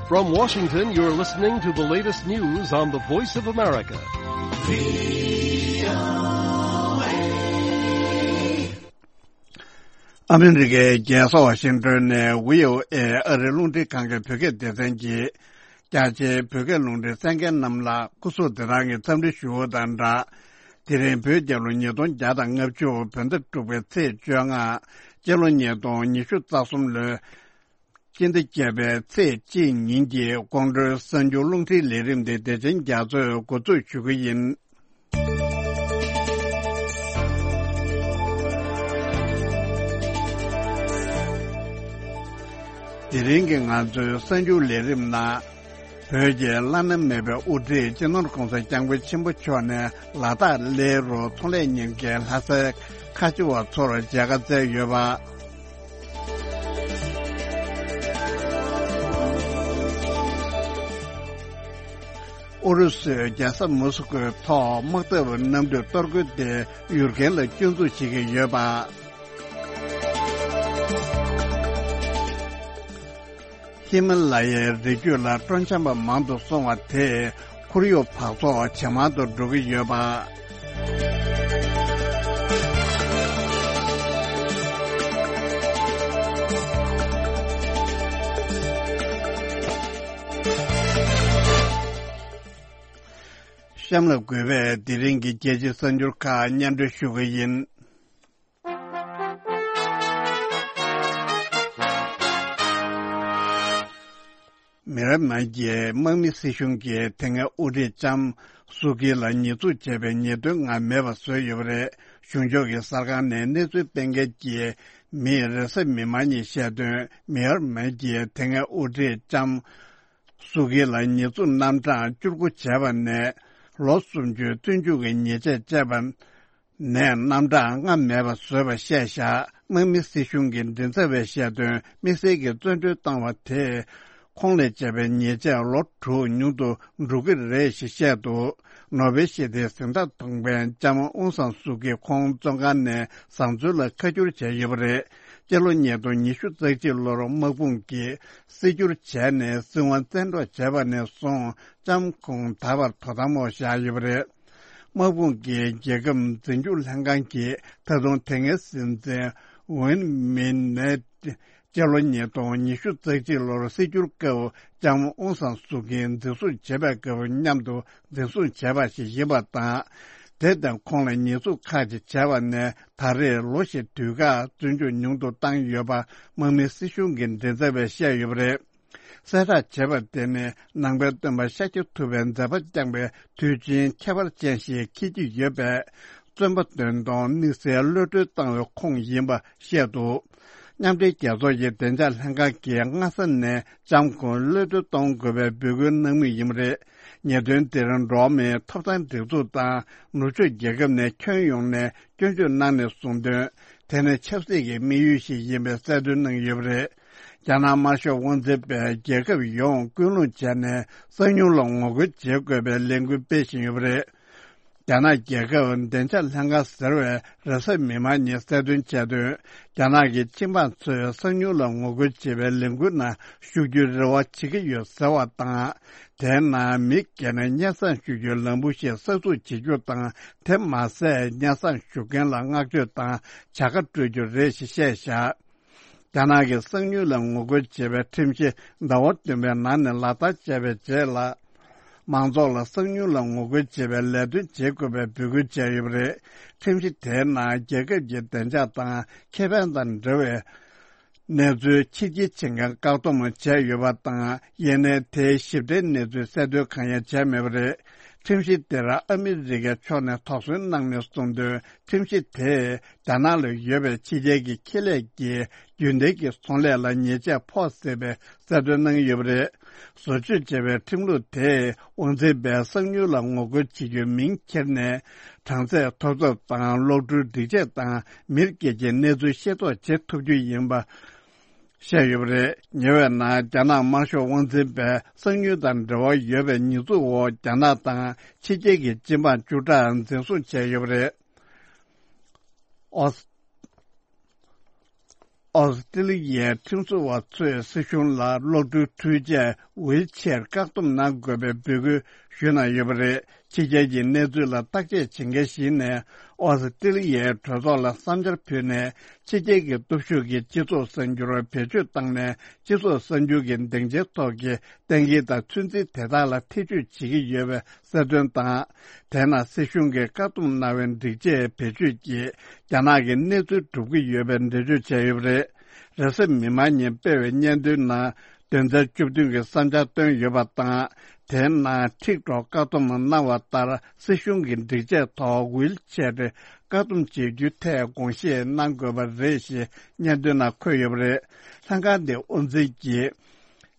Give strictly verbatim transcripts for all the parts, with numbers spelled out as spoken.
From Washington, you're listening to the latest news on the Voice of America. ཨ་མི་རི་ཀའི་རྒྱལ་ས་ཝ་ཤིང་ཏོན་ནས་བྷི་ཨོ་ཨེ་ཨ་རིའི་རླུང་འཕྲིན་ཁང་གི་བོད་སྐད་སྡེ་ཚན་གྱིས། རྒྱ་ཆེའི་བོད་སྐད་རླུང་འཕྲིན་གསན་མཁན་རྣམས་ལ་སྐུ་གཟུགས་བདེ་ཐང་གི་འཚམས་འདྲི་ཞུ་བ་དང་སྦྲགས། དེ་རིང་བོད་རྒྱལ་ལོ་ཉིས་སྟོང་བརྒྱ་དང་ལྔ་བཅུ་བོད་ཟླ་དྲུག་པའི་ཚེས་བཅོ་ལྔ། སྤྱི་ལོ་ཉིས་སྟོང་ཉི་ཤུ་རྩ་གསུམ་ལོའི་སྤྱི་ཟླ་བརྒྱད་པའི་ཚེས་གཅིག་ཉིན་གྱི་ཁོང་ཁྲོའི་གསར་འགྱུར་རླུང་འཕྲིན་ལས་རིམ་དེ་བདེ་ཆེན་རྒྱ་མཚོས་འགོ་འཛུགས་ཞུ་གི་ཡིན། དེ་རིང་གི་ང་ཚོའི་གསར་འགྱུར་ལས་རིམ་ནང་། བོད་ཀྱི་བླ་ན་མེད་པའི་དབུ་ཁྲིད་སྤྱི་ནོར་༸གོང་ས་༸སྐྱབས་མགོན་ཆེན་པོ་མཆོག་ནས་ལ་དྭགས་གླེ་རུ་ཚོང་ལས་གཉེར་མཁན་ལྷ་སའི་ཁ་ཆེ་བ་ཚོར་མཇལ་ཁ་བསྩལ་ཡོད་པ། ཨུ་རུ་སུས་རྒྱལ་ས་མོ་སི་ཀོའི་ཐོག་དམག་འཐབ་གནམ་གྲུ་གཏོར་རྒོལ་དེ་ཡུལ་རྐྱེན་ལ་སྐྱོན་འཛུགས་བྱེད་ཀྱི་ཡོད་པ། ཧི་མ་ལ་ཡའི་རི་རྒྱུད་ལ་སྤྲོ་འཆམ་པ་མང་དུ་སོང་བ་དེས་ཁོར་ཡུག་འབག་བཙོག་ཇེ་མང་དུ་འགྲོ་གི་ཡོད་པ། གཤམ་ལ་འགོད་པའི་དེ་རིང་གི་རྒྱལ་སྤྱིའི་གསར་འགྱུར་ཁག་སྙན་སྒྲོན་ཞུ་གི་ཡིན། མི་ཡན་མར་གྱི་དམག་མི་སྲིད་གཞུང་གིས་དེ་སྔའི་དབུ་ཁྲིད་ལྕམ་སུ་ཀི་ལ་ཉེས་འཛུགས་བྱས་པའི་ཉེས་དོན་ངང་མེད་པར་བཟོས་ཡོད་པ་རེད། གཞུང་ཕྱོགས་ཀྱི་གསར་ཁང་ནས་གནས་ཚུལ་སྤེལ་མཁན་གྱི་མིས་རེས་གཟའ་མིག་དམར་ཉིན་བཤད་དོན། མི་ཡན་མར་གྱི་དེ་སྔའི་དབུ་ཁྲིད་ལྕམ་སུ་ཀི་ལ་ཉེས་འཛུགས་རྣམ་གྲངས་བཅུ་དགུ་བྱས་པ་ནས་ལོ་སུམ་ཅུའི་བཙོན་འཇུག་གི་ཉེས་ཆད་བཅད་པ། ནས་རྣམ་གྲངས་སྔར་མེད་པ་བཟོས་པ་བཤད་བཞག་དམག་མི་སྲིད་གཞུང་གི་མགྲིན་ཚབ་པས་བཤད་དོན། དམིགས་བསལ་གྱི་བཙོན་གྲོལ་བཏང་བ་དེས་ཁོང་ལ་བཅད་པའི་ཉེས་ཆད་ལོ་དྲུག་ཉུང་དུ་འགྲོ་གི་རེད་ཞེས་བཤད་འདུག་ནོ་བེལ་ཞི་བདེའི་གཟེངས་རྟགས་ཐོབ་མཁན་ལྕམ་ཨུང་སང་སུ་ཀི་ཁོང་བཙོན་ཁང་ནས་བཟང་བཙོན་ལ་ཁ་བསྒྱུར་བྱས་ཡོད་པ་རེད། སྤྱི་ལོ་ཉིས་སྟོང་ཉི་ཤུ་རྩ་གཅིག་ལོར་དམག་དཔུང་གིས་སྲིད་བསྒྱུར་བྱས་ནས་སྲིད་དབང་བཙན་འཕྲོག་བྱས་པ་ནས་བཟུང་ལྕམ་ཁོང་ད་བར་དོ་དམ་འོག་བཞག་ཡོད་པ་རེད། དམག་དཔུང་གིས་རྒྱལ་ཁབ་འཛིན་སྐྱོང་ལྷན་ཁང་གིས་ད་དུང་དེ་སྔའི་སྲིད་འཛིན་ཝུན་མིན་ནེ་སྤྱི་ལོ་ཉིས་སྟོང་ཉི་ཤུ་རྩ་གཅིག་ལོར་སྲིད་སྐྱོང་སྐབས་ལྕམ་ཨུང་སང་སུ་ཀིའི་འཛིན་བཟུང་བྱེད་པའི་སྐབས་མཉམ་དུ་འཛིན་བཟུང་བྱས་པ་ཞིག་ཡིན་པ་དང་། དེ་དང་ཁོང་ལ་ཉེས་འཛུགས་ཁག་ཅིག་བྱས་པ་ནས་ད་རེས་ལོ་ཞིག་དུས་བཀག་བཙོན་འཇུག་ཉུང་དུ་བཏང་ཡོད་པ་དམག་མི་སྲིད་གཞུང་གི་མགྲིན་ཚབ་པས་བཤད་ཡོད་པ་རེད། གསལ་བསྒྲགས་བྱས་པ་དེ་ནི་ནང་པའི་སྟོན་པ་ཤཱཀྱ་ཐུབ་པའི་མཛད་པ་བསྐྱངས་པའི་དུས་ཆེན་ཁྱད་པར་ཅན་ཞིག་འཁེལ་གྱི་ཡོད་པས། བཙོན་པ་བདུན་སྟོང་དམིགས་བསལ་གློད་གྲོལ་བཏང་བའི་ཁོངས་ཡིན་པ་བཤད་འདུག་མཉམ་འབྲེལ་རྒྱལ་ཚོགས་ཀྱི་བདེ་འཇགས་ལྷན་ཁང་གིས་སྔ་ས་ནས་ལྕམ་ཁོང་གློད་གྲོལ་གཏོང་དགོས་པའི་འབོད་སྐུལ་གནང་མུས་ཡིན་པ་རེད། ཉེས་དོན་དེར་འགྲོ་བ་མིའི་ཐོབ་ཐང་སྒྲིག་འཛུགས་དང་ནུབ་ཕྱོགས་རྒྱལ་ཁབ་ནས་ཁྱོན་ཡོངས་ནས་སྐྱོན་བརྗོད་གནང་ནས་གསུངས་དོན། དེ་ནི་ཆབ་སྲིད་ཀྱི་དམིགས་ཡུལ་ཞིག་ཡིན་པའི་གསལ་སྟོན་གནང་ཡོད་པ་རེད། རྒྱ་ནག་དམར་ཤོག་དབང་འཛིན་པས་རྒྱལ་ཁབ་ཡོངས་སྐུལ་སློང་བྱས་ནས་གསང་མྱུལ་ལ་ངོ་རྒོལ་བྱེད་དགོས་པའི་ལས་འགུལ་སྤེལ་བཞིན་ཡོད་པ་རེད། རྒྱ་ནག་རྒྱལ་ཁབ་བདེ་འཇགས་ལྷན་ཁང་ཟེར་བས་རེས་གཟའ་མིག་དམར་ཉིན་གསལ་སྟོན་བྱས་དོན། རྒྱ་ནག་གི་སྤྱི་འབངས་ཚོས་གསང་མྱུལ་ལ་ངོ་རྒོལ་བྱེད་པའི་ལས་འགུལ་ནང་ཞུགས་རྒྱུའི་རེ་བ་བྱེད་ཀྱི་ཡོད་ཟེར་བ་དང་། དེའི་ནང་མི་སྒེར་ནས་སྙན་སེང་ཞུ་རྒྱུའི་ལམ་བུ་ཞིག་གསར་འཛུགས་བྱེད་རྒྱུ་དང་། དེ་མ་ཟད་སྙན་སེང་ཞུ་མཁན་ལ་བསྔགས་བརྗོད་དང་བྱ་དགའ་སྤྲོད་རྒྱུ་རེད་ཞེས་བཤད་བཞག་རྒྱ་ནག་གི་གསང་མྱུལ་ལ་ངོ་རྒོལ་བྱེད་པའི་ཁྲིམས་གཞི་ཟླ་བ་བདུན་པའི་ནང་ནས་ལག་བསྟར་བྱས་པའི་རྗེས་ལ། མང་ཚོགས་ལ་གསང་མྱུལ་ལ་ངོ་རྒོལ་བྱེད་པའི་ལས་དོན་བྱེད་དགོས་པའི་འབོད་སྐུལ་བྱས་ཡོད་པ་རེད། ཁྲིམས་གཞི་དེའི་ནང་རྒྱལ་ཁབ་ཀྱི་བདེ་འཇགས་དང་ཁེ་ཕན་དང་འབྲེལ་བའི་གནས་ཚུལ་ཕྱི་འགྱེད་བྱེད་མཁན་བཀག་སྡོམ་བྱས་ཡོད་པ་དང་། ཡིན་ནའི་དེའི་ཞིབ་ཕྲའི་གནས་ཚུལ་གསལ་སྟོན་གང་ཡང་བྱས་མེད་པ་རེད། ཁྲིམས་གཞི་དེར་ཨ་མི་རི་ཀའི་ཕྱོགས་ནས་དོགས་ཟོན་གནང་ནས་གསུངས་དོན། ཁྲིམས་གཞི་དེས་རྒྱ་ནག་ལ་ཡོད་པའི་ཕྱི་རྒྱལ་གྱི་ཁེ་ལས་ཀྱི་རྒྱུན་ལྡན་གྱི་ཚོང་ལས་ལ་ཉེས་ཆད་ཕོག་སྲིད་པའི་གསལ་སྟོན་གནང་ཡོད་པ་རེད། བཟོ་བཅོས་བྱས་པའི་ཁྲིམས་ལུགས་དེས་དབང་འཛིན་པས་གསང་མྱུལ་ལ་ངོ་རྒོལ་བྱེད་རྒྱུའི་མིང་ཁྱེར་ནས། གྲངས་ཚད་ཐོབ་ཐབས་དང་། གློག་འཕྲུལ་སྒྲིག་ཆས་དང་མིར་སྐྱེལ་གྱི་གནས་ཚུལ་ཤེས་རྟོགས་བྱེད་ཐུབ་རྒྱུ་ཡིན་པ། བཤད་ཡོད་པ་རེད། ཉེ་བའི་ནང་རྒྱ་ནག་དམར་ཤོག་དབང་འཛིན་པས་གསང་མྱུལ་དང་འབྲེལ་བ་ཡོད་པའི་ཉེས་འཛུགས་འོག་རྒྱ་ནག་དང་ཕྱི་རྒྱལ་གྱི་སྤྱི་འབངས་བཅུ་ཕྲག་འཛིན་བཟུང་བྱས་ཡོད་པ་རེད། ཨོ། ཨོ་སི་ཀྲི་ལི་ཡའི་ཁྲིམས་བཟོ་བ་ཚོས་སྲིད་གཞུང་ལ་གློག་འཕྲུལ་འཕྲུལ་ཆས་ཝིལ་ཆེར་བཀག་སྡོམ་གནང་དགོས་པའི་འབོད་སྐུལ་ཞུས་གནང་ཡོད་པ་རེད། ཕྱི་རྒྱལ་གྱི་གནས་ཚུལ་ལ་བརྟག་དཔྱད་བྱེད་མཁན་ཞིག་ནས་ཨོ་སི་ཀྲི་ལི་ཡའི་གྲོས་ཚོགས་ལ་བསམ་འཆར་ཕུལ་ནས། ཕྱི་རྒྱལ་གྱི་སྟོབས་ཤུགས་ཀྱིས་སྤྱི་ཚོགས་གསར་འགྱུར་བེད་སྤྱོད་བཏང་ནས། སྤྱི་ཚོགས་གསར་འགྱུར་གྱི་སྡིངས་ཆའི་ཐོག་གི་གཏན་འཁེལ་དང་ཚོད་འཛིན་དེ་དག་ལ་ཐེ་བྱུས་བྱེད་ཀྱི་ཡོད་པའི་གསལ་སྟོན་དང་། དེས་ན་སྲིད་གཞུང་གིས་བཀག་སྡོམ་གནང་བའི་སྒྲིག་ཆས་བེད་སྤྱོད་ཀྱིས་རྒྱ་ནག་གི་གནས་ཚུལ་སྒྲུབ་ཀྱི་ཡོད་པའི་འགྲེལ་བརྗོད་བྱས་ཡོད་པ་རེད། རེས་གཟའ་མིག་དམར་ཉིན་སྤེལ་བའི་སྙན་ཐོའི་ནང་། དོན་ཚན་བཅུ་བདུན་གྱི་བསམ་འཆར་བཏོན་ཡོད་པ་དང་། དེའི་ནང་ཊིག་ཊོག་བཀག་སྡོམ་གནང་བ་ལྟར། སྲིད་གཞུང་གི་སྒྲིག་ཆས་ཐོག་ཝིལ་ཆེར་བཀག་སྡོམ་བྱེད་རྒྱུའི་ཐད་དགོངས་བཞེས་གནང་དགོས་པ་རེད་ཞེས་སྙན་ཐོའི་ནང་འཁོད་ཡོད་པ་རེད། ལྷན་ཁང་དེའི་དབུ་འཛིན་གྱིས་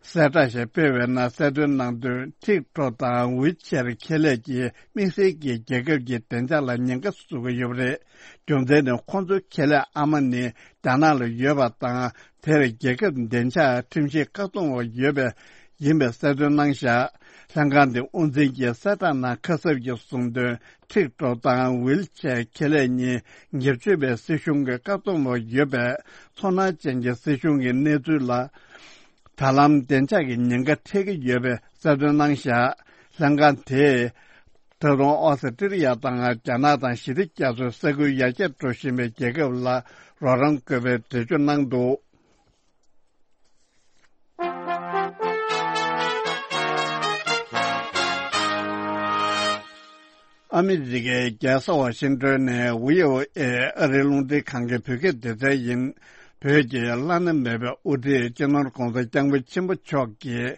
གསལ་བསྒྲགས་ཤིག་སྤེལ་བའི་ནང་གསལ་སྟོན་གནང་དོན། ཊིག་ཊོག་དང་ཝིལ་ཆེར་ཁེ་ལས་ཀྱིས་དམིགས་བསལ་གྱིས་རྒྱལ་ཁབ་ཀྱི་བདེ་འཇགས་ལ་ཉེན་ཁ་བཟོ་གི་ཡོད་པ་རེད། རྒྱུ་མཚན་ནི་ཁོང་ཚོའི་ཁེ་ལས་ཨ་མ་ནི་རྒྱ་ནག་ལ་ཡོད་པ་དང་། དེར་རྒྱལ་ཁབ་བདེ་འཇགས་ཁྲིམས་གཞི་བཀག་སྡོམ་འོག་ཡོད་པའི་ཡིན་པའི་གསལ་སྟོན་གནང་བཞག་ལྷན་ཁང་དེ་དབུ་འཛིན་གྱིས་གསལ་བསྒྲགས་ནང་ཁ་གསབ་ཀྱིས་གསུངས་དོན། ཊིག་ཊོག་དང་ཝིལ་ཆེར་ཁེ་ལས་གཉིས་སྒེར་གཅོད་པའི་སྲིད་གཞུང་གི་བཀག་སྡོམ་འོག་ཡོད་པས། ཚོར་སྣང་ཅན་གྱི་སྲིད་གཞུང་གི་གནས་ཚུལ་ལ་ད་ལམ་བདེ་འཇགས་ཀྱི་ཉེན་ཁ་འཕྲད་ཀྱི་ཡོད་པའི་གསལ་སྟོན་གནང་བཞག་ལྷན་ཁང་དེས། ད་དུང་ཨོ་སི་ཀྲི་ལི་ཡ་དང་རྒྱ་ནག་དང་ཞི་བདེ་རྒྱ་མཚོའི་ས་ཁུལ་ཡར་རྒྱས་འགྲོ་བཞིན་པའི་རྒྱལ་ཁབ་ལ་རོགས་རམ་དགོས་པའི་འགྲེལ་བརྗོད་གནང་འདུག་ཨ་མི་རི་ཀའི་རྒྱལ་ས་ཝ་ཤིང་ཏོན་ནས་བྷི་ཨོ་ཨེ་ཨ་རིའི་རླུང་འཕྲིན་ཁང་གི་བོད་སྐད་སྡེ་ཚན་ཡིན། བོད་ཀྱི་བླ་ན་མེད་པའི་དབུ་ཁྲིད་སྤྱི་ནོར་༧གོང་ས་༧སྐྱབས་མགོན་ཆེན་པོ་མཆོག་གིས།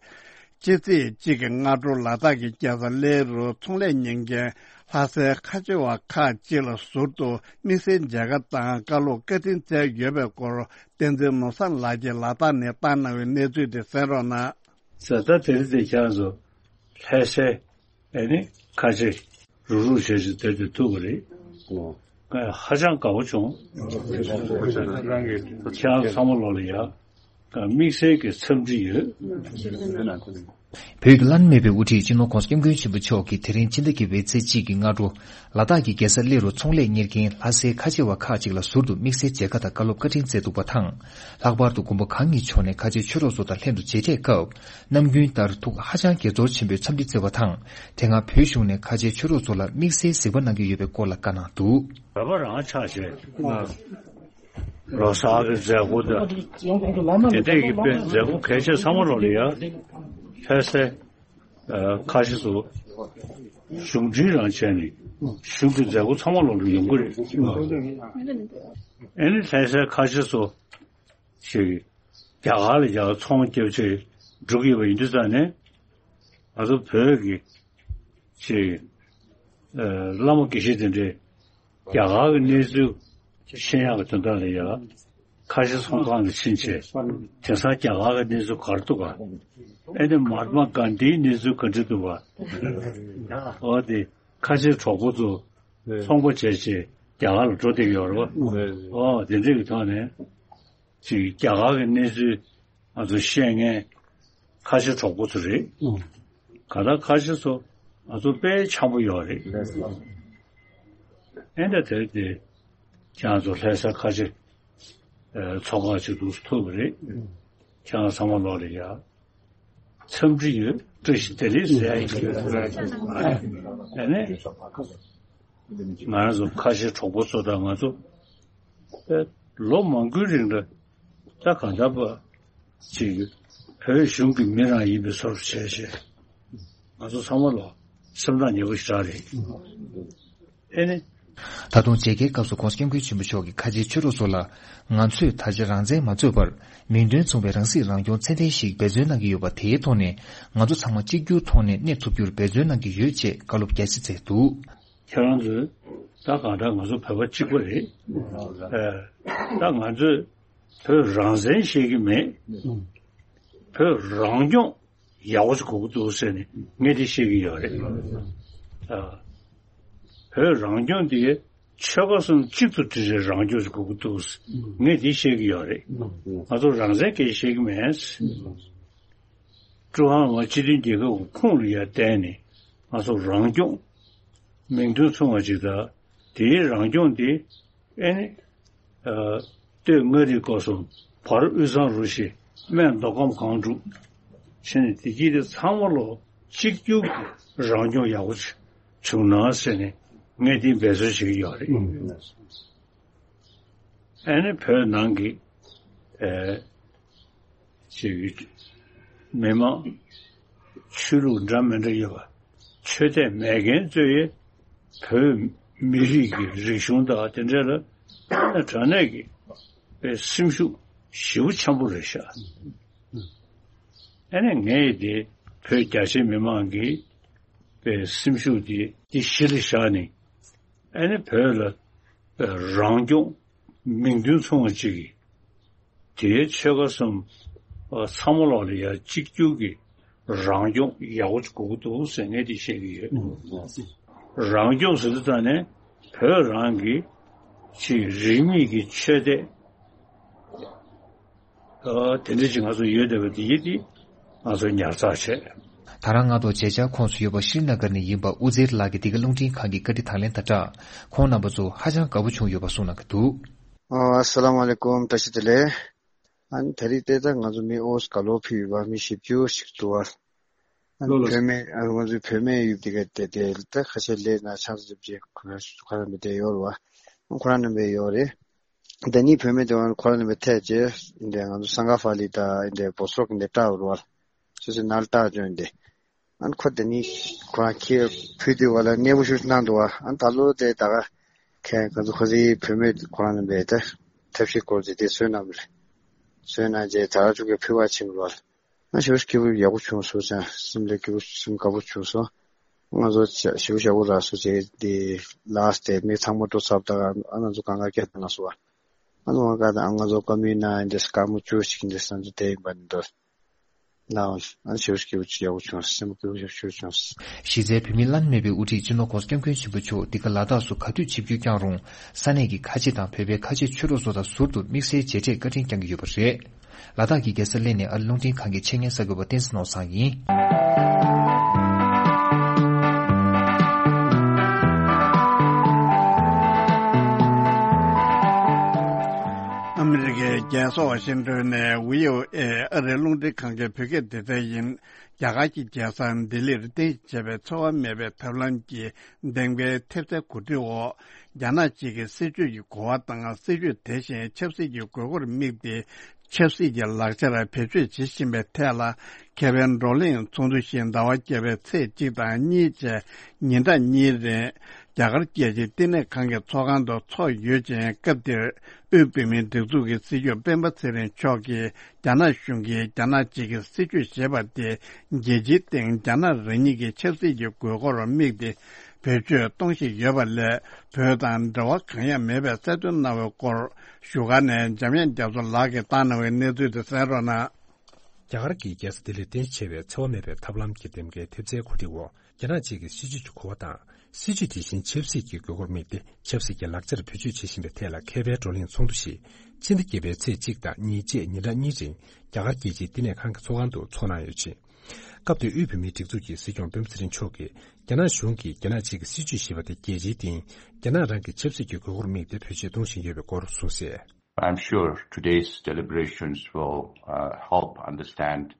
ཕྱི་ཚེས་གཅིག་གི་སྔ་དྲོ་ལ་དྭགས་ཀྱི་རྒྱལ་ས་གླེ་རུ་ཚོང་ལས་གཉེར་མཁན་ལྷ་སའི་ཁ་ཆེ་བ་ཁག་ཅིག་ལ་ཟུར་དུ་དམིགས་བསལ་མཇལ་ཁ་དང་བཀའ་སློབ་བཀའ་དྲིན་སྩལ་ཡོད་པའི་སྐོར་བསྟན་འཛིན་ནོར་བཟང་ལགས་ཀྱིས་ལ་དྭགས་ནས་བཏང་གནང་བའི་གནས་ཚུལ་དེ་གསན་རོགས་གནང་། ཟ་ད་དེ་རིང་དེ་ཁྱེད་རང་ཚོ་ལྷ་སའི་ཨེ་ནི་ཁ་ཆེ་རུག་རུག་བྱས་ཤིག་དེ་དེ་ཐུག་པ་རེད། ཨོ། ཧ་ཅང་དགའ་པོ་བྱུང་། ཁྱེད་རང་ཚང་མ་ལོག་ལ་ཡ། དམིགས་བསལ་གྱི་འཚམས་འདྲི་ཡོད། བོད་ཀྱི་བླ་ན་མེད་པའི་དབུ་ཁྲིད་སྤྱི་ནོར་༧གོང་ས་༧སྐྱབས་མགོན་ཆེན་པོ་མཆོག་གིས་དེ་རིང་ཕྱི་ཟླ་བརྒྱད་པའི་ཚེས་གཅིག་གི་སྔ་དྲོ། ལ་དྭགས་ཀྱི་རྒྱལ་ས་གླེ་རུ་ཚོང་ལས་གཉེར་མཁན་ལྷ་སའི་ཁ་ཆེ་བ་ཁག་ཅིག་ལ་ཟུར་དུ་དམིགས་བསལ་མཇལ་ཁ་དང་བཀའ་སློབ་བཀའ་དྲིན་སྩལ་འདུག་པ་དང་། ལྷག་པར་དུ་མགོན་པོ་གང་ཉིད་མཆོག་ནས་ཁ་ཆེ་ཆོས་གྲོགས་ཚོ་དང་ལྷན་དུ་མཇལ་འཕྲད་སྐབས། ནམ་རྒྱུན་ལྟར་ཐུགས་ཧ་ཅང་དགྱེས་ཚོར་ཆེན་པོས་འཚམས་འདྲི་སྩལ་བ་དང་། དེ་སྔ་བོད་གཞུང་ནས་ཁ་ཆེ་ཆོས་གྲོགས་ཚོ་ལ་དམིགས་བསལ་གཟིགས་པ་གནང་གི་ཡོད་པའི་སྐོར་ལ་བཀའ་གནང་འདུག་བོད་པ་རང་ཆགས་བྱས། ལོ་གསར་གྱི་མཛད་སྒོ་དང་། དེ་འདྲས་ཀྱི་དཔེ་མཛད་སྒོ་གལ་ཆེ་ཚང་མ་ལོག་ལ་ཡ། ལྷ་སའི་ཁ་ཆེ་ཚོ་གཞུང་འབྲེལ་རང་བྱས་ནས་གཞུང་གི་མཛད་སྒོ་ཚང་མ་ལོག་ལ་ཡོང་གི་རེད། ཨེ་ནི་ལྷ་སའི་ཁ་ཆེ་ཚོ་ཞིག་རྒྱ་གར་ལ་ཡ་ཚོང་རྒྱབ་ཆེད་འགྲོ་གི་ཡོད་པ་ཡིན་དུས་ཙང་ནས། ང་ཚོ་བོད་ཀྱི་ཅིག་ཨ་བླ་མ་དགེ་བཤེས་དེ་འདྲས་རྒྱ་གར་གྱི་གནས་ཚུལ་ཤེས་ཡག་གི་དོན་དག་ལ་ཡ་ཁ་ཆེ་ཚོང་ཁང་ལ་ཕྱིན་བྱས། དེང་སང་རྒྱ་གར་གྱི་གནས་ཚུལ་ག་རེ་འདུག་ག་ཨེ་ནི་མ་ཧཱ་ཏྨ་གྷན་དྷིའི་གནས་ཚུལ་ག་འདྲ་འདུག་ག་འོ་དེ་ཁ་ཆེ་གྲོགས་པོ་ཚོ་ཚོང་པ་བྱས་བྱས་རྒྱ་གར་ལ་འགྲོ་བསྡད་ཀྱི་ཡོད་རེད་པ། འོ་དེ་འདྲ་གི་ཐོག་ནས། ཅིག་རྒྱ་གར་གྱི་གནས་ཚུལ་ང་ཚོ་ཤེས་མཁན་ཁ་ཆེ་གྲོགས་པོ་ཚོ་རེད། ཨུ། ག་ད་ཁ་ཆེ་ཚོ་ང་ཚོ་དཔེ་འཆམ་པོ་ཡོད་རེད། ཨེ་འདྲ་དེར་དེ་ཁྱེད་ཚོ་ལྷ་ས་ཁ་ཆེ་ཨེ་ཚོགས་ཁག་ཅིག་འདུག་ཐུག་པ་རེད། ཁྱེད་རང་ཚང་མ་ལོག་ལ་ཡ། འཚམས་འདྲི་ཡོད། བཀྲ་ཤིས་བདེ་ལེགས་ཟེར་ཡ་ཡིན། ཨ་ནི། ང་རང་ཚོ་ཁ་ཆེ་གྲོགས་པོ་ཚོ་དང་ང་ཚོ་ཨེ་ལོ་མང་པོའི་རིང་ལ་ད་གང་ལྟར་པ་ཅིག་བོད་གཞུང་གི་མི་རང་ཡིན་པའི་བཟོ་འདྲ་བྱས་བྱས་ང་ཚོ་ཚང་མ་ལ་སེམས་ཐག་ཉེ་པོ་ཞེ་དྲག་རེད། ཨེ་ནི། ད་དུང་མཇལ་ཁའི་སྐབས་སུ་༧གོང་ས་༧སྐྱབས་མགོན་ཆེན་པོ་མཆོག་གིས་ཁ་ཆེ་ཆོས་གྲོགས་ཚོ་ལ། ང་ཚོས་ད་ཆ་རང་བཙན་མ་རྩོད་པར། མིང་དོན་མཚུངས་པའི་རང་སྲིད་རང་སྐྱོང་ཚད་ལྡན་ཞིག་འབད་བརྩོན་གནང་གི་ཡོད་པ་དེའི་ཐོག་ནས། ང་ཚོ་ཚང་མ་གཅིག་གྱུར་ཐོག་ནས་གནས་ཐུབ་རྒྱུར་འབད་བརྩོན་གནང་གི་ཡོད་ཅེས་བཀའ་སློབ་རྒྱ་ཆེ་སྩལ་འདུག་ཁྱེད་རང་ཚོས་ད་གང་ལྟར་ང་ཚོ་བོད་པ་གཅིག་པ་རེད། ཨེ། ད་ང་ཚོས་བོད་རང་བཙན་བཤད་ཀྱི་མེད། བོད་རང་སྐྱོང་ཡག་པོ་ཞིག་དགོས་ཀྱི་འདུག་ཟེར་ནས་ངས་དེ་བཤད་ཀྱི་ཡོད་རེད། ཨ། བོད་རང་སྐྱོང་དེ་ཆོལ་ཁ་གསུམ་གཅིག་ཏུ་སྒྲིལ་བའི་རང་སྐྱོང་ཞིག་དགོས་ཀྱི་འདུག་ངས་དེ་བཤད་ཀྱི་ཡོད་རེད། ང་ཚོ་རང་བཙན་སྐད་ཆ་བཤད་ཀྱི་མེད། ཀྲུང་ཧྭ་མི་དམངས་སྤྱི་མཐུན་རྒྱལ་ཁབ་ཀྱི་ཁོངས་ལ་ཡར་བསྡད་ནས་ང་ཚོ་རང་སྐྱོང་མིང་དོན་མཚུངས་པ་ཅིག་དང་དེའི་རང་སྐྱོང་དེ་ཨེ་ནི། ཨ། སྟོད་མངའ་རིས་སྐོར་གསུམ། བར་དབུས་གཙང་རུ་བཞི། སྨད་མདོ་ཁམས་སྒང་དྲུག་བྱས་ནས་དེ་གྱིས་དེ་ཚང་མ་ལོ་གཅིག་གྱུར་གྱི་རང་སྐྱོང་ཡག་པོ་ཅིག་བྱུང་ན་ཟེར་ནས་ངས་དེ་འབད་རྩོལ་བྱེད་ཀྱི་ཡོད་རེད། ཨ་ནི་བོད་ནང་གི་ཨེ་ཅིག་མི་མང་ཆོས་ལུགས་འདྲ་མི་འདྲ་ཡོད་པ། ཆོས་དད་མེད་མཁན་ཚོས་བོད་མི་རིགས་ཀྱི་རིག་གཞུང་དང་དེ་འདྲ་ལ་དངོས་གནས་དྲང་གནས་ཀྱི་པའི་སེམས་ཤུགས་ཞེ་པོ་ཆེན་པོ་རེད་ཤག་ཨ་ནི་ངས་དེ་བོད་རྒྱ་ཆེ་མི་མང་གི་པའི་སེམས་ཤུགས་དེ་དེ་གཞི་ལ་བཞག་ནས། ཨ་ནི་བོད་ལ་རང་སྐྱོང་མིང་དོན་མཚུངས་པ་ཅིག་གིས་དེའི་ཆོལ་ཁ་གསུམ་ཚང་མ་ལོག་ལ་ཡ་གཅིག་གྱུར་གྱི་རང་སྐྱོང་ཡག་པོ་ཅིག་དགོས་ཀྱི་འདུག་ཟེར་ངས་དེ་བཤད་ཀྱི་ཡོད། རང་སྐྱོང་ཟེར་དུས་ད་ནས་བོད་རང་གི་ཅིག་རིས་མེད་ཀྱི་ཆོས་དད། ཨ། དེ་འདྲ་ཅིག་ང་ཚོ་ཡོད་བསྡད་པ་དེ་ཡིན་ཏེ་ང་ཚོ་ཉར་ཚགས་བྱས། ད་རང་ང་ཚོ་མཇལ་བཅར་ཁོངས་སུ་ཡོད་པ་ཤྲི་ན་གར་ནས་ཡིན་པ་ཨུ་ཛེར་ལགས་ཀྱིས་འདི་ག་རླུང་འཕྲིན་ཁང་གི་བཀའ་འདྲི་དང་ལེན་དང་སྦྲགས་ཁོང་རྣམ་པ་ཚོ་ཧ་ཅང་དགའ་པོ་བྱུང་ཡོད་པ་གསུངས་གནང་གི་འདུག་ཨ། ཨ་སླ་མ་ལེ་ཀུམ། བཀྲ་ཤིས་བདེ་ལེགས། ཨ་ནི་ད་རེས་ཏེ་ད་ང་ཚོ་མི་ཨོ་སི་ཀ་ལོ་ཕུད་ཡོད་པ་མི་བཞི་བཅུ་ཞིག་འདུག་བ། ཨ་ནི་ལོ་ལོ། བུད་མེད་ཨ་ང་ཚོའི་བུད་མེད་ཡོད་དེ་ག་དེ་དེ་ད་ཁ་ཤས་ལས་ན་ཆང་ས་ཅིབ་ཅེ་ཁོ་རང་ཁོ་རང་མི་དེ་ཡོད་རེད་བ། ཁོ་རང་རྣམ་པའི་ཡོད་རེད། ད་ནི་བུད་མེད་དེ་བ་ཁོ་རང་ནི་མི་ཐད་ཅེས་འདི་ང་ཚོ་སང་ག་ཧྥ་ལི་དང་འདི་བོ་སོག་འདི་བཀྲ་བར་བར་སོ་སོའི་ནང་ལ་བཀྲ་བཅོས་འདི། ཨན་ཁོ་དེ་ནི་ཁོ་རང་ཁྱེད་ཕུལ་དུས་བ་ལ་གནས་བུ་ཤུ་གནང་འདུག་བ། ཨན་ད་ལོ་དེ་ད་ག་ཁྱེད་ང་ཚོ་ཁོ་ཚོའི་བུད་མེད་ཁོ་རང་ནི་མི་དེ་ཐབས་ཤེས་སྐོར་དེ་དེ་བཟོས་གནང་བ་རེད། བཟོས་གནང་རྗེས་ད་ར་ཅུ་གི་ཕུལ་བ་ཕྱིན་བར་བ་ལ། ང་ཞེ་པོ་སྐྱིད་པོ་ཡག་པོ་བྱུང་སོང་ཙང་སེམས་ལ་སྐྱིད་པོ་སེམས་དགའ་པོ་བྱུང་སོང་། ང་ཚོ་ཞེ་པོ་ཞེ་པོ་རག་སོང་ཅེས་དེ་ལགས་ཏེ་མི་ཚང་མ་འགྲོ་ཚར་ད་ཨ་ང་ཚོ་གང་ག་སྐད་བཏང་སོང་བ། ཨ་ནི་བ་ག་ད་ང་ཚོ་བཀའ་མོལ་གནང་ཡིན་དེ་སྐར་མ་བཅུ་ཞིག་འདི་ས་འདི་དེ་ཡིན་པ་འདི་འདྲ་ལའོ་ཨ་ཞེ་པོ་སྐྱིད་པོ་ཡག་པོ་བྱུང་སེམས་སྐྱིད་པོ་ཞེ་པོ་བྱུང་། གཞི་རྩའི་བོད་མིའི་བླ་ན་མེད་པའི་དབུ་ཁྲིད་སྤྱི་ནོར་༸གོང་ས་༸སྐྱབས་མགོན་ཆེན་པོ་མཆོག་འདི་ག་ལ་དྭགས་སུ་ག་དུས་ཆིབས་བསྒྱུར་བསྐྱངས་རུང་ས་གནས་ཀྱི་ཁ་ཆེ་དང་བོད་པའི་ཁ་ཆེ་ཆོས་གྲོགས་ཚོ་དང་ཟུར་དུ་དམིགས་བསལ་མཇལ་འཕྲད་བཀའ་དྲིན་བསྐྱངས་ཀྱི་ཡོད་པ་རེད། ལ་དྭགས་ཀྱི་རྒྱལ་ས་གླེ་ནས་ཨ་རི་རླུང་འཕྲིན་ཁང་གི་ཆེད་གཉེར་གསར་འགོད་པ་བསྟན་འཛིན་ནོར་བཟང་ཡིན། ཨ་མི་རི་ཀའི་རྒྱལ་ས་ཝ་ཤིང་ཏོན་ནས་བྷི་ཨོ་ཨེ་ཨ་རིའི་རླུང་འཕྲིན་ཁང་གི་བོད་སྐད་སྡེ་ཚན་ཡིན། རྒྱ་གར་གྱི་རྒྱལ་ས་ལྡི་ལིར་རྟེན་གཞི་བྱས་པའི་འཚེ་བ་མེད་པའི་ཐབས་ལམ་གྱི་འདེམས་ཀའི་ཐེབས་རྩའི་གོ་སྒྲིག་འོག་རྒྱ་ནག་གཅིག་གི་སྲིད་བྱུས་ཀྱི་གོ་བ་དང་སྲིད་བྱུས་དེ་བཞིན་ཆབ་སྲིད་ཀྱི་དགོས་མཁོར་དམིགས་ཏེ་ཆབ་སྲིད་ཀྱི་ལག་ཆར་བེད་སྤྱོད་བྱེད་བཞིན་པའི་ཐད་ལ་ཁེ་ཕན་བགྲོ་གླེང་ཚོགས་འདུ་ཞིག་ཟླ་བ་བརྒྱད་པའི་ཚེས་གཅིག་དང་གཉིས་བཅས་ཉིན་གྲངས་གཉིས་རིང་རྒྱ་གར་རྒྱལ་སྤྱིའི་བསྟི་གནས་ཁང་གི་ཚོགས་ཁང་དུ་འཚོགས་ཡོད་ཅིང་། སྐབས་དེར་དབུས་བོད་མིའི་སྒྲིག་འཛུགས་ཀྱི་སྲིད་སྐྱོང་སྤེན་པ་ཚེ་རིང་མཆོག་གིས་རྒྱ་ནག་གཞུང་གིས་རྒྱ་ནག་གཅིག་གི་སྲིད་བྱུས་ཞེས་པ་དེ་རྒྱལ་སྤྱིའི་སྟེང་རྒྱ་ནག་རང་ཉིད་ཀྱི་ཆབ་སྲིད་ཀྱི་དགོས་མཁོར་དམིགས་ཏེ་བེད་སྤྱོད་གཏོང་བཞིན་ཡོད་པ་ལས། བོད་དང་འབྲེལ་བ་གང་ཡང་མེད་པའི་གསལ་སྟོན་གནང་བའི་སྐོར་བཞུགས་སྒར་ནས་འཇམ་དབྱངས་རྒྱ་མཚོ་ལགས་ཀྱིས་བཏང་གནང་བའི་གནས་ཚུལ་དེ་གསན་རོགས་གནང་། རྒྱ་གར་གྱི་རྒྱལ་ས་ལྡི་ལིར་རྟེན་གཞི་བྱས་པའི་འཚེ་བ་མེད་པའི་ཐབས་ལམ་གྱི་འདེམས་ཀའི་ཐེབས་རྩའི་གོ་སྒྲིག་འོག་རྒྱ་ནག་གཅིག་གི་སྲིད་བྱུས་ཀྱི་གོ་བ་དང་། སྲིད་བྱུས་དེ་བཞིན་ཆབ་སྲིད་ཀྱི་དགོས་མཁོར་དམིགས་ཏེ་ཆབ་སྲིད་ཀྱི་ལག་ཆར་བེད་སྤྱོད་བྱེད་བཞིན་པའི་ཐད་ལ་ཁེ་ཕན་བགྲོ་གླེང་ཚོགས་འདུ་ཞིག་ཕྱི་ཟླ་བརྒྱད་པའི་ཚེས་གཅིག་དང་གཉིས་བཅས་ཉིན་གྲངས་གཉིས་རིང་རྒྱ་གར་རྒྱལ་སྤྱིའི་བསྟི་གནས་ཁང་གི་ཚོགས་ཁང་དུ་འཚོགས་གནང་ཡོད་ཅིང་། སྐབས་དེར་དབུས་བོད་མིའི་སྒྲིག་འཛུགས་ཀྱི་སྲིད་སྐྱོང་སྤེན་པ་ཚེ་རིང་མཆོག་གིས་རྒྱ་ནག་གཞུང་གིས་རྒྱ་ནག་གཅིག་གི་སྲིད་བྱུས་ཞེས་པ་དེ་རྒྱལ་སྤྱིའི་སྟེང་རྒྱ་ནག་རང་གི་ཆབ་སྲིད་ཀྱི་དགོས་མཁོར་དམིགས་ཏེ་བེད་སྤྱོད་གཏོང་བཞིན་ཡོད་པའི་སྐོར་གསུངས་གསལ། I'm sure today's deliberations will uh, help understand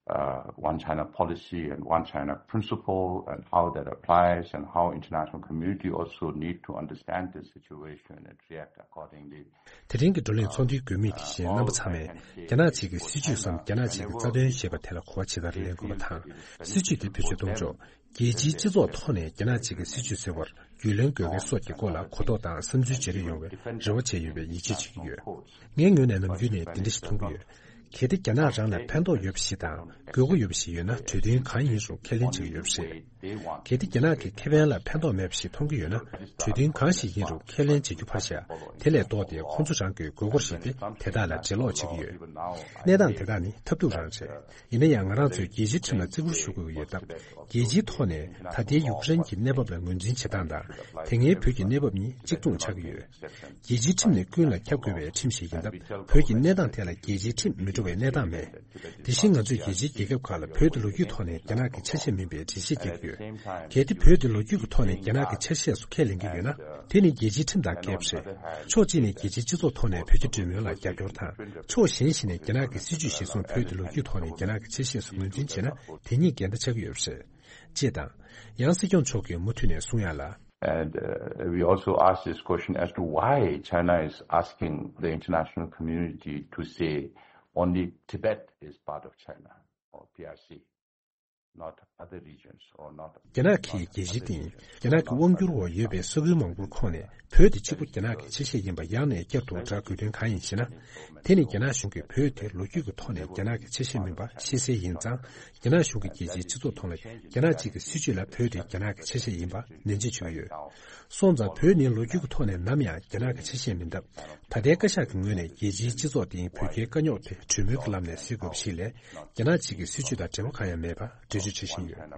uh, One China policy and One China principle and how that applies and how international community also need to understand this situation and react accordingly. དེ་རིང་གི་བགྲོ་གླེང་ཚོགས་འདུའི་དགོས་དམིགས་དེ་བཞིན་རྣམ་པ་ཚང་མས་རྒྱ་ནག་གཅིག་གི་སྲིད་བྱུས་སམ་རྒྱ་ནག་གཅིག་གི་རྩ་དོན་ཞེས་པ་དེ་ལ་གོ་བ་ཇི་ལྟར་ལེན་དགོས་པ་དང་། སྲིད་བྱུས་དེ་བེད་སྤྱོད་གཏོང་ཕྱོགས། རྒྱལ་སྤྱིའི་སྤྱི་ཚོགས་ཐོག་ནས་རྒྱ་ནག་གཅིག་གི་སྲིད་བྱུས་བཟོ་བར་རྒྱུས་ལོན་དགོས་མཁན་སོགས་ཀྱི་སྐོར་ལ་གོ་རྟོགས་དང་བསམ་ཚུལ་བརྗེ་རེས་ཡོང་བའི་རེ་བ་བྱས་ཡོད་པའི་ཡིད་ཆེས་བྱེད་ཀྱི་ཡོད། ངའི་ངོས་ནས་ནམ་རྒྱུན་ནས་འདི་འདྲ་ཞིག་མཐོང་གི་ཡོད། གལ་ཏེ་རྒྱ་ནག་རང་ལ་ཕན་ཐོགས་ཡོད་པ་ཞིག་དང་དགོས་མཁོ་ཡོད་པ་ཞིག་ཡོད་ན་གྲོས་མཐུན་གང་ཡིན་རུང་ཁས་ལེན་བྱེད་ཀྱི་ཡོད་པ་རེད། གལ་ཏེ་རྒྱ་ནག་གི་ཁེ་ཕན་ལ་ཕན་ཐོགས་མེད་པ་ཞིག་མཐོང་གི་ཡོད་ན་གྲོས་མཐུན་གང་ཞིག་ཡིན་རུང་ཁས་ལེན་བྱེད་རྒྱུ་ཕར་བཞག་དེ་ལས་ལྡོག་སྟེ་ཁོང་ཚོ་རང་གི་དགོས་མཁོར་གཞིགས་ཏེ་དེ་དག་ལ་འབྲེལ་ལོག་བྱེད་ཀྱི་ཡོད། གནས་སྟངས་དེ་དག་ནི་ཐབས་སྡུག་རང་རེད། ཡིན་ན་ཡང་ང་རང་ཚོས་རྒྱལ་སྤྱིའི་ཁྲིམས་ལ་བརྩི་བཀུར་ཞུ་དགོས་ཀྱི་ཡོད་སྟབས། རྒྱལ་སྤྱིའི་ཐོག་ནས་ད་ལྟའི་ཡུཀ་རེན་གྱི་གནས་བབ་ལ་ངོས་འཛིན་བྱེད་སྟངས་དང་། དེ་སྔའི་བོད་ཀྱི་གནས་བབ་གཉིས་གཅིག་མཚུངས་ཆགས་ཀྱི་ཡོད། རྒྱལ་སྤྱིའི་ཁྲིམས་ནི་ཀུན་ལ་ཁྱབ་དགོས་པའི་ཁྲིམས་ཤིག་ཡིན་སྟབས། བོད་ཀྱི་གནས་སྟངས་ཐད་ལ་རྒྱལ་སྤྱིའི་ཁྲིམས་མི་ འགྲོ་བའི་གནས་སྟངས་མེད། དེ་བཞིན་ང་ཚོས་རྒྱལ་སྤྱིའི་རྒྱལ་ཁབ་ཁག་ལ་བོད་དེ་ལོ་རྒྱུས་ཐོག་ནས་རྒྱ་ནག་གི་ཆ་ཤས་མིན་པའི་འགྲེལ་བཤད་རྒྱག་གི་ཡོད། གལ་ཏེ་བོད་དེ་ལོ་རྒྱུས་ཀྱི་ཐོག་ནས་རྒྱ་ནག་གི་ཆ་ཤས་སུ་ཁས་ལེན་གྱི་ཡོད་ན། དེ་ནི་རྒྱལ་སྤྱིའི་ཁྲིམས་དང་འགལ་བ་རེད། ཕྱོགས་གཅིག་ནས་རྒྱལ་སྤྱིའི་སྤྱི་ཚོགས་ཐོག་ནས་བོད་རྒྱ་འབྲེལ་མོལ་ལ་རྒྱབ་སྐྱོར་དང་། ཕྱོགས་གཞན་ཞིག་ནས་རྒྱ་ནག་གི་སྲིད་ཇུས་གཞིར་བཟུང་བོད་དེ་ལོ་རྒྱུས་ཐོག་ནས་རྒྱ་ནག་གི་ཆ་ཤས་སུ་ངོས་འཛིན་བྱས་ན། དེ་གཉིས་འགལ་ཟླ་ཆགས་ཀྱི་ཡོད་པ་རེད། ཅེས་དང་། ཡང་སྲིད་སྐྱོང་མཆོག་གིས་མུ་མཐུད་ནས་གསུང་ཡག་ལ། And uh, we also ask this question as to why China is asking the international community to say only Tibet is part of China or P R C, not other regions or not. རྒྱ་ནག་གིས་རྒྱལ་སྤྱིའི་སྟེང་རྒྱ་ནག་གི་དབང་སྒྱུར་འོག་ཡོད་པའི་ས་ཁུལ་མང་པོར་ཁོངས་ནས་བོད་དེ་གཅིག་པུ་རྒྱ་ནག་གི་ཆ་ཤས་ཡིན་པ་ཡང་ནས་བསྐྱར་དུ་བསྒྲགས་དགོས་དོན་གང་ཡིན་ཞེ་ན། དེ་ནི་རྒྱ་ནག་གཞུང་གིས་བོད་དེ་ལོ་རྒྱུས་ཀྱི་ཐོག་ནས་རྒྱ་ནག་གི་ཆ་ཤས་མིན་པ་ཤེས་གསལ་ཡིན་ཙང་། རྒྱ་ནག་གཞུང་གིས་རྒྱལ་སྤྱིའི་སྤྱི་ཚོགས་ཐོག་ལ་རྒྱ་ནག་གཅིག་གི་སྲིད་ཇུས་ལ་བོད་དེ་རྒྱ་ནག་གི་ཆ་ཤས་ཡིན་པ་ནན་བརྗོད་བྱས་ཡོད། སོང་ཙང་བོད་ནི་ལོ་རྒྱུས་ཀྱི་ཐོག་ནས་ནམ་ཡང་རྒྱ་ནག་གི་ཆ་ཤས་མིན་སྟབས། ད་ལྟའི་བཀའ་ཤག་གི་ངོས་ནས་རྒྱལ་སྤྱིའི་སྤྱི་ཚོགས་སྟེང་བོད་རྒྱའི་དཀའ་རྙོག་དེ་གྲོས་མོལ་གྱི་ལམ་ནས་སེལ་དགོས་པ་ཞིག་ལས། རྒྱ་ནག་གཅིག་གི་སྲིད་ཇུས་དང་འབྲེལ་བ་གང་ཡང་མེད་པ་འགྲེལ་བརྗོད་བྱེད་བཞིན་ཡོད།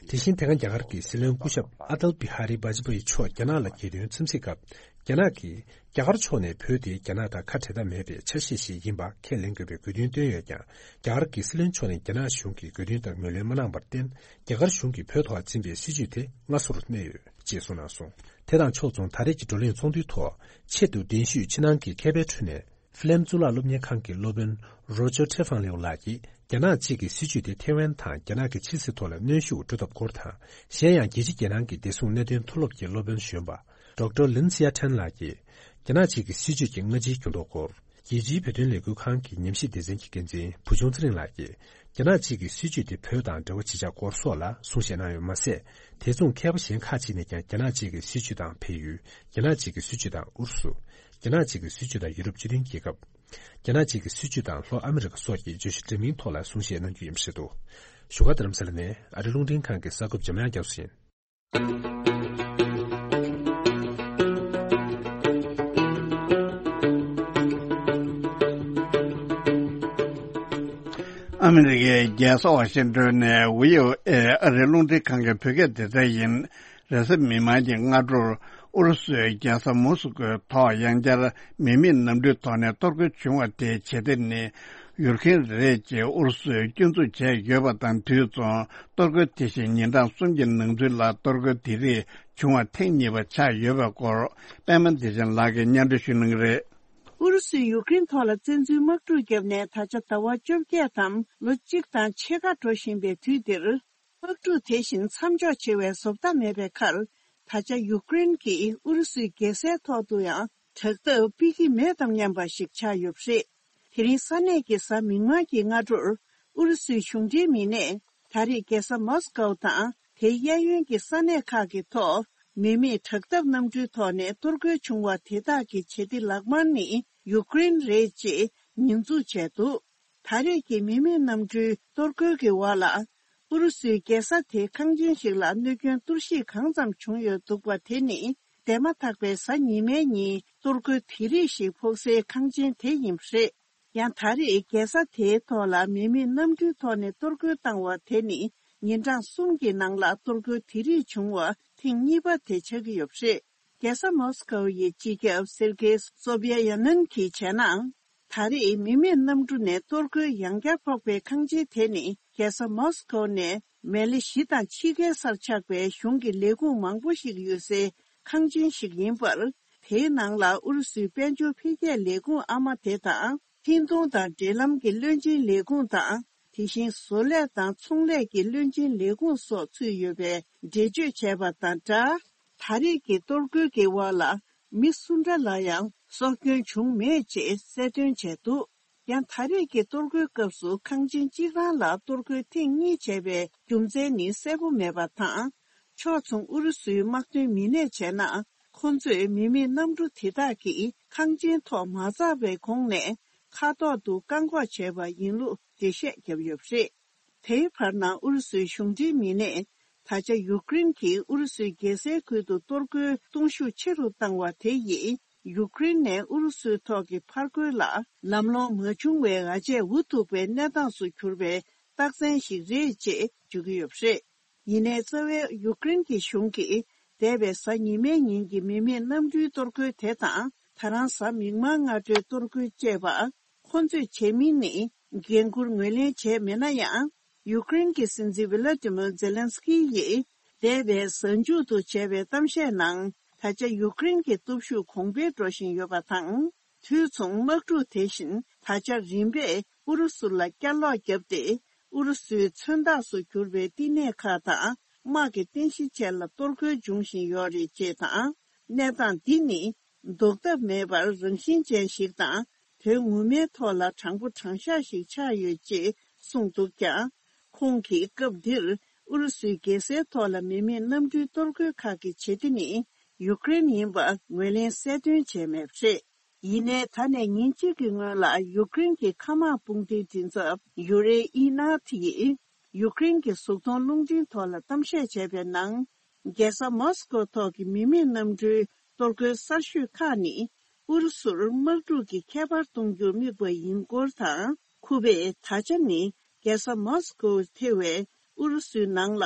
དེ་བཞིན་དེ་སྔ་རྒྱ་གར་གྱི་སྲིད་བློན་སྐུ་ཞབས་ཨ་ཏལ་བི་ཧ་རི་བྷ་ཇ་པ་ཡི་མཆོག་རྒྱ་ནག་ལ་རྒྱལ་དོན་འཚམས་གཟིགས་སྐབས། རྒྱ་ནག་གིས་རྒྱ་གར་ཕྱོགས་ནས་བོད་དེ་རྒྱ་ནག་དང་ཁ་བྲལ་ཐབས་མེད་པའི་ཆ་ཤས་ཤིག་ཡིན་པ་ཁས་ལེན་དགོས་པའི་དགོས་འདུན་བཏོན་ཡོད་ཀྱང་། རྒྱ་གར་གྱི་སྲིད་བློན་མཆོག་ནས་རྒྱ་ནག་གཞུང་གི་དགོས་འདུན་དང་ངོས་ལེན་མ་གནང་བར་བརྟེན། རྒྱ་གར་གཞུང་གིས་བོད་ཐོག་འཛིན་པའི་སྲིད་ཇུས་དེ་སྔ་སོར་གནས་ཡོད་ཅེས་གསུངས་གནང་སོང་། དེ་དང་ཕྱོགས་མཚུངས་ད་རེས་ཀྱི་བགྲོ་གླེང་ཚོགས་འདུའི་ཐོག་ཆེད་དུ་གདན་ཞུས་ཕྱི་ནང་གི་མཁས་པའི་ཁྲོད་ནས། ཧྥི་ལེམ་གཙུག་ལག་སློབ་གཉེར་ཁང་གི་སློབ་དཔོན་རོ་ཇར་ཁྲེ་ཧྥང་ལེའུ་ལགས་ཀྱིས། རྒྱ་ནག་གཅིག་གི་སྲིད་ཇུས་དེ་ཐེ་ཝན་དང་རྒྱ་ནག་གི་ཕྱི་སྲིད་ཐོག་ལ་གནོན་ཤུགས་འགྲོ་ཐབས་སྐོར་དང་། གཞན་ཡང་རྒྱལ་སྤྱི་རྒྱལ་ནང་གི་བདེ་སྲུང་གནད་དོན་མཐོ་སློབ་ཀྱི་སློབ་དཔོན་གཞོན་པ། ཌོག་ཊར་ལིན་སི་ཡ་ཁྲན་ལགས་ཀྱིས། རྒྱ་ནག་གཅིག་གི་སྲིད་ཇུས་ཀྱི་སྔ་ཕྱིའི་འགྱུར་ལྡོག་སྐོར། རྒྱལ་སྤྱིའི་བོད་དོན་ལས་འགུལ་ཁང་གི་ཉམས་ཞིབ་སྡེ་ཚན་གྱི་འགན་འཛིན་བུ་ཆུང་ཚེ་རིང་ལགས་ཀྱིས། རྒྱ་ནག་གཅིག་གི་སྲིད་ཇུས་དེ་བོད་དང་འབྲེལ་བ་ཇི་ཆགས་སྐོར་སོགས་ལ་གསུང་བཤད་གནང་ཡོད་མ་ཟད། དེ་མཚུངས་མཁས་པ་གཞན་ཁག་ཅིག་ནས་ཀྱང་རྒྱ་ནག་གཅིག་གི་སྲིད་ཇུས་དང་བལ་ཡུལ། རྒྱ་ནག་གཅིག་གི་སྲིད་ཇུས་དང་ཨུ་རུ་སུ། རྒྱ་ནག་གཅིག་གི་སྲིད་ཇུས་དང་ཡུ་རོབ་སྤྱི་མཐུན་རྒྱལ་ཁབ། རྒྱ་ནག་གཅིག་གི་སྲིད་ཇུས་དང་ལྷོ་ཨ་མི་རི་ཀ་སོགས་ཀྱི་བརྗོད་གཞི་འདྲ་མིན་ཐོག་ལ་གསུང་བཤད་གནང་རྒྱུ་ཡིན་པ་རེད་འདུག་བཞུགས་སྒར་རྡ་རམ་ས་ལ་ནས་ཨ་རི་རླུང་འཕྲིན་ཁང་གི་གསར་འགོད་པ་འཇམ་དབྱངས་རྒྱ་མཚོ་ཡིན། ཨ་མི་རི་ཀའི་རྒྱལ་ས་ཝ་ཤིང་ཏོན་ནས་བྷི་ཨོ་ཨེ་ཨ་རིའི་རླུང་འཕྲིན་ཁང་གི་བོད་སྐད་སྡེ་ཚན་ཡིན། རེས་གཟའ་མིག་དམར་གྱི་སྔ་དྲོར་ཨུ་རུ་སུའི་རྒྱལ་ས་མོ་སི་ཀོའི་ཐོག་ཡང་བསྐྱར་མི་མེད་གནམ་གྲུའི་ཐོག་ནས་གཏོར་རྒོལ་བྱུང་བ་དེའི་བྱེད་གཏེ་ནི། ཡུར་ཁེན་རེད་ཅེས་ཨུ་རུ་སུས་སྐྱོན་འཛུགས་བྱས་ཡོད་པ་དང་། དུས་མཚུངས་གཏོར་རྒོལ་དེ་བཞིན་ཉིན་གྲངས་གསུམ་གྱི་ནང་ཚུན་ལ་གཏོར་རྒོལ་དེ་རིགས་བྱུང་བ་ཐེངས་གཉིས་པ་ཆགས་ཡོད་པའི་སྐོར། པད་མ་བདེ་ཆེན་ལགས་ཀྱིས་སྙན་སྒྲོན་ཞུ་གནང་གི་རེད། ཨུ་རུ་སུས་ཡུཀ་རེན་ཐོག་ལ་བཙན་འཛུལ་དམག་འཁྲུག་བརྒྱབ་ནས་ད་ཆ་ཟླ་བ་བཅོ་བརྒྱད་དམ་ལོ་གཅིག་དང་ཕྱེད་ཀ་འགྲོ་བཞིན་པའི་དུས་འདིར། དམག་འཁྲུག་དེ་བཞིན་མཚམས་འཇོག་བྱེད་པའི་བཟོ་ལྟ་མེད་པའི་ཁར། ད་ཆ་ཡུཀ་རེན་གྱིས་ཨུ་རུ་སུའི་རྒྱལ་སའི་ཐོག་ཏུ་ཡང་དྲག་འཐབ་སྤེལ་གྱི་མེད་དམ་སྙམ་པ་ཞིག་ཆགས་ཡོད་པ་རེད། དེ་རིང་ས་གནས་ཀྱི་གཟའ་མིག་དམར་གྱི་སྔ་དྲོར། ཨུ་རུ་སུའི་གཞུང་འབྲེལ་མི་སྣས་ད་རེས་རྒྱལ་ས་མོ་སི་ཀོ་དང་དེའི་གཡས་གཡོན་གྱི་ས་གནས་ཁག་གི་ཐོག་མི་མེད་དྲག་འཐབ་གནམ་གྲུའི་ཐོག་ནས་གཏོར་རྒོལ་བྱུང་བ་དེ་དག་གི་བྱེད་གཏེ་ལག་དམར་ནི་ཡུཀ་རེན་རེད་ཅེས་ཉེས་འཛུགས་བྱས་འདུག་ད་རེས་ཀྱི་མི་མེད་གནམ་གྲུའི་གཏོར་རྒོལ་གྱི་འོག་ལ། ཨུ་རུ་སུའི་རྒྱལ་ས་དེ་ཁང་ཆེན་ཞིག་ལ་གནོད་སྐྱོན་གཏོར་བཤིག་གང་ཙམ་བྱུང་ཡོད་འདུག་པ་དེ་ནི། འདས་མ་ཐག་པའི་གཟའ་ཉི་མའི་ཉིན་གཏོར་རྒོལ་དེ་རིགས་ཤིག་ཕོག་སའི་ཁང་ཆེན་དེ་ཡིན་པ་རེད། ཡང་ད་རེས་རྒྱལ་ས་དེའི་ཐོག་ལ་མི་མེད་གནམ་གྲུའི་ཐོག་ནས་གཏོར་རྒོལ་བཏང་བ་དེ་ནི། ཉིན་གྲངས་གསུམ་གྱི་ནང་ལ་གཏོར་རྒོལ་དེ་རིགས་བྱུང་བ་ཐེངས་གཉིས་པ་དེ་ཆགས་ཀྱི་ཡོད་པ་རེད། རྒྱལ་ས་མོ་སི་ཀོ་ཡི་སྤྱི་ཁྱབ་སེར་གེ་སོ་བྷི་ཡ་ཡ་ནན་གྱིས་བྱས་ན། ད་རེས་མི་མེད་གནམ་གྲུ་ནས་གཏོར་རྒོལ་ཡང་བསྐྱར་ཕོག་པའི་ཁང་ཆེན་དེ་ནི་རྒྱལ་ས་མོ་སི་ཀོ་ནས་མེ་ལེ་བཞི་དང་ཕྱེད་ཀའི་སར་ཆགས་པའི་གཞུང་གི་ལས་ཁུངས་མང་པོ་ཞིག་ཡོད་སའི་ཁང་ཆེན་ཞིག་ཡིན་པར། དེའི་ནང་ལ་ཨུ་རུ་སུའི་དཔལ་འབྱོར་འཕེལ་རྒྱས་ལས་ཁུངས་ཨ་མ་དེ་དང་། འཕྲིན་གཏོང་དང་འབྲེལ་ལམ་གྱི་བློན་ཆེན་ལས་ཁུངས་དང་། དེ་བཞིན་བཟོ་ལས་དང་ཚོང་ལས་ཀྱི་བློན་ཆེན་ལས་ཁུངས་སོགས་ཚུད་ཡོད་པའི་འགྲེལ་བརྗོད་བྱས་པ་དང་སྦྲགས། ད་རེས་ཀྱི་གཏོར་རྒོལ་གྱི་འོག་ལ་མི་སུ་འདྲ་ལ་ཡང་སྲོག་སྐྱོན་བྱུང་མེད་ཅེས་གསལ་སྟོན་བྱས་འདུག་ཡང་ད་རེས་ཀྱི་གཏོར་རྒོལ་སྐབས་སུ་ཁང་ཆེན་གཅིག་རང་ལ་གཏོར་རྒོལ་ཐེངས་གཉིས་བྱས་པའི་རྒྱུ་མཚན་ནི་གསལ་པོ་མེད་པ་དང་། ཕྱོགས་མཚུངས་ཨུ་རུ་སུའི་དམག་དོན་མི་སྣས་བྱས་ན། ཁོང་ཚོས་མི་མེད་གནམ་གྲུ་དེ་དག་གིས་ཁང་ཆེན་ཐོག་མ་འཛེགས་པའི་གོང་ནས་མཁའ་ཐོག་ཏུ་བཀག་འགོག་བྱས་པ་ཡིན་ལུགས་འགྲེལ་བཤད་བརྒྱབ་ཡོད་པ་རེད། དེའི་བར་ན་ཨུ་རུ་སུའི་གཞུང་འབྲེལ་མི་སྣས། ད་ཆ་ཡུཀ་རེན་གྱིས་ཨུ་རུ་སུའི་རྒྱལ་སའི་ཁུལ་དུ་གཏོར་རྒོལ་གཏོང་ཤུགས་ཆེ་རུ་བཏང་བ་དེ་ཡིས། ཡུཀ་རེན་ནས་ཨུ་རུ་སུའི་ཐོག་གི་ཕར་རྒོལ་ལ་ལམ་ལྷོང་མ་བྱུང་བའི་འོ་བྱེད་འུ་ཐུག་པའི་གནས་སྟངས་སུ་གྱུར་པའི་རྟགས་མཚན་ཞིག་རེད་ཅེས་བརྗོད་ཀྱི་ཡོད་པ་རེད། ཡིན་ནའི་རྩ་བའི་ཡུཀ་རེན་གྱི་གཞུང་གིས་འདས་པའི་གཟའ་ཉི་མའི་ཉིན་གྱི་མི་མེད་གནམ་གྲུའི་གཏོར་རྒོལ་དེ་དང་། ད་རང་གཟའ་མིག་དམར་སྔ་དྲོའི་གཏོར་རྒོལ་བཅས་པ། ཁོ་ཚོས་བྱས་མིན་ནི་འགན་འཁུར་ངོས་ལེན་བྱས་མེད་ན་ཡང་། ཡུཀ་རེན་གྱི་སྲིད་འཛིན་ཝི་ལ་ཏི་མིར་ཛེ་ལན་སི་ཀི་ཡིས་འདས་པའི་གཟའ་མཇུག་ཏུ་བྱས་པའི་གཏམ་བཤད་ནང་། ད་ཆ་ཡུཀ་རེན་གྱི་སྟོབས་ཤུགས་གོང་འཕེལ་འགྲོ་བཞིན་ཡོད་པ་དང་། དུས་མཚུངས་དམག་འཁྲུག་དེ་བཞིན་ད་ཆ་རིམ་པས་ཨུ་རུ་སུ་ལ་བསྐྱར་ལོག་བརྒྱབ་སྟེ། ཨུ་རུ་སུའི་མཚོན་རྟགས་སུ་གྱུར་པའི་བསྟི་གནས་ཁག་དང་། དམག་གི་རྟེན་གཞི་བཅས་ལ་གཏོར་རྒོལ་འབྱུང་བཞིན་ཡོད་རེད་ཅེས་དང་། གནས་སྟངས་འདི་ནི་ཟློག་ཐབས་མེད་པར་རང་བཞིན་ཅན་ཞིག་དང་། དོན་ངོ་མའི་ཐོག་ལ་དྲང་པོ་དྲང་བཞག་ཞིག་ཆགས་ཡོད་ཅེས་གསུངས་འདུག་ཀྱང་། ཁོང་གིས་སྐབས་འདིར་ཨུ་རུ་སུའི་རྒྱལ་སའི་ཐོག་ལ་མི་མེད་གནམ་གྲུའི་གཏོར་རྒོལ་ཁག་གི་བྱེད་གཏེ་ནི་ཡུཀ་རེན་ཡིན་པ་ངོས་ལེན་གསལ་སྟོན་བྱས་མེད་པ་རེད། ཡིན་ནའི་ད་ནས་ཉིན་གཅིག་གི་སྔོན་ལ་ཡུཀ་རེན་གྱི་མཁའ་དམག་དཔུང་སྡེའི་མགྲིན་ཚབ་ཡུ་རེ་ཨི་ནཱ་ཐི་ཡིས། ཡུཀ་རེན་གྱི་གཟུགས་མཐོང་རླུང་འཕྲིན་ཐོག་ལ་གཏམ་བཤད་བྱས་པའི་ནང་། རྒྱལ་ས་མོ་སི་ཀོ་ཐོག་གི་མི་མེད་གནམ་གྲུའི་གཏོར་རྒོལ་གསར་ཤོས་ཁག་ནི། ཨུ་རུ་སུར་དམག་འཁྲུག་གི་ཁྱད་པར་གཏོང་རྒྱུར་དམིགས་པ་ཡིན་སྐོར་དང་། ཁུ་པས་ད་ཆ་ནི་རྒྱལ་ས་མོ་སི་ཀོ་ཐེ་བའི་ཨུ་རུ་སུའི་ནང་ལ་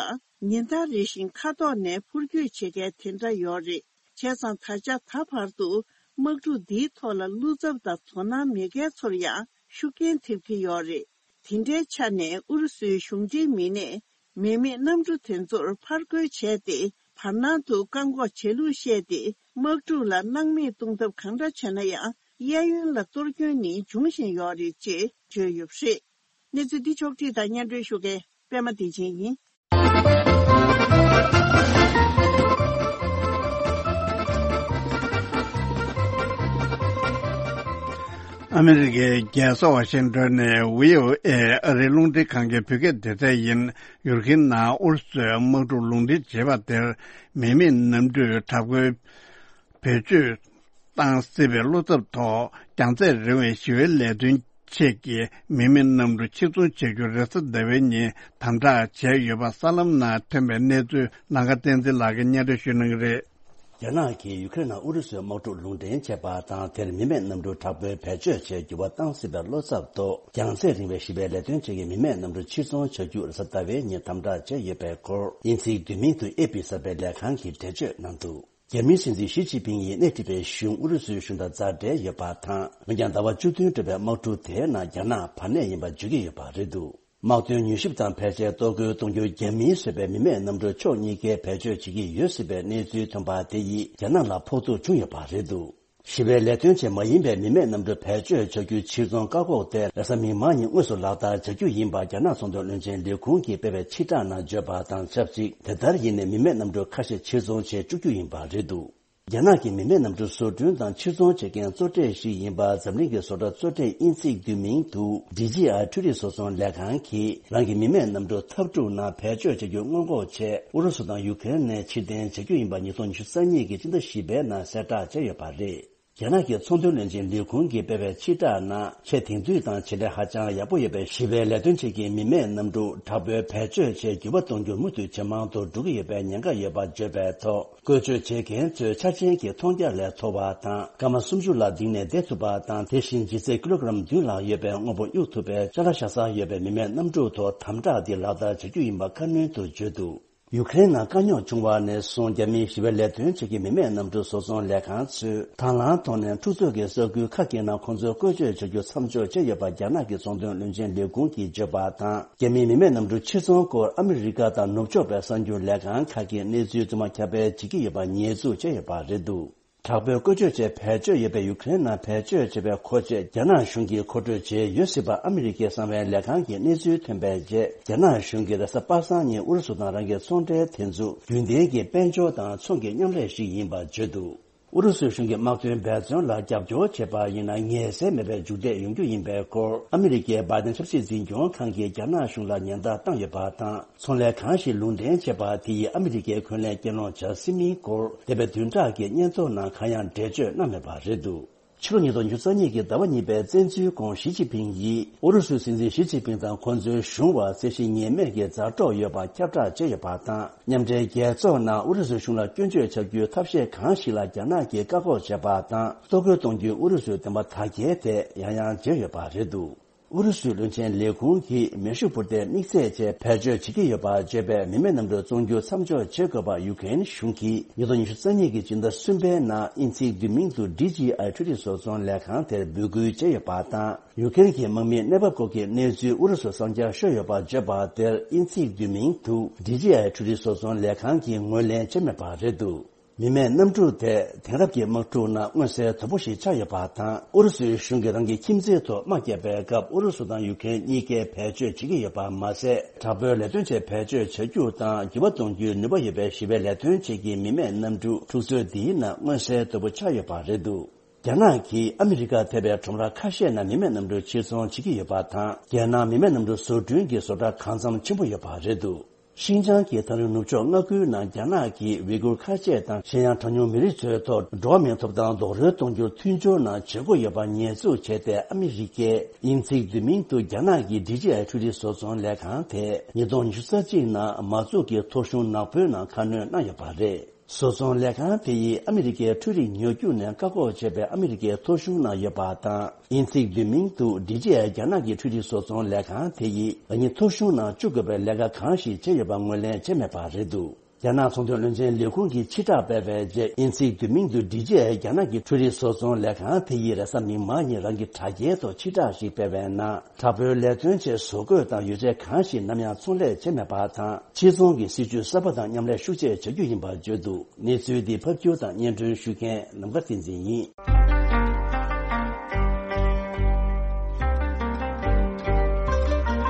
ཉིན་ལྟར་རེ་བཞིན་མཁའ་ཐོག་ནས་འཕུར་སྐྱོད་བྱེད་མཁན་དེ་འདྲ་ཡོད་རེད། བྱས་ཙང་ད་ཆ་ད་བར་དུ་དམག་འཁྲུག་འདིའི་ཐོག་ལ་བློ་འཚབ་དང་དོ་སྣང་མེད་མཁན་ཚོར་ཡང་ཤུགས་རྐྱེན་ཐེབས་ཀྱི་ཡོད་རེད། དེ་འདྲའི་ཆ་ནས་ཨུ་རུ་སུའི་གཞུང་འབྲེལ་མི་སྣས་མི་མེད་གནམ་གྲུ་དེ་ཚོར་ཕར་རྒོལ་བྱས་ཏེ། བར་སྣང་དུ་བཀག་འགོག་བྱེད་ལུགས་བཤད་དེ། དམག་འཁྲུག་ལ་སྣང་མེད་གཏོང་ཐབས་གང་འདྲ་བྱས་ན་ཡང་། གཡས་གཡོན་ལ་གཏོར་སྐྱོན་ནི་འབྱུང་བཞིན་ཡོད་རེད་ཅེས་བརྗོད་ཡོད་པ་རེད། གནས་ཚུལ་འདི་ཕྱོགས་བསྒྲིགས་དང་སྙན་སྒྲོན་ཞུ་མཁན་པད་མ་བདེ་ཆེན་ཡིན། ཨ་མི་རི་ཀའི་རྒྱལ་ས་ཝ་ཤིང་ཏོན་ནས་བྷི་ཨོ་ཨེ་ཨ་རིའི་རླུང་འཕྲིན་ཁང་གི་བོད་སྐད་སྡེ་ཚན་ཡིན། ཡུཀ་རེན་ནང་ཨུ་རུ་སུས་དམག་འཁྲུག་ལུང་འདྲེན་བྱེད་པ་དེར་མི་མེད་གནམ་གྲུས་དྲག་པོའི་བེད་སྤྱོད་བཏང་སྲིད་པའི་བློ་འཚབ་ཐོག་རྒྱང་ཚད་རིང་བའི་ཞི་བའི་ལས་དོན་ཆེད་ཀྱི་མི་མེད་གནམ་གྲུ་ཕྱིར་ཚོང་བྱ་རྒྱུ་རེས་གཟའ་ཟླ་བའི་ཉིན་དམ་དྲག་བྱས་ཡོད་པ་གསར་ལམ་ནང་ཐོན་པའི་གནས་ཚུལ་ལང་ཀ་བསྟན་འཛིན་ལགས་ཀྱིས་སྙན་སྒྲོན་ཞུ་གནང་གི་རེད། རྒྱ་ནག་གིས་ཡུ་ཀེ་རེན་ནང་ཨུ་རུ་སུའི་དམག་འཁྲུག་ལུང་འདྲེན་བྱས་པ་དང་། དེར་མི་མེད་གནམ་གྲུ་དྲག་པོའི་བེད་སྤྱོད་བྱས་འགྱུར་བ་བཏང་སྲིད་པའི་བློ་འཚབ་ཐོག་རྒྱང་ཚད་རིང་བའི་ཞི་བའི་ལས་དོན་ཆེད་ཀྱི་མི་མེད་གནམ་གྲུ་ཕྱིར་ཚོང་བྱ་རྒྱུ་རེས་གཟའ་ཟླ་བའི་ཉིན་དམ་དྲག་བྱས་ཡོད་པའི་སྐོར། དབྱིན་ཚིག་བསྡུས་མིང་དུ་ཨེ་པི་གསར་པའི་ལས་ཁང་གིས་འགྲེལ་བརྗོད་གནང་འདུག་རྒྱ་མིའི་སྲིད་འཛིན་ཞི་ཅིན་ཕིང་ཡིས་སྣེ་ཁྲིད་པའི་གཞུང་ཨུ་རུ་སུའི་གཞུང་དང་མཛའ་འབྲེལ་ཡོད་པ་དང་། འོན་ཀྱང་ཟླ་བ་བཅུ་བདུན་འགྲོ་བའི་དམག་འཁྲུག་དེའི་ནང་རྒྱ་ནག་བར་གནས་ཡིན་པ་བརྗོད་ཀྱི་ཡོད་པ་རེད་འདུག་དམག་དོན་མྱུལ་ཞིབ་དང་ཕལ་ཆེར་གཏོར་རྒོལ་གཏོང་རྒྱུར་རྒྱ་མིས་བཟོས་པའི་མི་མེད་གནམ་གྲུ་ཕྱོགས་གཉིས་ཀས་བེད་སྤྱོད་བྱེད་ཀྱི་ཡོད་སྲིད་པའི་གནས་ཚུལ་ཐོན་པ་དེ་ཡིས་རྒྱ་ནག་ལ་ཕོག་ཐུག་བྱུང་ཡོད་པ་རེད་འདུག་ཞི་བའི་ལས་དོན་ཆེད་མ་ཡིན་པའི་མི་མེད་གནམ་གྲུ་བེད་སྤྱོད་བྱ་རྒྱུའི་ཕྱིར་ཚོང་བཀག་འགོག་དེ་རེས་གཟའ་མིག་དམར་ཉིན་དངོས་སུ་ལག་བསྟར་བྱ་རྒྱུ་ཡིན་པ་རྒྱ་ནག་ཚོང་དོན་བློན་ཆེན་ལས་ཁུངས་ཀྱིས་སྤེལ་བའི་ཕྱིར་བསྒྲགས་ནང་བརྗོད་པ་དང་ཆབས་ཅིག་དེ་ལྟར་ཡིན་ནའི་མི་མེད་གནམ་གྲུ་ཁ་ཤས་ཕྱིར་ཚོང་བྱེད་བཅུག་རྒྱུ་ཡིན་པ་རེད་འདུག་རྒྱ་ནག་གི་མི་མེད་གནམ་གྲུ་བཟོ་སྐྲུན་དང་ཕྱིར་ཚོང་བྱེད་མཁན་གཙོ་གྲས་ཤིག་ཡིན་པ་འཛམ་གླིང་གི་བཟོ་གྲྭ་གཙོ་གྲས་དབྱིན་ཚིག་བསྡུས་མིང་དུ་ཌི་ཇི་ཨའི་འཕྲུལ་རིག་བཟོ་ཚོང་ལས་ཁང་གིས་རང་གི་མི་མེད་གནམ་གྲུ་འཐབ་འཁྲུག་ནང་བེད་སྤྱོད་བྱ་རྒྱུ་སྔོན་འགོག་ཆེད་ཨུ་རུ་སུ་དང་ཡུ་ཀེ་རེན་ནས་ཕྱིར་འཐེན་བྱ་རྒྱུ་ཡིན་པ་ཉིས་སྟོང་ཉི་ཤུ་རྩ་གཉིས་ཀྱི་སྤྱི་ཟླ་བཞི་པའི་ནང་གསལ་བསྒྲགས་བྱས་ཡོད་པ་རེད། རྒྱ་ནག་གི་ཚོང་དོན་བློན་ཆེན་ལས་ཁུངས་ཀྱིས་སྤེལ་བའི་ཕྱིར་བསྒྲགས་ནང་ཆེས་དེང་དུས་དང་བྱེད་ལས་ཧ་ཅང་ཡག་པོ་ཡོད་པའི་ཞི་བའི་ལས་དོན་ཆེད་ཀྱི་མི་མེད་གནམ་གྲུ་དྲག་པོའི་བེད་སྤྱོད་ཆེད་འགྱུར་བ་གཏོང་རྒྱུ་མུ་མཐུད་ཇེ་མང་དུ་འགྲོ་གི་ཡོད་པའི་ཉེན་ཁ་ཡོད་པ་བརྗོད་པའི་ཐོག་བཀོལ་སྤྱོད་བྱེད་མཁན་ཚོའི་ཆ་རྐྱེན་གྱི་མཐོང་རྒྱ་ལས་མཐོ་བ་དང་སྐར་མ་སུམ་ཅུ་ལ་ལྡིང་ནས་བསྡད་ཐུབ་པ་དང་། དེ་བཞིན་ལྗིད་ཚད་ཀི་ལོ་གི་རམ་བདུན་ལྷག་ཡོད་པའི་དངོས་པོ་གཡུག་ཐུབ་པའི་ཅ་ལག་བཞག་ས་ཡོད་པའི་མི་མེད་གནམ་གྲུ་ཐོག་དམ་དྲག་འདི་ལག་བསྟར་བྱ་རྒྱུ་ཡིན་པ་ཁ་སྣོན་དུ་བརྗོད་འདུག་ཡུ་ཀེ་རེན་ནང་དཀའ་རྙོག་བྱུང་བ་ནས་བཟུང་རྒྱ་མིའི་ཞི་བའི་ལས་དོན་ཆེད་ཀྱི་མི་མེད་གནམ་གྲུ་བཟོ་ཚོང་ལས་ཁང་ཚོས་དང་བླངས་ཐོག་ནས་འཁྲུག་རྩོད་ཀྱི་ས་ཁུལ་ཁག་གི་ནང་ཁོང་ཚོས་བཀོལ་སྤྱོད་བྱ་རྒྱུ་མཚམས་འཇོག་བྱས་ཡོད་པ་རྒྱ་ནག་གི་ཚོང་དོན་བློན་ཆེན་ལས་ཁུངས་ཀྱིས་བརྗོད་པ་དང་། རྒྱ་མིའི་མི་མེད་གནམ་གྲུ་ཕྱིར་ཚོང་སྐོར་ཨ་མི་རི་ཀ་དང་ནུབ་ཕྱོགས་པའི་གསར་འགྱུར་ལས་ཁང་ཁག་གིས་གནས་ཚུལ་རྫུན་མ་ཁྱབ་སྤེལ་བྱེད་ཀྱི་ཡོད་པ་ཉེས་འཛུགས་བྱས་ཡོད་པ་རེད་འདུག་དྲག་པོའི་བཀོལ་སྤྱོད་ཆེད་བེད་སྤྱོད་ཡོད་པའི་ཡུ་ཀེ་རེན་ནང་བེད་སྤྱོད་བྱས་པའི་མཁོ་ཆས་རྒྱ་ནག་གཞུང་གིས་མཁོ་སྤྲོད་བྱས་ཡོད་སྲིད་པ་ཨ་མི་རི་ཀའི་གསང་བའི་ལས་ཁང་གི་གནས་ཚུལ་ཐོན་པའི་རྗེས། རྒྱ་ནག་གཞུང་གིས་རེས་གཟའ་པ་སངས་ཉིན་ཨུ་རུ་སུ་དང་རང་གི་ཚོང་འབྲེལ་དེ་ཚོ་རྒྱུན་ལྡན་གྱི་དཔལ་འབྱོར་དང་ཚོང་གི་མཉམ་ལས་ཤིག་ཡིན་པར་བརྗོད་འདུག་ཨུ་རུ་སུའི་གཞུང་གིས་དམག་དོན་འབད་བརྩོན་ལ་རྒྱབ་སྐྱོར་བྱས་པ་ཡིན་ན། ངལ་སེལ་མེད་པའི་མཇུག་འབྲས་ཡོང་རྒྱུ་ཡིན་པའི་སྐོར་ཨ་མི་རི་ཀའི་བྷའི་ཏན་ཆབ་སྲིད་འཛིན་སྐྱོང་ཁང་གིས་རྒྱ་ནག་གཞུང་ལ་ཉེན་བརྡ་བཏང་ཡོད་པ་དང་། ཚོང་ལས་གང་ཞིག་ལུང་འདྲེན་བྱས་པ་དེ་ཡིས་ཨ་མི་རི་ཀའི་འཁོན་ལན་སྐྱེལ་སློང་བྱ་སྲིད་མིན་སྐོར་འདས་པའི་བདུན་ཕྲག་གི་སྙན་ཐོ་ནང་གང་ཡང་འགྲེལ་བརྗོད་གནང་མེད་པ་རེད་འདུག་ཕྱི་ལོ་ཉིས་སྟོང་ཉི་ཤུ་རྩ་གཉིས་ཀྱི་ཟླ་བ་གཉིས་པའི་བཙན་འཛུལ་གོང་ཞི་ཅིན་ཕིང་ཡིས་ཨུ་རུ་སུའི་སྲིད་འཛིན་ཞི་ཅིན་ཕིང་དང་ཁོང་ཚོའི་གཞུང་བར་རྩོད་གཞི་ངེས་མེད་ཀྱི་མཛའ་གྲོགས་ཡོད་པ་ཁྱབ་བསྒྲགས་བྱས་ཡོད་པ་དང་། མཉམ་འབྲེལ་རྒྱལ་ཚོགས་ནང་ཨུ་རུ་སུའི་གཞུང་ལ་སྐྱོན་བརྗོད་བྱ་རྒྱུའི་ཐབས་ཤེས་གང་ཞིག་ལ་རྒྱ་ནག་གིས་བཀག་འགོག་བྱས་པ་དང་། གཏོར་རྒོལ་གཏོང་རྒྱུའི་ཨུ་རུ་སུའི་འདུན་པ་དག་སྐྱེལ་ཐད་ཡང་ཡང་བརྗོད་ཡོད་པ་རེད་འདུག་ཨུ་རུ་སུའི་བློན་ཆེན་ལས་ཁུངས་ཀྱིས་མེ་ཤུགས་འཕུར་མདེལ་དམིགས་བསལ་ཅན་བེད་སྤྱོད་བྱེད་ཀྱི་ཡོད་པར་བརྗོད་པའི་མི་མེད་གནམ་གྲུ་བཙོང་རྒྱུ་མཚམས་འཇོག་བྱེད་དགོས་པར་ཡུ་ཀེ་རེན་གཞུང་གིས་ཉིས་སྟོང་ཉི་ཤུ་རྩ་གཉིས་ཀྱི་སྤྱི་ཟླ་གསུམ་པའི་ནང་དབྱིན་ཚིག་བསྡུས་མིང་དུ་ཌི་ཇི་ཨའི་འཕྲུལ་རིག་བཟོ་ཚོང་ལས་ཁང་དེར་འབོད་སྐུལ་བྱས་ཡོད་པ་དང་། ཡུ་ཀེ་རེན་གྱི་དམག་མིའི་གནས་བབ་སྐོར་གྱི་གནས་ཚུལ་ཨུ་རུ་སུར་གསང་རྒྱ་ཤོར་ཡོད་པར་བརྗོད་པ་དེར་དབྱིན་ཚིག་བསྡུས་མིང་དུ་ཌི་ཇི་ཨའི་འཕྲུལ་རིག་བཟོ་ཚོང་ལས་ཁང་གིས་ངོས་ལེན་བྱས་མེད་པ་རེད་འདུག་མི་མེད་གནམ་གྲུ་དེ་དེང་རབས་ཀྱི་དམག་འཁྲུག་ནང་མངོན་གསལ་དོད་པོ་ཞིག་ཆགས་ཡོད་པ་དང་། ཨུ་རུ་སུའི་གཞུང་གིས་རང་གི་ཁྱིམ་མཚེས་ཐོག་དམག་བརྒྱབ་པའི་སྐབས་ཨུ་རུ་སུ་དང་ཡུ་ཀེ་རེན་གཉིས་ཀས་བེད་སྤྱོད་བྱེད་ཀྱི་ཡོད་པ་མ་ཟད། དྲག་པོའི་ལས་དོན་ཆེད་བེད་སྤྱོད་བྱ་རྒྱུ་དང་འགྱུར་བ་གཏོང་རྒྱུའི་ནུས་པ་ཡོད་པའི་ཞི་བའི་ལས་དོན་བྱེད་ཀྱི་མི་མེད་གནམ་གྲུ་འཁྲུག་རྩོད་འདིའི་ནང་མངོན་གསལ་དོད་པོ་ཆགས་ཡོད་པ་རེད་འདུག་རྒྱ་ནག་གིས་ཨ་མི་རི་ཀར་ཐེ་བའི་ཁྲོམ་ར་ཁ་ཤས་ནང་མི་མེད་གནམ་གྲུ་ཕྱིར་ཚོང་བྱེད་ཀྱི་ཡོད་པ་དང་། རྒྱལ་ནང་མི་མེད་གནམ་གྲུ་བཟོ་སྐྲུན་གྱི་བཟོ་གྲྭ་གང་འཚམ་ཆེན་པོ་ཡོད་པ་རེད་འདུག་ཤིན་ཅང་གི་ཐག་རིང་ནུབ་ཕྱོགས་མངའ་ཁུལ་ནང་རྒྱ་ནག་གིས་ཝི་གུར་ཁ་ཆེ་དང་གཞན་ཡང་གྲངས་ཉུང་མི་རིགས་ཚོའི་ཐོག་འགྲོ་བ་མིའི་ཐོབ་ཐང་རྡོག་རོལ་གཏོང་རྒྱུར་མཐུན་སྦྱོར་གནང་བྱེད་སྒོ་ཡོད་པ་ཉེས་འཛུགས་བྱས་ཏེ། ཨ་མི་རི་ཀས་དབྱིན་ཚིག་བསྡུས་མིང་དུ་རྒྱ་ནག་གི་ཌི་ཇི་ཨའི་འཕྲུལ་རིག་བཟོ་ཚོང་ལས་ཁང་དེ་ཉིས་སྟོང་ཉི་ཤུ་རྩ་གཅིག་ནང་མ་འཛུགས་ཀྱི་ཐོ་གཞུང་ནག་པོའི་ནང་ཁ་སྣོན་གནང་ཡོད་པ་རེད། བཟོ་ཚོང་ལས་ཁང་དེ་ཡིས་ཨ་མི་རི་ཀའི་འཕྲུལ་རིག་ཉོ་རྒྱུ་ནས་བཀག་འགོག་བྱས་པའི་ཨ་མི་རི་ཀའི་ཐོ་གཞུང་ནང་ཡོད་པ་དང་། དབྱིན་ཚིག་བསྡུས་མིང་དུ་ཌི་ཇི་ཨའི་རྒྱ་ནག་གི་འཕྲུལ་རིག་བཟོ་ཚོང་ལས་ཁང་དེ་ཡིས་ལག་གཉིས་ཐོ་གཞུང་ནང་བཅུག་དགོས་པའི་ལས་ཀ་གང་ཞིག་བྱས་ཡོད་པ་ངོས་ལེན་བྱས་མེད་པ་རེད་འདུག་རྒྱ་ནག་ཚོང་དོན་བློན་ཆེན་ལས་ཁུངས་ཀྱིས་ཕྱིར་བསྒྲགས་སྤེལ་བའི་རྗེས། དབྱིན་ཚིག་བསྡུས་མིང་དུ་ཌི་ཇི་ཨའི་རྒྱ་ནག་གི་འཕྲུལ་རིག་བཟོ་ཚོང་ལས་ཁང་དེ་ཡིས་རེས་གཟའ་མིག་དམར་ཉིན་རང་གི་དྲ་རྒྱའི་ཐོག་ཕྱིར་བསྒྲགས་ཤིག་སྤེལ་བའི་ནང་། དྲག་པོའི་ལས་དོན་ཆེད་བཟོ་བཀོད་དང་ཡོ་བྱད་གང་ཞིག་ནམ་ཡང་ཚོང་ལས་བྱས་མེད་པ་དང་། ཕྱིར་ཚོང་གི་སྲིད་ཇུས་གསར་པ་དང་མཉམ་ལས་ཤུགས་ཆེ་བྱ་རྒྱུ་ཡིན་པར་བརྗོད་འདུག་གནས་ཚུལ་འདི་ཕབ་སྒྱུར་དང་སྙན་སྒྲོན་ཞུ་མཁན་ནམ་མཁའ་བསྟན་འཛིན་ཡིན།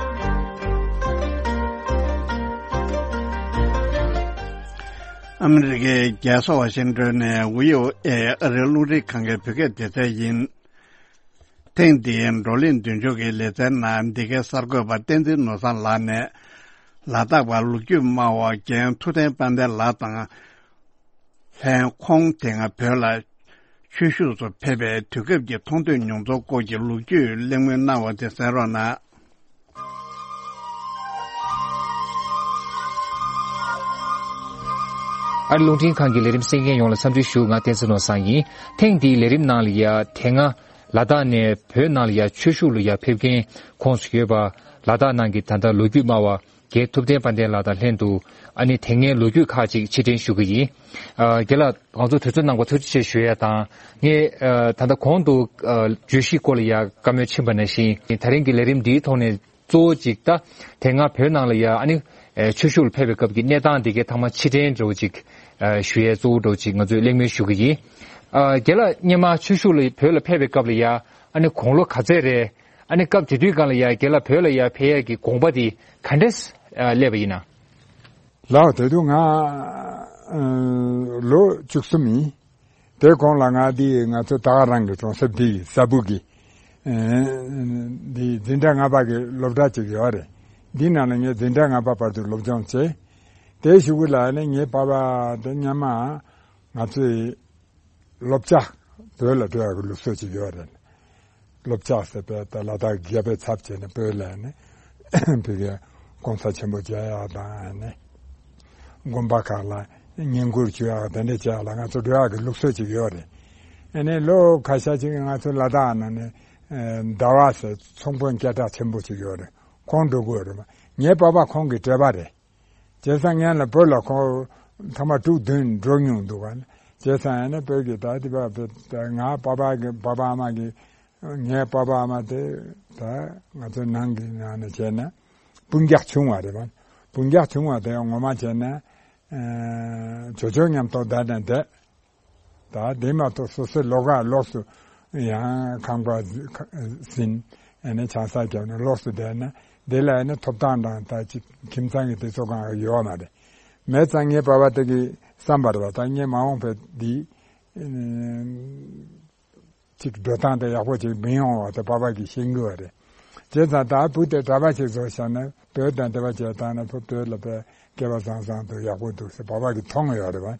ཨ་མི་རི་ཀའི་རྒྱལ་ས་ཝ་ཤིང་ཏོན་ནས་ཝི་ཨོ་ཨེ་ཨ་རིའི་རླུང་འཕྲིན་ཁང་གི་བོད་སྐད་སྡེ་ཚན་ཡིན། ཐེངས་འདིའི་བགྲོ་གླེང་མདུན་སྐྱོད་ཀྱི་ལེ་ཚན་ནང་འདི་གའི་གསར་འགོད་པ་བསྟན་འཛིན་ནོར་བཟང་ལགས་ནས། ལ་དྭགས་པ་ལོ་རྒྱུས་སྨྲ་བ་རྒན་ཐུབ་བསྟན་དཔལ་ལྡན་ལགས་དང་། ལྷན་ཁོང་དེ་སྔ་བོད་ལ་ཆོས་ཞུགས་སུ་ཕེབས་པའི་དུས་སྐབས་ཀྱི་མཐོང་ཐོས་མྱོང་ཚོར་སྐོར་གྱི་ལོ་རྒྱུས་གླེང་མོལ་གནང་བ་དེ་གསན་རོགས་གནང་། ཨ་རི་རླུང་འཕྲིན་ཁང་གི་ལས་རིམ་གསན་མཁན་ཡོངས་ལ་འཚམས་འདྲི་ཞུ། ང་བསྟན་འཛིན་ནོར་བཟང་ཡིན། ཐེངས་འདིའི་ལས་རིམ་ནང་ལ་ཡ་དེ་སྔ་ལ་དྭགས་ནས་བོད་ནང་ལ་ཡ་ཆོས་ཞུགས་ལ་ཡ་ཕེབས་མཁན་ཁོངས་སུ་ཡོད་པ། ལ་དྭགས་ནང་གི་ད་ལྟ་ལོ་རྒྱུས་སྨྲ་བ་རྒན་ཐུབ་བསྟན་དཔལ་ལྡན་ལགས་དང་ལྷན་དུ། ཨ་ནི་དེ་སྔའི་ལོ་རྒྱུས་ཁག་ཅིག་ཕྱིར་དྲན་ཞུ་གི་ཡིན། ཨ། རྒན་ལགས། ང་ཚོ་དུས་ཚོད་གནང་བར་ཐུགས་རྗེ་ཆེ་ཞུ་ཡ་དང་། ངས་ཨ་ད་ལྟ་གོང་དུ་ཨ་བརྗོད་གཞིའི་སྐོར་ལ་ཡ་བཀའ་མོལ་ཕྱིན་པ་ནང་བཞིན། ད་རིང་གི་ལས་རིམ་འདིའི་ཐོག་ནས་གཙོ་བོ་གཅིག་ད་དེ་སྔ་བོད་ནང་ལ་ཡ་ཨ་ནི་ཨ་ཆོས་ཞུགས་ལ་ཕེབས་པའི་སྐབས་ཀྱི་གནས་སྟངས་དེ་གའི་ཐོག་མ་ཕྱིར་དྲན་འདྲ་བོ་ཅིག་ཨ་ཞུ་ཡའི་གཙོ་བོ་འདྲ་བོ་ཅིག་ང་ཚོས་གླེང་མོལ་ཞུ་གི་ཡིན། ཨ་རྒན་ལགས། སྔོན་མ་ཆོས་ཞུགས་ལ་བོད་ལ་ཕེབས་པའི་སྐབས་ལ་ཡ་ཨ་ནི་དགུང་ལོ་ག་ཚད་རེད། ཨ་ནི་སྐབས་དེ་དུས་སྒང་ལ་ཡ་རྒན་ལགས་བོད་ལ་ཡ་ཕེབས་ཡས་ཀྱི་དགོངས་པ་དེ་ག་འདྲས་ཨ་སླེབས་པ་ཡིན་ན། ལགས། དེ་དུས་ང་ཨ་ལོ་བཅུ་གསུམ་ཡིན། དེ་གོང་ལ་ང་འདི་ང་ཚོ་ད་ག་རང་གི་གྲོང་གསེབ་འདི་ས་སྦུག་གི་ཨ་འདི་འཛིན་གྲྭ་ལྔ་པ་གི་སློབ་གྲྭ་ཅིག་ཡོད་རེད། འདི་ནང་ལ་ངས་འཛིན་གྲྭ་ལྔ་པ་བར་དུ་སློབ་སྦྱོང་བྱས། དེའི་གཞུག་གུ་ལ་ནི་ངའི་པ་ཕ་དེ་སྔོན་མ་ང་ཚོའི་སློབ་གྲྭ། བོད་ལ་འགྲོ་ཡག་གི་ལུགས་སྲོལ་ཅིག་ཡོད་རེད། སློབ་གྲྭ་ཟེར་བའི་ད་ལ་དྭགས་རྒྱལ་པོའི་ཚབ་བྱས་ནས་བོད་ལ་ནི་བོད་ཀྱི་གོང་ས་ཆེན་པོ་མཇལ་ཡག་དང་ནི། དགོན་པ་ཁག་ལ་བསྙེན་བཀུར་ཞུ་ཡག་དེ་འདྲ་བྱེད་ཡག་ལ་ང་ཚོ་འགྲོ་ཡག་གི་ལུགས་སྲོལ་ཅིག་ཡོད་རེད། ཨ་ནི་ལོ་ཁ་ཤས་ཅིག་ང་ཚོ་ལ་དྭགས་ནང་ནས་ཟླ་བ་ཟེར་ཚོང་དཔོན་སྐད་གྲགས་ཆེན་པོ་ཅིག་ཡོད་རེད། ཁོང་འགྲོ་དགོས་རེད། ངའི་པ་ཕ་ཁོང་གི་འབྲེལ་བ་རེད། བྱས་ཙང་སྔོན་ལ་བོད་ལ་ཁོང་ཐེངས་མ་དྲུག་བདུན་འགྲོ་མྱོང་འདུག་ག། བྱས་ཙང་ཡང་ན་བོད་ཀྱི་ད་དེ་བ་ང་པ་ཕ་གི་པ་ཕ་ཨ་མ་གི་ངའི་པ་ཕ་ཨ་མ་དེ་ད་ང་ཚོ་ནང་གི་ནང་ནས་བྱས་ན་སྤུན་ཀྱག་ཆུང་བ་རེད་བ། སྤུན་ཀྱག་ཆུང་བ་དེ་ངོ་མ་བྱས་ན་ཇོ་ཇོ་མཉམ་དུ་བསྡད་ནས་བསྡད། ད་དེ་མ་གཏོགས་སོ་སོའི་ལོགས་ཀ་ལོགས་སུ་ཡང་ཁང་པ་ཟིན། ཨ་ནི་ཆང་ས་བརྒྱབ་ནས་ལོགས་སུ་བསྡད་ན་དེ་ལ་ཨ་ནི་ཐོབ་ཐང་དང་ད་ཅི་ཁྱིམ་ཚང་གི་དེ་ཚོ་གང་ཡོད་མ་རེད། མེད་ཙང་ངའི་པ་ཕ་དེ་གི་བསམ་པ་རེད་བ། ད་ངའི་མ་འོངས་པའི་འདི་ཅིག་འགྲོ་སྟངས་དེ་ཡག་པོ་ཅིག་མི་ཡོང་བ་དེ་པ་ཕ་གིས་ཤེས་ཀྱི་ཡོད་རེད། བྱས་ཙང་ད་བུ་དེ་གྲྭ་པ་ཅིག་བཟོས་བཞག་ན་བོད་དང་འབྲེལ་བ་བྱས་བཏང་ན་བུ་བོད་ལ་དཔེ་སྐལ་བ་བཟང་བཟང་འདུག་ཡག་པོ་འདུག་ཟེར་པ་ཕ་གིས་མཐོང་ཡོད་རེད་བ།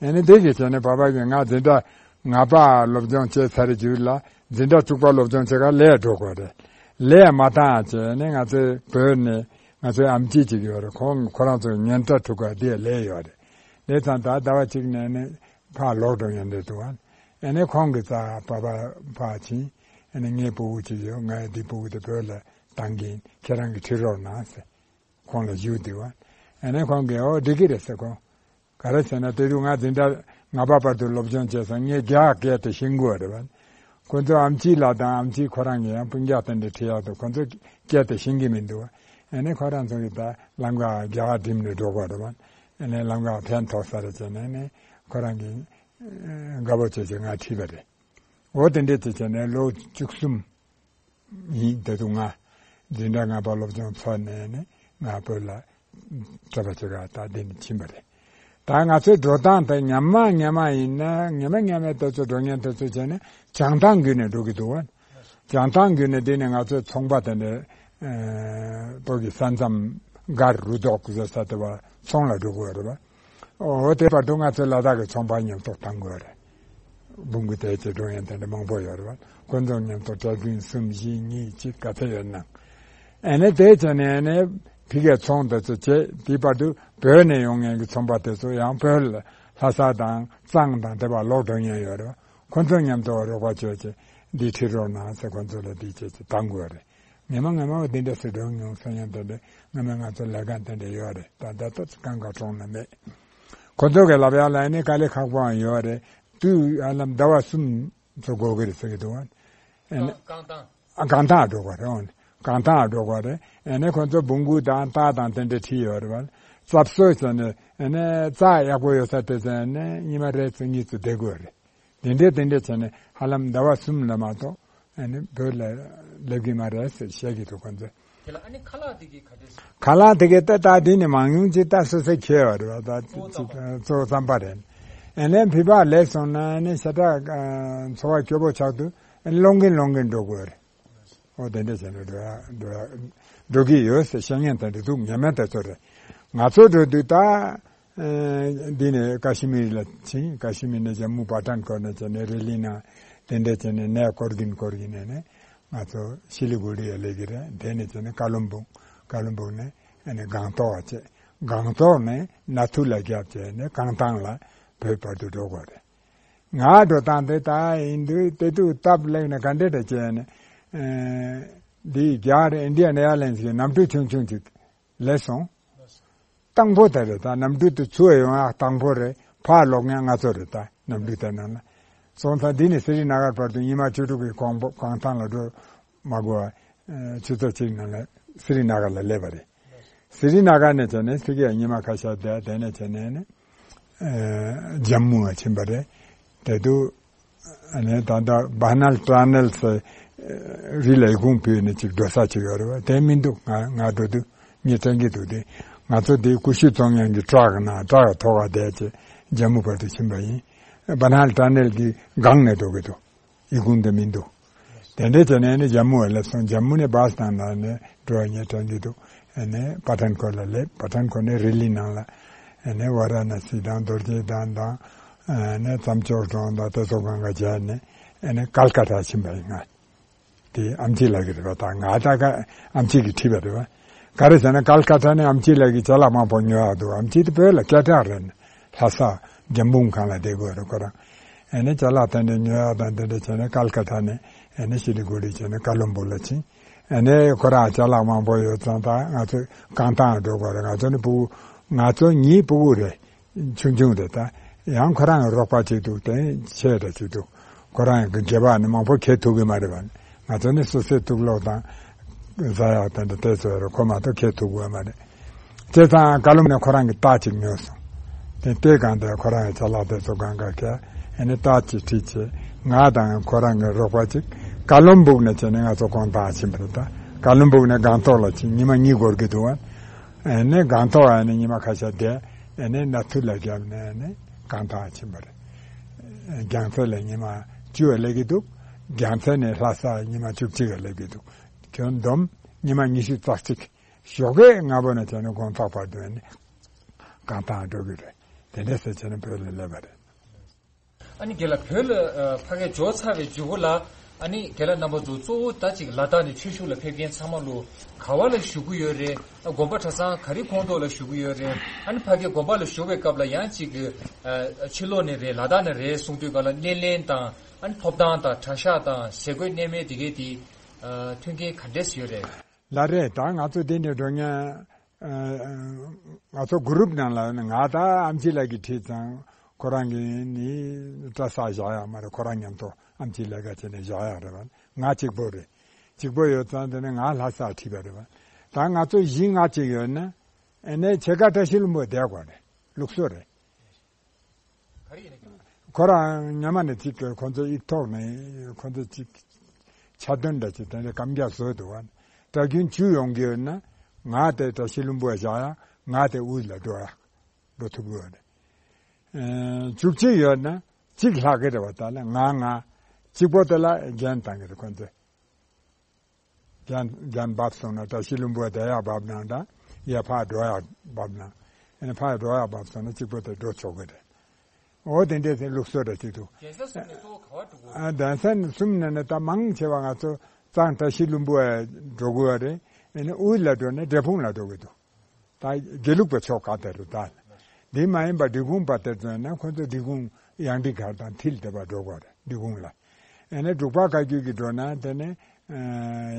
ཨ་ནི་དེ་གི་བྱས་ནས་པ་ཕ་གིས་ང་འཛིན་གྲྭ་ལྔ་པ་སློབ་སྦྱོང་བྱས་ཚར་རྗེས་ལ་འཛིན་གྲྭ་དྲུག་པ་སློབ་སྦྱོང་བྱེད་གར་ལས་འགྲོ་དགོས་རེད། ལས་མ་བཏང་བྱས་ནས་ང་ཚོའི་བོད་ནས་ང་ཚོའི་ཨམ་ཆི་ཅིག་ཡོད་རེད། ཁོང་ཁོ་རང་ཚོ་ཉེན་བརྡ་འཕྲུལ་ཁང་དེ་ལས་ཡོད་རེད། ལས་ཙང་ད་ཟླ་བ་གཅིག་ནས་ནི་ཕར་ལོག་འགྲོ་ཡོང་འདོད་འདུག་ཨ། ཨ་ནི་ཁོང་གི་རྩ་པ་ཕ་ཕར་ཕྱིན། ཨ་ནི་ངའི་སྤུ་གུ་གཅིག་ཡོད། ངའི་འདི་སྤུ་གུ་དེ་བོད་ལ་བཏང་གིན་ཁྱེད་རང་གིས་ཁྲིད་རོགས་གནང་ཟེར། ཁོང་ལ་ཞུས་དུས་བ། ཨ་ནི་ཁོང་གིས་ཨོ་འགྲིག་གི་རེད་ཟེར། ཁོང་ག་རེ་ཟེར་ན། དེ་དུས་ང་འཛིན་གྲྭ་ལྔ་པ་བར་དུ་སློབ་སྦྱོང་བྱས་སོང་། ངས་རྒྱ་སྐད་དེ་ཤེས་ཀྱི་ཡོད་རེད་བ། ཁོ་ཚོ་ཨམ་ཆི་ལགས་དང་ཨམ་ཆི་ཁོ་རང་གིས་ཡང་སྤུན་ཀྱག་དེ་འདྲ་ཁྲིད་ཡག་འདུག། ཁོ་ཚོ་སྐད་དེ་ཤེས་ཀྱི་མི་འདུག། ཨ་ནི་ཁོ་རང་ཚོ་གིས་ད་ལམ་ཁ་རྒྱ་གར་འགྲིམས་ནས་འགྲོ་དགོས་རེད་བ། ཨ་ནི་ལམ་ཁ་ཕན་ཐོགས་ས་རེད་བྱས་ནས། ཨ་ནི་ཁོ་རང་གིས་དགའ་པོ་བྱས་བྱས་ང་ཁྲིད་པ་རེད། འོ་དེ་འདྲས་བྱས་བྱས་ནས་ལོ་བཅུ་གསུམ་ཡིན། དེ་དུས་ང་འཛིན་གྲྭ་ལྔ་པ་སློབ་སྦྱོང་ཚར་ནས་ནི་ང་བོད་ལ་གྲྭ་པ་ཅིག་ག་ད་འདི་ནས་ཕྱིན་པ་རེད། ད་ང་ཚོའི་འགྲོ་སྟངས་དེ་སྔ་མ་སྔ་མ་ཡིན་ན། སྔ་མ་སྔ་མའི་དུས་ཚོད་འགྲོ་མཁན་དེ་ཚོ་བྱས་ན་བྱང་ཐང་བརྒྱུད་ནས་འགྲོ་གི་འདུག་བ། བྱང་ཐང་བརྒྱུད་ནས་འདི་ནས་ང་ཚོའི་ཚོང་པ་དེ་འདྲ་ཨ་བོད་ཀྱི་ས་མཚམས་སྒར་རུ་ཐོག་ཟེར་ས་དེ་བ་ཚོང་ལ་འགྲོ་དགོས་རེད་བ། འོ་དེ་བར་དུ་ང་ཚོའི་ལ་དྭགས་ཀྱི་ཚོང་པ་མཉམ་དུ་བཏང་དགོས་རེད། འབུམ་སྐུ་དེ་ཚོ་འགྲོ་མཁན་དེ་འདྲ་མང་པོ་ཡོད་རེད་བ། ཁོ་ཚོ་མཉམ་དུ་གྲྭ་བཙུན་གསུམ་བཞི་གཉིས་གཅིག་ག་ཚོད་ཡོད་ན། ཨ་ནི་དེ་བྱས་ནས་ཨ་ནི་ཕ་གིའི་ཚོང་དེ་ཚོ་བྱས། དེ་བར་དུ་བོད་ནས་ཡོང་མཁན་གྱི་ཚོང་པ་དེ་ཚོ་ཡང་བོད་ལ་ལྷ་ས་དང་གཙང་དང་དེ་བར་ལོག་འགྲོ་མཁན་ཡོད་རེད་བ། ཁོ་ཚོ་མཉམ་དུ་རོགས་པ་བྱས་བྱས་འདི་ཁྲིད་རོགས་གནང་ཟེར་ཁོ་ཚོ་ལ་འདི་བྱས་བྱས་བཏང་དགོས་རེད། ངས་མ་ངས་མ་འོ་དེ་འདྲ་ཟེར་འགྲོ་མྱོང་། སང་ཉིན་དེ་འདྲ་ངས་མ་ང་ཚོ་ལས་ཀ་དེ་འདྲ་ཡོད་རེད། ད་ད་ལྟ་གང་ག་གྲོང་ན་མེད། ཁོ་ཚོ་གི་ལབ་ཡག་ལ་ནི་དཀའ་ལས་ཁག་པོའང་ཡོད་རེད། དུས་ཧ་ལམ་ཟླ་བ་གསུམ་ཚོ་འགོར་གི་རེད་ཟེར་གི་འདུག་བ། ཨ་ནི་རྐང་ཐང་། ཨ་རྐང་ཐང་འགྲོ་དགོས་རེད། འོ་ནི་རྐང་ཐང་འགྲོ་དགོས་རེད། ཨ་ནི་ཁོ་ཚོ་འབུ་འགོ་དང་རྟ་དང་དེ་འདྲ་ཁྲིད་ཡོད་རེད་བ། རྩྭ་བཟོ་ཟེར་ནས་ཨ་ནི་རྩྭ་ཡག་པོ་ཡོད་ས་དེ་ཟེར་ནས་ཉི་མ་རེ་ཚོ་གཉིས་ཚོ་བསྡད་དགོས་རེད། དེ་འདྲས་དེ་འདྲས་བྱས་ནས་ཧ་ལམ་ཟླ་བ་གསུམ་ལ་མ་གཏོགས་ཨ་ནི་བོད་ལ་སླེབས་ཀྱི་མ་རེད་ཟེར་བཤད་ཀྱི་འདུག་ཁོ་ཚོས། དེ་ལ་ཨ་ནི་ཁ་ལག་དེ་གའི་ག་འདྲས་སོང་། ཁ་ལག་དེ་གའི་ད་ད་དེ་ནི་མང་ཉུང་ཅིག་ད་སོ་སོས་ཁྱེར་བ་རེད་བ། ད་གཙོ་བོ་རྩམ་པ་རེད། ཨ་ནི་ཕྱི་པག་ལེགས་སོང་ན་ཨ་ནི་ཤ་ཁྲག་ཨ་འཚོ་བ་སྐྱོ་པོ་ཆགས་དུས་ཨ་ནི་སློང་གིན་སློང་གིན་འགྲོ་དགོས་རེད། ཨོ་དེ་འདྲ་བྱས་ནས་འགྲོ་ཡ་འགྲོ་ཡ་འགྲོ་གི་ཡོད་ཟེར་བཤད་མཁན་དེ་འདྲ་འདུག། ཉེས་མེད་དེ་ཚོ་རེད། ང་ཚོ་འགྲོ་དུས་ད། ཨ་འདི་ནས་ཀ་ཤི་མིར་ལ་ཕྱིན། ཀ་ཤི་མིར་ནས་ཇམ་མུ་པ་ཐན་ཀོཊ་ནས་བྱས་ནས་རི་ལི་ན་དེ་འདྲ་བྱས་ནས་ནས་སྐོར་གིན་སྐོར་གིན་ནས་ནས་ང་ཚོ་ཤི་ལི་གུ་རི་ཡ་སླེབས་ཀྱི་རེད། དེ་ནས་བྱས་ནས་ཀ་ལོན་སྦུག། ཀ་ལོན་སྦུག་ནས་ཨ་ནི་སྒང་ཏོག་བྱས། སྒང་ཏོག་ནས་ན་ཐུ་ལ་རྒྱབ་བྱས་ནས་རྐང་ཐང་ལ་བོད་བར་དུ་འགྲོ་དགོས་རེད། ང་འགྲོ་སྟངས་དེ་ད་ཡིན་དུས་དེ་དུས་སྟབས་ལེགས་ནས་ག་འདྲ་འདྲ་བྱས་ནས་ཨ་འདི་རྒྱ་གར་ཨིན་ཌི་ཡན་ཨེར་ལའིན་སི་གི་གནམ་གྲུ་ཆུང་ཆུང་ཅིག་སླེབས་སོང་། དང་པོ་དེ་རེད། ད་གནམ་གྲུ་དེ་ཚུར་ཡོང་ཡག་དང་པོ་རེད། ཕར་ལོག་མཁན་ང་ཚོ་རེད། ད་གནམ་གྲུ་དེ་ནང་ལ་སོང་ཙང་འདི་ནས་སི་རི་ན་གར་བར་དུ་ཉི་མ་བཅུ་དྲུག་གི་གོང་པོ་གང་ཐང་ལ་འགྲོ་མ་དགོས་པ། ཆུ་ཚོད་གཅིག་ནང་ལ་སི་རི་ན་གར་ལ་སླེབས་པ་རེད། སི་རི་ན་གར་ནས་བྱས་ནས་ཕ་གིར་ཉི་མ་ཁ་ཤས་བསྡད། དེ་ནས་བྱས་ནས་ནི་ཇམ་མུ་ལ་ཕྱིན་པ་རེད། དེ་དུས་ཨ་ནི་ད་ལྟ་བྷ་ནལ་ཊ་ནལ་ཟེར་རི་ལ་ཡི་གུང་ཕུལ་ནས་ཅིག་འགྲོ་ས་ཅིག་ཡོད་རེད་བ། དེ་མི་འདུག། ང་ང་འགྲོ་དུས་ངས་དྲན་གྱི་འདུག། དེ་ང་ཚོ་དེ་ཀུ་ཤུ་བཙོང་མཁན་གྱི་ཊྲག་ནང་ཊྲག་ཐོག་ག་བསྡད་བྱས་ཇམ་མུ་བར་དུ་ཕྱིན་པ་ཡིན། བྷ་ནལ་ཊ་ནལ་གྱི་སྒང་ནས་འགྲོ་གི་འདུག། ཡི་གུང་དེ་མི་འདུག། དེ་འདྲས་བྱས་ནས་ནི་ཇམ་མུ་ལ་སླེབས་སོང་། ཇམ་མུ་ནས་བྷ་སི་དང་ནང་ནས་འགྲོ་བ་ངས་དྲན་གྱི་འདུག། ཨ་ནི་པ་ཐན་ཀོཊ་ལ་སླེབས། པ་ཐན་ཀོཊ་ནས་རི་ལི་ནང་ལ་ཨ་ནི་ཝ་ར་ཎ་སི་དང་རྡོ་རྗེ་གདན་དང་ཨ་ནི་རྩྭ་མཆོག་གྲོང་དང་དེ་ཚོ་སྒང་ག་བྱས་ནས་ཨ་ནི་ཀལ་ཀ་ཏ་ཕྱིན་པ་ཡིན་ང་། དེ་ཨམ་ཆི་ལགས་ཀྱི་རེད་པ། ད་ང་ད་ག་ཨམ་ཆི་གིས་ཁྲིད་པ་རེད་པ། ག་རེ་ཟེར་ན་ཀལ་ཀ་ཏ་ནས་ཨམ་ཆི་ལགས་ཀྱིས་ཅ་ལག་མང་པོ་ཉོ་ཡག་འདུག། ཨམ་ཆི་དེ་བོད་ལ་སྐད་གྲགས་རེད། ལྷ་ས་འཇམ་འབུམ་ཁང་ལ་བསྡད་དགོས་རེད་ཁོ་རང་། ཨ་ནི་ཅ་ལག་དེ་འདྲ་ཉོ་ཡག་དང་དེ་འདྲ་བྱས་ནས་ཀལ་ཀ་ཏ་ནས་ཨ་ནི་ཤི་ལི་གུ་རི་བྱས་ནས་ཀ་ལོན་སྦུག་ལ་ཕྱིན། ཨ་ནི་ཁོ་རང་ཅ་ལག་མང་པོ་ཡོད་ཙང་ད་ང་ཚོས་རྐང་ཐང་འགྲོ་དགོས་རེད། ང་ཚོ་ནི་ཕྲུ་གུ་ང་ཚོ་གཉིས་ཕྲུ་གུ་རེད། ཆུང་ཆུང་རེད། ད་ཡང་ཁོ་རང་གི་རོགས་པ་གཅིག་འདུག། དེ་ཆེ་རེ་གཅིག་འདུག། ཁོ་རང་གི་སྒལ་པ་ནི་མང་པོ་འཁྱེར་ཐུབ་ཀྱི་མ་རེད་པ། ང་ཚོ་ནི་སོ་སོའི་དུག་སློག་དང་ཟ་ཡག་དེ་འདྲ་དེ་ཚོ་རེད། ཁོ་མ་གཏོགས་འཁྱེར་ཐུབ་ཀྱི་མ་རེད། བྱས་ཙང་ཀ་ལོན་ནས་ཁོ་རང་གི་རྟ་གཅིག་ཉོས་སོང་། དེ་རྟའི་སྒང་དེར་ཁོ་རང་གི་ཅ་ལག་དེ་ཚོ་སྒང་ག་བཀལ། ཨ་ནི་རྟ་གཅིག་ཁྲིད་བྱས་ང་དང་ཁོ་རང་གི་རོགས་པ་གཅིག་ཀ་ལོན་སྦུག་ནས་བྱས་ནས་ང་ཚོ་དགོང་དག་ཕྱིན་པ་རེད། ད་ཀ་ལོན་སྦུག་ནས་སྒང་ཏོག་ལ་ཕྱིན། ཉི་མ་གཉིས་འགོར་གྱི་འདུག་པ། ཨ་ནི་སྒང་ཏོག་ཨ་ནི་ཉི་མ་ཁ་ཤས་བསྡད། ཨ་ནི་ན་ཐུ་ལ་བརྒྱབ་ནས་ཨ་ནི་སྒང་ཏོག་ཕྱིན་པ་རེད། རྒྱལ་མཚན་ལ་ཉི་མ་བཅུ་སླེབས་ཀྱི་འདུག། རྒྱལ་མཚན་ནས་ལྷ་ས་ཉི་མ་བཅུ་གཅིག་སླེབས་ཀྱི་འདུག། ཁྱོན་བསྡོམས་ཉི་མ་ཉི་ཤུ་རྩ་གཅིག། ཞོགས་ཀས་སྔ་པོ་ནས་བྱས་ནས་དགོང་དག་བར་དུ་ཨ་ནི་སྒང་ཏོག་འགྲོ་གི་རེད། དེ་འདྲ་ཟེར་བྱས་ནས་བོད་ལ་སླེབས་པ་རེད། ཨ་ནི་རྒན་ལགས་བོད་ལ་ཨ་ཕ་གིར་འབྱོར་ཚར་བའི་མཇུག་གུ་ལ་ཨ་ནི་རྒན་ལགས་རྣམ་པ་ཚོ་གཙོ་བོ་ད་ཅིག་ལ་དྭགས་ནས་ཆོས་ཞུགས་ལ་ཕེབས་མཁན་ཚང་མ་ལོ་ག་བ་ལ་བཞུགས་ཀྱི་ཡོད་རེད། ཨ་དགོན་པ་གྲྭ་ཚང་ག་རེ་ཁོངས་གཏོགས་ལ་བཞུགས་ཀྱི་ཡོད་རེད། ཨ་ནི་ཕ་གིར་དགོན་པ་ལ་བཞུགས་པའི་སྐབས་ལ་ཡང་ཅིག་ཨ་ཕྱི་ལོགས་ནས་རེད་ལ་དྭགས་ནས་རེད་གསུང་དུས་ག་ལ་སྣེ་ལེན་དང་ ཨ་ནི་ཐོབ་ཐང་དང་གྲྭ་ཤག་དང་ཟས་གོས་གནས་མལ་དེ་གའི་དེ་ཨ་མཐུན་རྐྱེན་ག་འདྲས་ཡོད་རེད། ལགས་རེད། ད་ང་ཚོ་འདི་ནས་འགྲོ་མཁན་ཨ་ང་ཚོ་གུ་རུབ་ནང་ལ་ནི་ང་ད་ཨམ་ཆི་ལགས་ཀྱིས་ཁྲིད་ཙང་ཁོ་རང་གིས་ནི་གྲྭ་ས་བཞག་ཡག་མ་རེད། ཁོ་རང་མཉམ་དུ་ཨམ་ཆི་ལགས་ཀ་བྱས་ནས་བཞག་ཡག་རེད་བ། ང་གཅིག་པོ་རེད། གཅིག་པོ་ཡོད་ཙང་དེ་ནས་ང་ལྷ་སར་ཁྲིད་པ་རེད་བ། ད་ང་ཚོ་བཞི་ལྔ་གཅིག་ཡོད་ན་ཨ་ནི་ཕྱེད་ཀ་བཀྲ་ཤིས་ལྷུན་པོ་བསྡད་དགོས་རེད། ལུགས་སྲོལ་རེད། ཁོ་རང་ཉི་མ་ནས་གཅིག་གི་ཁོ་ཚོ་ཡིག་ཐོག་ནས་ཁོ་ཚོ་གཅིག་ཆ་དོན་འདྲ་ཅིག་དེ་འདྲ་གམ་རྒྱག་བཟོས་འདུག་བ། གྲྭ་རྒྱུན་བཅུ་ཡོང་གི་ཡོད་ན་ང་དེ་བཀྲ་ཤིས་ལྷུན་པོ་བཞག་ཡ། ང་དེ་དབུས་ལ་འགྲོ་ཡ། འགྲོ་ཐུབ་ཀྱི་ཡོད་རེད། ཨེ་བཅུ་གཅིག་ཡོད་ན་གཅིག་ལྷག་གི་རེད་བ། ད་ལ་ང་ང་གཅིག་པོ་དེ་ལ་འགན་བཏང་གི་རེད་ཁོ་ཚོས། རྒྱན་རྒྱན་བབས་སོང་ན་བཀྲ་ཤིས་ལྷུན་པོ་བསྡད་ཡག་བབས་ན་འདྲ། ཡ་ཕར་འགྲོ་ཡག་བབས་ན། ཨ་ནི་ཕར་འགྲོ་ཡག་བབས་སོང་ན་གཅིག་པོ་དེ་འགྲོ་ཆོག་གི་རེད། འོ་དེ་འདྲའི་དེ་ལུགས་སྲོལ་འདྲ་ཅིག་འདུག་རྒྱལ་ས་གསུམ་ནས་གཙོ་བོ་ག་བར་འགྲོ་དགོས། ཨ་གདན་ས་གསུམ་ནས་ནི་ད་མང་ཆེ་བ་ང་ཚོ་གཙང་བཀྲ་ཤིས་ལྷུན་པོ་འགྲོ་དགོས་པ་རེད། ཨ་ནི་དབུས་ལ་འགྲོ་ནས་འབྲས་སྤུངས་ལ་འགྲོ་གི་འདུག་ད་དགེ་ལུགས་པའི་ཕྱོགས་ག་དེ་རུ་ད། འདི་མ་ཡིན་པ་འབྲི་གུང་པ་དེ་ཚོ་ཡིན་ན་ཁོ་ཚོ་འབྲི་གུང་ཡང་ཏི་གར་དང་མཐིལ་དེ་བར་འགྲོ་དགོས་རེད། འབྲི་གུང་ལ། ཨ་ནི་འབྲུག་པ་བཀའ་བརྒྱུད་ཀྱི་འགྲོ་ན་དེ་ནི་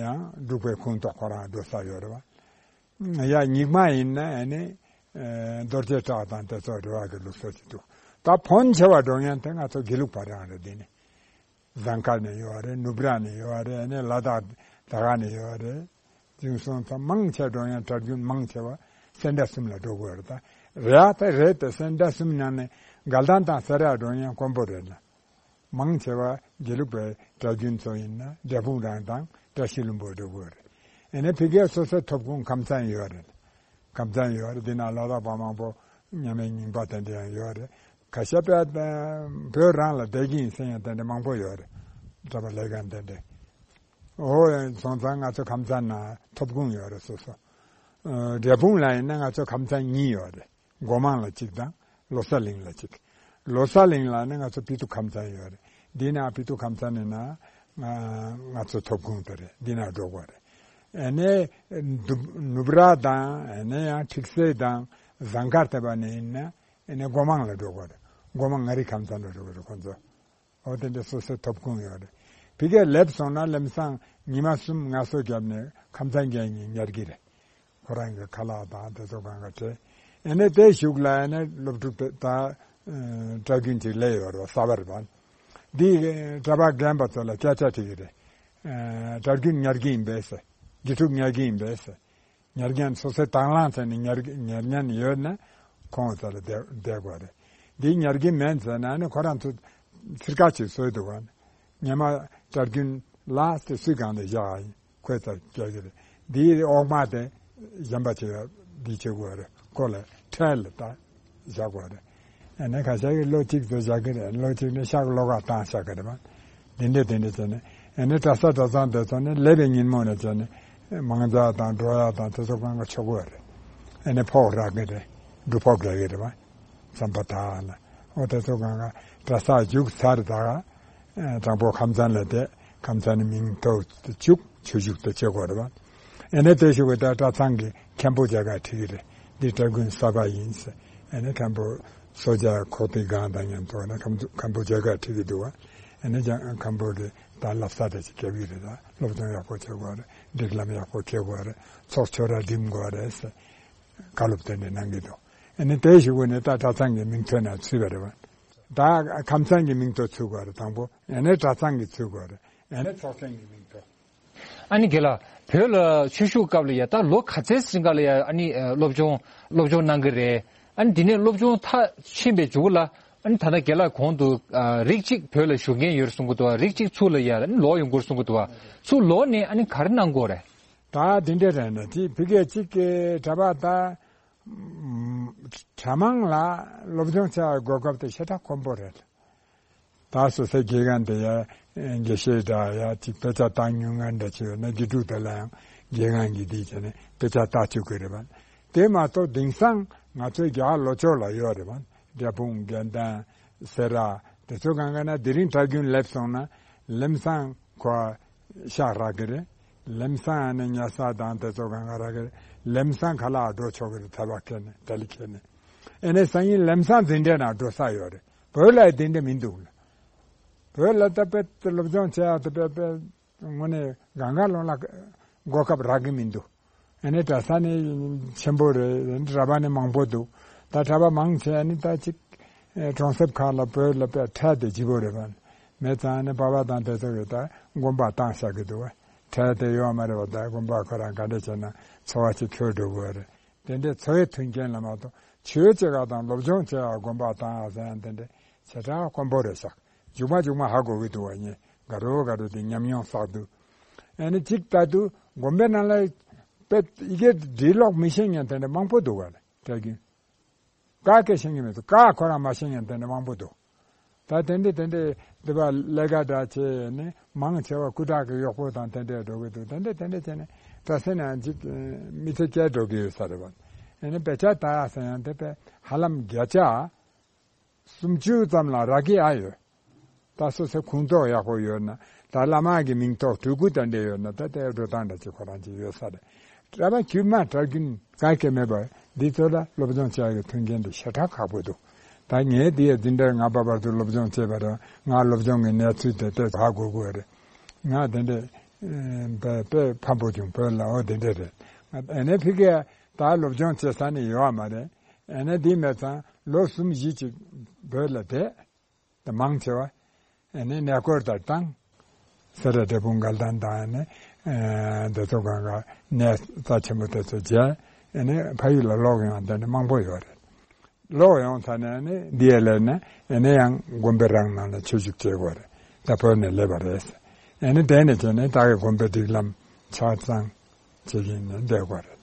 ཡང་འབྲུག་པའི་ཁོངས་གཏོགས་ཁོ་རང་འགྲོ་ས་ཡོད་རེད་བ། ཡང་རྙིང་མ་ཡིན་ན་ཨ་ནི་རྡོ་རྗེ་བྲག་དང་དེ་ཚོ་རེ་བ་གི་ལུགས་སྲོལ་ཅིག་འདུག་ད་ཕོན་ཆེ་བ་འགྲོ་མཁན་དེ་ང་ཚོ་དགེ་ལུགས་པ་རང་རེད། འདི་ནི། ཟངས་དཀར་ནས་ཡོད་རེད། ནུབ་ར་ནས་ཡོད་རེད། ཨ་ནི་ལ་དྭགས་དར་དཀར་ནས་ཡོད་རེད། འཛིན་སོང་ཙང་མང་ཆེ་འགྲོ་ཡང་གྲྭ་རྒྱུན་མང་ཆེ་བ་སེ་འབྲས་གསུམ་ལ་འགྲོ་དགོས་རེད། ད་རེད་དེ་རེད་དེ་སེ་འབྲས་གསུམ་ནང་ནས་དགའ་ལྡན་དང་སེ་ར་འགྲོ་ཡང་དཀོན་པོ་རེད་ལ། མང་ཆེ་བ་དགེ་ལུགས་པའི་གྲྭ་རྒྱུན་ཚོ་ཡིན་ན་འབྲས་སྤུངས་རང་དང་བཀྲ་ཤིས་ལྷུན་པོ་འགྲོ་དགོས་རེད། ཨ་ནི་ཕ་གིའི་སོ་སོའི་ཐོབ་ཁུངས་ཁམས་ཚན་ཡོད་རེད། ཁམས་ཚན་ཡོད་རེད། འདི་ན་ལ་དྭགས་པ་མང་པོ་མཉམ་མེད་རྙིང་པ་དེ་འདྲ་ཡང་ཡོད་རེད། ཁ་ཤས་པས་བོད་རང་ལ་བསྡད་ཀྱི་ཡིན་ཟེར་ཡང་དེ་འདྲ་མང་པོ་ཡོད་རེད། གྲྭ་པ་ལས་ཀ་དེ་འདྲ། འོ་སོང་ཙང་ང་ཚོ་ཁམས་ཚན་ན་ཐོབ་ཁུངས་ཡོད་རེད་སོ་སོ། ཨ་འབྲས་སྤུངས་ལ་ཡིན་ན་ང་ཚོ་ཁམས་ཚན་གཉིས་ཡོད་རེད། སྒོ་མང་ལ་གཅིག་དང་ལོ་གསར་གླིང་ལ་གཅིག་ལོ་གསར་གླིང་ལ་ནི་ང་ཚོ་སྤི་ཏུ་ཁམས་ཚན་ཡོད་རེད། འདི་ན་སྤི་ཏུ་ཁམས་ཚན་ནི་ན་ང་ང་ཚོ་ཐོབ་ཁུངས་དེ་རེད། འདི་ན་འགྲོ་དགོས་རེད། ཨ་ནི་ནུབ་ནུབ་ར་དང་ཨ་ནི་ཡང་ཁྲིག་སེ་དང་ཟངས་དཀར་དེ་བ་ནི་ཡིན་ན་ཨ་ནི་སྒོ་མང་ལ་འགྲོ་དགོས་རེད། སྒོ་མང་ངག་རིག་ཁམས་ཚན་ལ་འགྲོ་དགོས་རེད་ཁོང་ཚོ། འོ་དེ་འདྲ་སོ་སོའི་ཐོབ་ཁུངས་ཡོད་རེད། ཕ་གིར་སླེབས་སོང་ན་ལམ་སང་ཉི་མ་གསུམ་ངལ་གསོ་བརྒྱབ་ནས་ཁམས་ཚན་རྒྱལ་གཉིས་ཉར་གི་རེད། ཁོ་རང་གི་ཁ་ལག་དང་དེ་ཚོ་གང་ག་སྤྲད། ཨ་ནི་དེ་གཞུག་ལ་ཨ་ནི་སློབ་ཕྲུག་དེ་ད་གྲྭ་རྒྱུན་ཅིག་སླེབས་ཡོད་རེད་བ། གསར་པ་རེད་བ། འདི་གྲྭ་པ་རྒན་པ་ཚོ་ལ་སྐད་ཆ་དྲིས་ཀྱི་རེད། གྲྭ་རྒྱུན་ཉར་གི་ཡིན་པས་ཟེར། དགེ་ཕྲུག་ཉར་གི་ཡིན་པས་ཟེར། ཉར་མཁན་སོ་སོའི་དང་བླངས་བྱས་ནས་ཉར་ཉར་མཁན་ཡོད་ན་ཁོང་ཚོ་ལ་བསྡད་བསྡད་དགོས་རེད། འདི་ཉར་གི་མེད་ཟེར་ན་ནི་ཁོ་རང་ཚོ་ཚིར་ཁ་ཅིག་བཟོས་འདུག་ག་ཉི་མ་གྲྭ་རྒྱུན་ལ་དེ་སུས་གང་དུ་བཞག་ཁོས་ཚ་རྒྱག་གི་རེད། འདིའི་འོག་མ་དེ་གཞན་པ་ཅིག་འདི་བྱེད་དགོས་རེད། ཁོ་ལ་ཁྲལ་ལ་ད་བཞག་དགོས་རེད། ཨ་ནི་ཁ་ཤས་ཀྱིས་ལོ་གཅིག་ཙམ་བཞག་གི་རེད། ལོ་གཅིག་ནས་ཤག་ལོག་ག་བཏང་བཞག་གི་རེད་བ། འདི་འདྲས་འདི་འདྲས་བྱས་ནས་ཨ་ནི་གྲྭ་ས་གྲྭ་ཚང་དེ་ཚོ་ནི་སླེབས་པའི་ཉིན་མོ་ནས་བྱས་ནས་མང་ཇ་དང་འགྲོ་ཡག་དང་དེ་ཚོ་གང་ག་ཆོག་གི་རེད། ཨ་ནི་ཕོགས་རག་གི་རེད། སྒྲུབ་ཕོགས་རག་གི་རེད་བ། བསམ་པ་དག་ལ། འོ་དེ་ཚོ་གང་ག་གྲྭ་ས་རྒྱུགས་ཚར་དག་དང་པོ་ཁམས་ཚན་ལ་བསྡད། ཁམས་ཚན་ནི་མིང་ཐོ་བཅུག་ཆོས་ཞུགས་དེ་བྱེད་དགོས་རེད་བ། ཨ་ནི་དེ་ཞུགས་ཀྱི་ད་གྲྭ་ཚང་གི་མཁན་པོ་མཇལ་ཁ་ཁྲིད་ཀྱི་རེད། འདི་གྲྭ་རྒྱུན་གསར་པ་ཡིན་ཟེར། ཨ་ནི་མཁན་པོ་གསོལ་ཇ་ཁོག་ཏི་གང་དང་མཉམ་དུ་ཨ་ནི་མཁན་པོ་མཁན་པོ་མཇལ་ཁ་ཁྲིད་ཀྱི་འདུག་བ། ཨ་ནི་ཀྱང་མཁན་པོ་གི་ད་བསླབ་ས་དེ་ཅིག་རྒྱབ་ཀྱི་རེད། ད་སློབ་སྦྱོང་ཡག་པོ་བྱེད་དགོས་རེད། སྒྲིག་ལམ་ཡག་པོ་བྱེད་དགོས་རེད། ཚོགས་ཆོས་ར་འགྲིམ་དགོས་རེད་ཟེར། བཀའ་སློབ་དེ་འདྲ་གནང་གི་འདུག་ཨ་ནི་དེ་ཞུགས་ནས་ད་གྲྭ་ཚང་གི་མིང་ཐོ་ན་ཚུད་པ་རེད་བ། ད་ཁམས་ཚན་གྱི་མིང་ཐོ་ཚུད་དགོས་རེད་དང་པོ། ཨ་ནི་གྲྭ་ཚང་གི་ཚུད་དགོས་རེད། ཨ་ནི་ཚོགས་ཆེན་གྱི་མིང་ཐོ། ཨ་ནི་རྒན་ལགས། བོད་ལ་ཆོས་ཞུགས་སྐབས་ལ་ཡ་ད་ལོ་ག་ཚད་རིང་ག་ལ་ཡ་ཨ་ནི་ཨ་སློབ་སྦྱོང་སློབ་སྦྱོང་གནང་གི་རེད། ཨ་ནི་དེ་ནས་སློབ་སྦྱོང་མཐར་ཕྱིན་པའི་མཇུག་ལ་ཨ་ནི་ད་ལྟ་རྒན་ལགས་གོང་དུ་ཨ་རིགས་གཅིག་བོད་ལ་བཞུགས་མཁན་ཡོད་རེད་གསུང་གི་འདུག་བ། རིགས་གཅིག་ཚུར་ལ་ཡ་ཨ་ནི་ལོག་ཡོང་དགོས་རེད་གསུང་གི་འདུག་བ། ཚུར་ལོག་ནས་ཨ་ནི་ག་རེ་གནང་དགོས་རེད། ད་དེ་འདྲ་རེད་ན་དེ་ཕ་གིར་གཅིག་གི་གྲྭ་པ་ད་གྲྭ་མང་ལ་སློབ་སྦྱོང་བྱ་བའི་གོ་སྐབས་དེ་ཞེ་དྲག་དཀོན་པོ་རེད། ད་སོ་སོའི་དགེ་རྒན་དེ་ཡ་དགེ་བཤེས་འདྲ་ཡ་ཅིག་དཔེ་ཆ་བཏང་མྱོང་མཁན་འདྲ་ཅིག་ཡོད་ན་དགེ་ཕྲུག་དེ་ལ་ཡང་དགེ་རྒན་གྱིས་འདི་བྱས་ནས་དཔེ་ཆ་ལྟ་བཅུག་གི་རེད་བ། དེ་མ་གཏོགས་དེང་སང་ང་ཚོའི་རྒྱ་གར་ལྷོ་ཕྱོགས་ལ་ཡོད་རེད་བ། འབྲས་སྤུངས་དགེ་ལྡན་སེ་ར་དེ་ཚོ་གང་ག་ན་དེ་རིང་གྲྭ་རྒྱུན་སླེབས་སོང་ན་ལམ་སང་ཁོ་ཤག་རག་གི་རེད། ལམ་སང་ནས་ཉལ་ས་དང་དེ་ཚོ་གང་ག་རག་གི་རེད། ལམ་སང་ཁ་ལག་འགྲོ་ཆོག་གི་རེད། ཐལ་བ་ཁྱེར་ནས་ཏ་ལི་ཁྱེར་ནས། ཨེ་ནས་སང་ཉིན་ལམ་སང་འཛིན་གྲྭ་ནང་འགྲོ་ས་ཡོད་རེད། བོད་ལ་དེ་འདྲ་མི་འདུག་ལ། བོད་ལ་ད་དཔེ་སློབ་སྦྱོང་བྱེད་ཡག་ད་དཔེ་དཔེ་དངོས་གནས་གང་ག་ལོང་ལ་གོ་སྐབས་རག་གི་མི་འདུག་ཨ་ནི་གྲྭ་ས་ནི་ཆེན་པོ་རེད། ར་བ་ནི་མང་པོ་འདུག་ད་གྲྭ་པ་མང་ཆེ་ནི་ད་ཅིག་ཨེ་གྲོང་གསེབ་ཁག་ལ་བོད་ལ་དཔེ་ཁྲལ་དེ་ལྗིད་པོ་རེད་པ། མེད་ཙང་ནི་པ་ཕ་དང་དེ་ཚོ་གི་ད་དགོན་པ་བཏང་བཞག་གི་འདུག་བ། ཁྲལ་དེ་ཡོད་མ་རེད་པ། ད་དགོན་པ་ཁོ་རང་ག་འདྲ་བྱས་ན་འཚོ་བ་ཅིག་འཁྱོལ་འགྲོ་དགོས་རེད། དེ་འདྲའི་འཚོ་བའི་མཐུན་རྐྱེན་ལ་མ་གཏོགས་ཆོས་བྱེད་ག་དང་སློབ་སྦྱོང་བྱེད་ཡ་དགོན་པ་བཏང་ཡ་ཟེར་ཡ་དེ་འདྲ་བྱེ་བྲག་དཀོན་པོ་རེད་ཤག་མཇུག་མ་མཇུག་མ་ཧ་གོ་གི་འདུག་བ། ངས་དགའ་རོ་དགའ་རོ་དེ་ཉམས་མྱོང་བསགས་འདུག་ཨ་ནི་གཅིག་ལྟ་དུས་དགོན་པའི་ནང་ལ་དཔེ་ཡི་གེ་འབྲི་ཀློག་མི་ཤེས་མཁན་དེ་འདྲ་མང་པོ་འདུག་བ་ལ། དྲ་རྒྱུན་ཀ་སྐད་ཤེས་མཁན་མི་འདུག་ཀ་ཁོ་རང་མ་ཤེས་མཁན་དེ་འདྲ་མང་པོ་འདུག་ད་དེ་འདྲ་དེ་འདྲ་འདི་པ་ལས་ཀ་འདྲ་བྱས་ནས་མང་ཆེ་བ་སྐུ་དྲག་གི་གཡོག་པོ་དང་དེ་འདྲ་འགྲོ་གི་འདུག་དེ་འདྲ་དེ་འདྲ་བྱས་ནས་ད་སེ་ན་འཇིག་མི་ཚེ་སྐྱེལ་འགྲོ་གི་ཡོད་ས་རེད་བ། ཨ་ནི་དཔེ་ཆ་ལྟ་ཡ་ཟེར་ཡང་དེ་དཔེ་ཧ་ལམ་བརྒྱ་ཆ་སུམ་ཅུ་ཙམ་ལ་རག་གི་ཨ་ཡོད། ད་སོ་སོའི་ཁུངས་གཏོགས་ཡག་པོ་ཡོད་ན། ད་བླ་མ་གི་མིང་ཐོག་སྤྲུལ་སྐུ་དང་འབྲེལ་ཡོད་ན། ད་དེ་འགྲོ་སྟངས་འདྲ་ཅིག་ཁོ་རང་ཅིག་ཡོད་ས་རེད། གྲྭ་པ་དཀྱུས་མ་གྲྭ་རྒྱུན་ག་གེ་མེད་པ་འདི་ཚོ་ལ་སློབ་སྦྱོང་བྱ་ཡག་གི་མཐུན་རྐྱེན་དེ་ཞེ་དྲག་ཁག་པོ་འདུག་ད་ངས་འདི་ཡ་འཛིན་གྲྭ་ལྔ་པ་བར་དུ་སློབ་སྦྱོང་བྱས་པ་རེད། ང་སློབ་སྦྱོང་གི་གནས་ཚུལ་དེ་དེ་ཧ་གོ་དགོས་རེད། ང་དེ་འདྲ་ཨེ་དཔེ་དཔེ་ཕམ་པོ་བྱུང་བོད་ལ། འོ་དེ་འདྲ་རེད། ཨ་ནི་ཕ་གིར་ད་སློབ་སྦྱོང་བྱེད་ས་ནི་ཡོད་མ་རེད། ཨ་ནི་འདི་མེད་ཙང་ལོ་གསུམ་བཞི་ཅིག་བོད་ལ་བསྡད། ད་མང་ཆེ་བ་ཨ་ནི་གནས་སྐོར་དང་བཏང་། སེ་ར་འབྲས་སྤུངས་དགའ་ལྡན་དང་ཨ་ནི་ཨ་འདི་ཚོ་གང་ག་གནས་རྩ་ཆེན་པོ་དེ་ཚོ་མཇལ། ཨ་ནི་ཕ་ཡུལ་ལ་ལོག་ཡོང་དེ་འདྲ་མང་པོ་ཡོད་རེད། ལོག་ཡོང་ཚར་ནས་ཨ་ནི་འདི་ཡ་སླེབས་ནས་ཨ་ནི་ཡང་དགོན་པའི་རང་ནང་ལ་ཆོས་ཞུགས་བྱེད་དགོས་རེད། ད་བོད་ནས་སླེབས་པ་རེད། ཨ་ནི་དེ་ནས་བྱས་ནས་ད་གི་དགོན་པའི་སྒྲིག་ལམ་ཆ་ཚང་བྱེད་ཀྱིན་ནས་བསྡད་དགོས་རེད།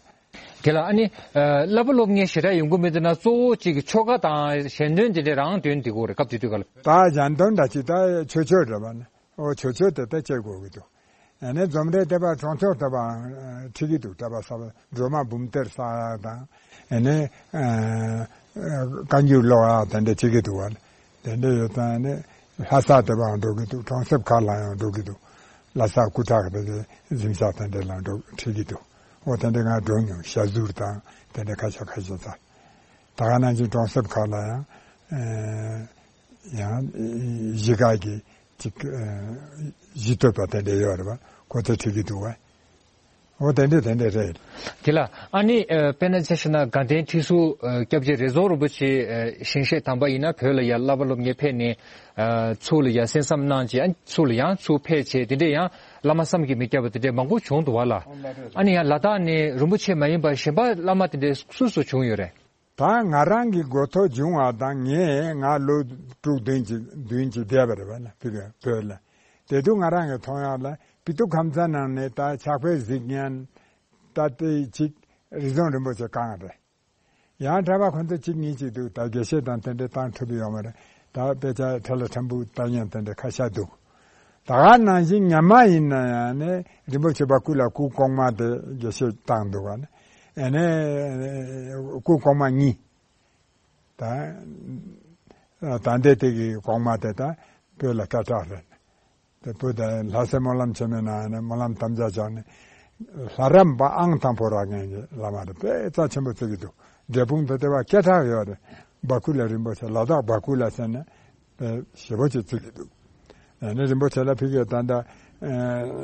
དེ་ལ་ཨ་ནི་ཨ་བསླབ་པ་སློབ་གཉེར་ཞེ་དྲག་ཡོང་གི་མེད་དེ་ན། གཙོ་བོ་གཅིག་གི་ཆོ་ག་དང་ཞལ་འདོན་དེ་འདྲ་རང་འདོན་དེ་གོ་རེད། སྐབས་དེ་དུས་ག་ལ། ད་ཞལ་འདོན་འདྲ་ཅིག་ད་ཆོས་ཆོས་འདྲ་བ་ནི། ཨོ་ཆོས་ཆོས་དེ་ད་བྱེད་དགོས་ཀྱི་འདུག་ཨ་ནི་འཛོམས་རེ་དེ་པ་གྲོང་ཆོག་དེ་པ་ཁྲིད་ཀྱི་འདུག་གྲྭ་པ་གསར་པ་སྒྲོལ་མ་འབུམ་གཏེར་གསར་དང་། ཨ་ནི་ཨ་བཀའ་འགྱུར་ཀློག་ཡག་དེ་འདྲ་བྱེད་ཀྱི་འདུག་བ། དེ་འདྲ་ཡོད་ཙང་ནི་ལྷ་ས་དེ་པའང་འགྲོ་གི་འདུག་གྲོང་གསེབ་ཁག་ལ་ཡང་འགྲོ་གི་འདུག་ལྷ་ས་སྐུ་བྲག་དེ་གི་གཟིམ་ཤག་དེ་འདྲ་ལ་འགྲོ་ཁྲིད་ཀྱི་འདུག་འོ་དེ་འདྲ་ང་འགྲོ་མྱོང་། ཞྭ་ཟུར་དང་དེ་འདྲ་ཁ་ཤས་ཁ་ཤས་ཙམ། ད་ག་ནང་བཞིན་གྲོང་གསེབ་ཁག་ལ་ཡང་ཨེ་ཡང་གཞིས་ཀ་གི་ཅིག་ཨེ་གཞིས་སྟོད་པ་དེ་འདྲ་ཡོད་རེད་པ། ཁོ་ཚོ་ཁྲིད་ཀྱི་འདུག་བ། འོ་དེ་འདྲ་དེ་འདྲ་རེད། དེ་ལ་ཨ་ནི་ཨ་དཔེར་ན་ཆ་བཞག་ན་དགའ་ལྡན་ཁྲི་ཟུར་ཨ་སྐྱབས་རྗེ་རེ་ཟུང་རིན་པོ་ཆེ་ཨ་ཞིང་གཤེགས་དམ་པ་ཡིན་ན་བོད་ལ་ཡར་བསླབ་པ་སློབ་གཉེར་ཕེབས་ནས་ཨ་ཚུར་ལ་ཡར་གསན་བསམ་གནང་བྱས། ཨ་ཚུར་ལ་ཡང་ཚུར་ཕེབས་བྱས། དེ་འདྲ་ཡང་བླ་མ་བསམ་གྱིས་མི་ཁྱབ་པ་དེ་འདྲ་མང་པོ་བྱུང་འདུག་བ་ལ། ཨ་ནི་ཡང་ལ་དྭགས་ནས་རིན་པོ་ཆེ་མ་ཡིན་པ་གཞན་པ་བླ་མ་དེ་འདྲ་སུ་སུ་བྱུང་ཡོད་རེད། ད་ང་རང་གི་འགོ་ཐོག་བྱུང་བ་དང་། ངས་ང་ལོ་དྲུག་བདུན་ཅིག་བདུན་ཅིག་བསྡད་པ་རེད་བ་ན་བོད་ལ། དེ་དུས་ང་རང་གི་མཐོང་ཡག་ལ་པི་ཏུ་ཁམས་ཚན་ནང་ནས་ད་ཕྱག་དཔེ་གཟིགས་མཁན་ད་ལྟའི་ཅིག་རི་རྫོང་རིན་པོ་ཆེ་རྐང་རེད། ཡང་གྲྭ་པ་ཁོ་ཚོ་གཅིག་གཉིས་ཅིག་འདུག་ད་དགེ་བཤེས་དང་དེ་འདྲའི་བཏང་ཐུབ་ཡོད་མ་རེད། ད་དཔེ་ཆ་ཁྲ་ལ་ཁྲ་འབུ་ལྟ་མཁན་དེ་འདྲ་ཁ་ཤས་འདུག་ད་ག་ནང་བཞིན་ཉི་མ་ཡིན་ན་ཡང་ནི་རིན་པོ་ཆེ་བ་སྐུ་ལ་སྐུ་གོང་མ་དེ་དགེ་བཤེས་བཏང་འདུག་ག་ནི། ཨ་ནི་སྐུ་གོང་མ་གཉིས། ད་ད་ལྟའི་དེ་གི་གོང་མ་དེ་ད་བོད་ལ་སྐད་གྲགས་རེད། དེ་བོད་དེ་ལྷ་སའི་སྨོན་ལམ་ཆེན་མོའི་ནང་ནས་སྨོན་ལམ་དམ་བཅའ་བཞག་ནས་ལྷ་རམས་པ་ཨང་དང་པོ་རག་མཁན་གྱི་བླ་མ་རེད། དཔེ་རྩ་ཆེན་པོ་བརྩི་གི་འདུག་འབྲས་སྤུངས་དེ་དེ་བ་སྐད་གྲགས་ཡོད་རེད། བ་ཀུ་ལ་རིན་པོ་ཆེ། ལ་དྭགས་བ་ཀུ་ལ་ཟེར་ནས་དཔེ་ཞེ་པོ་ཅིག་བརྩི་གི་འདུག་ཨ་ནི་རིན་པོ་ཆེ་ལ་ཕ་གིར་ད་ལྟ་ཨ་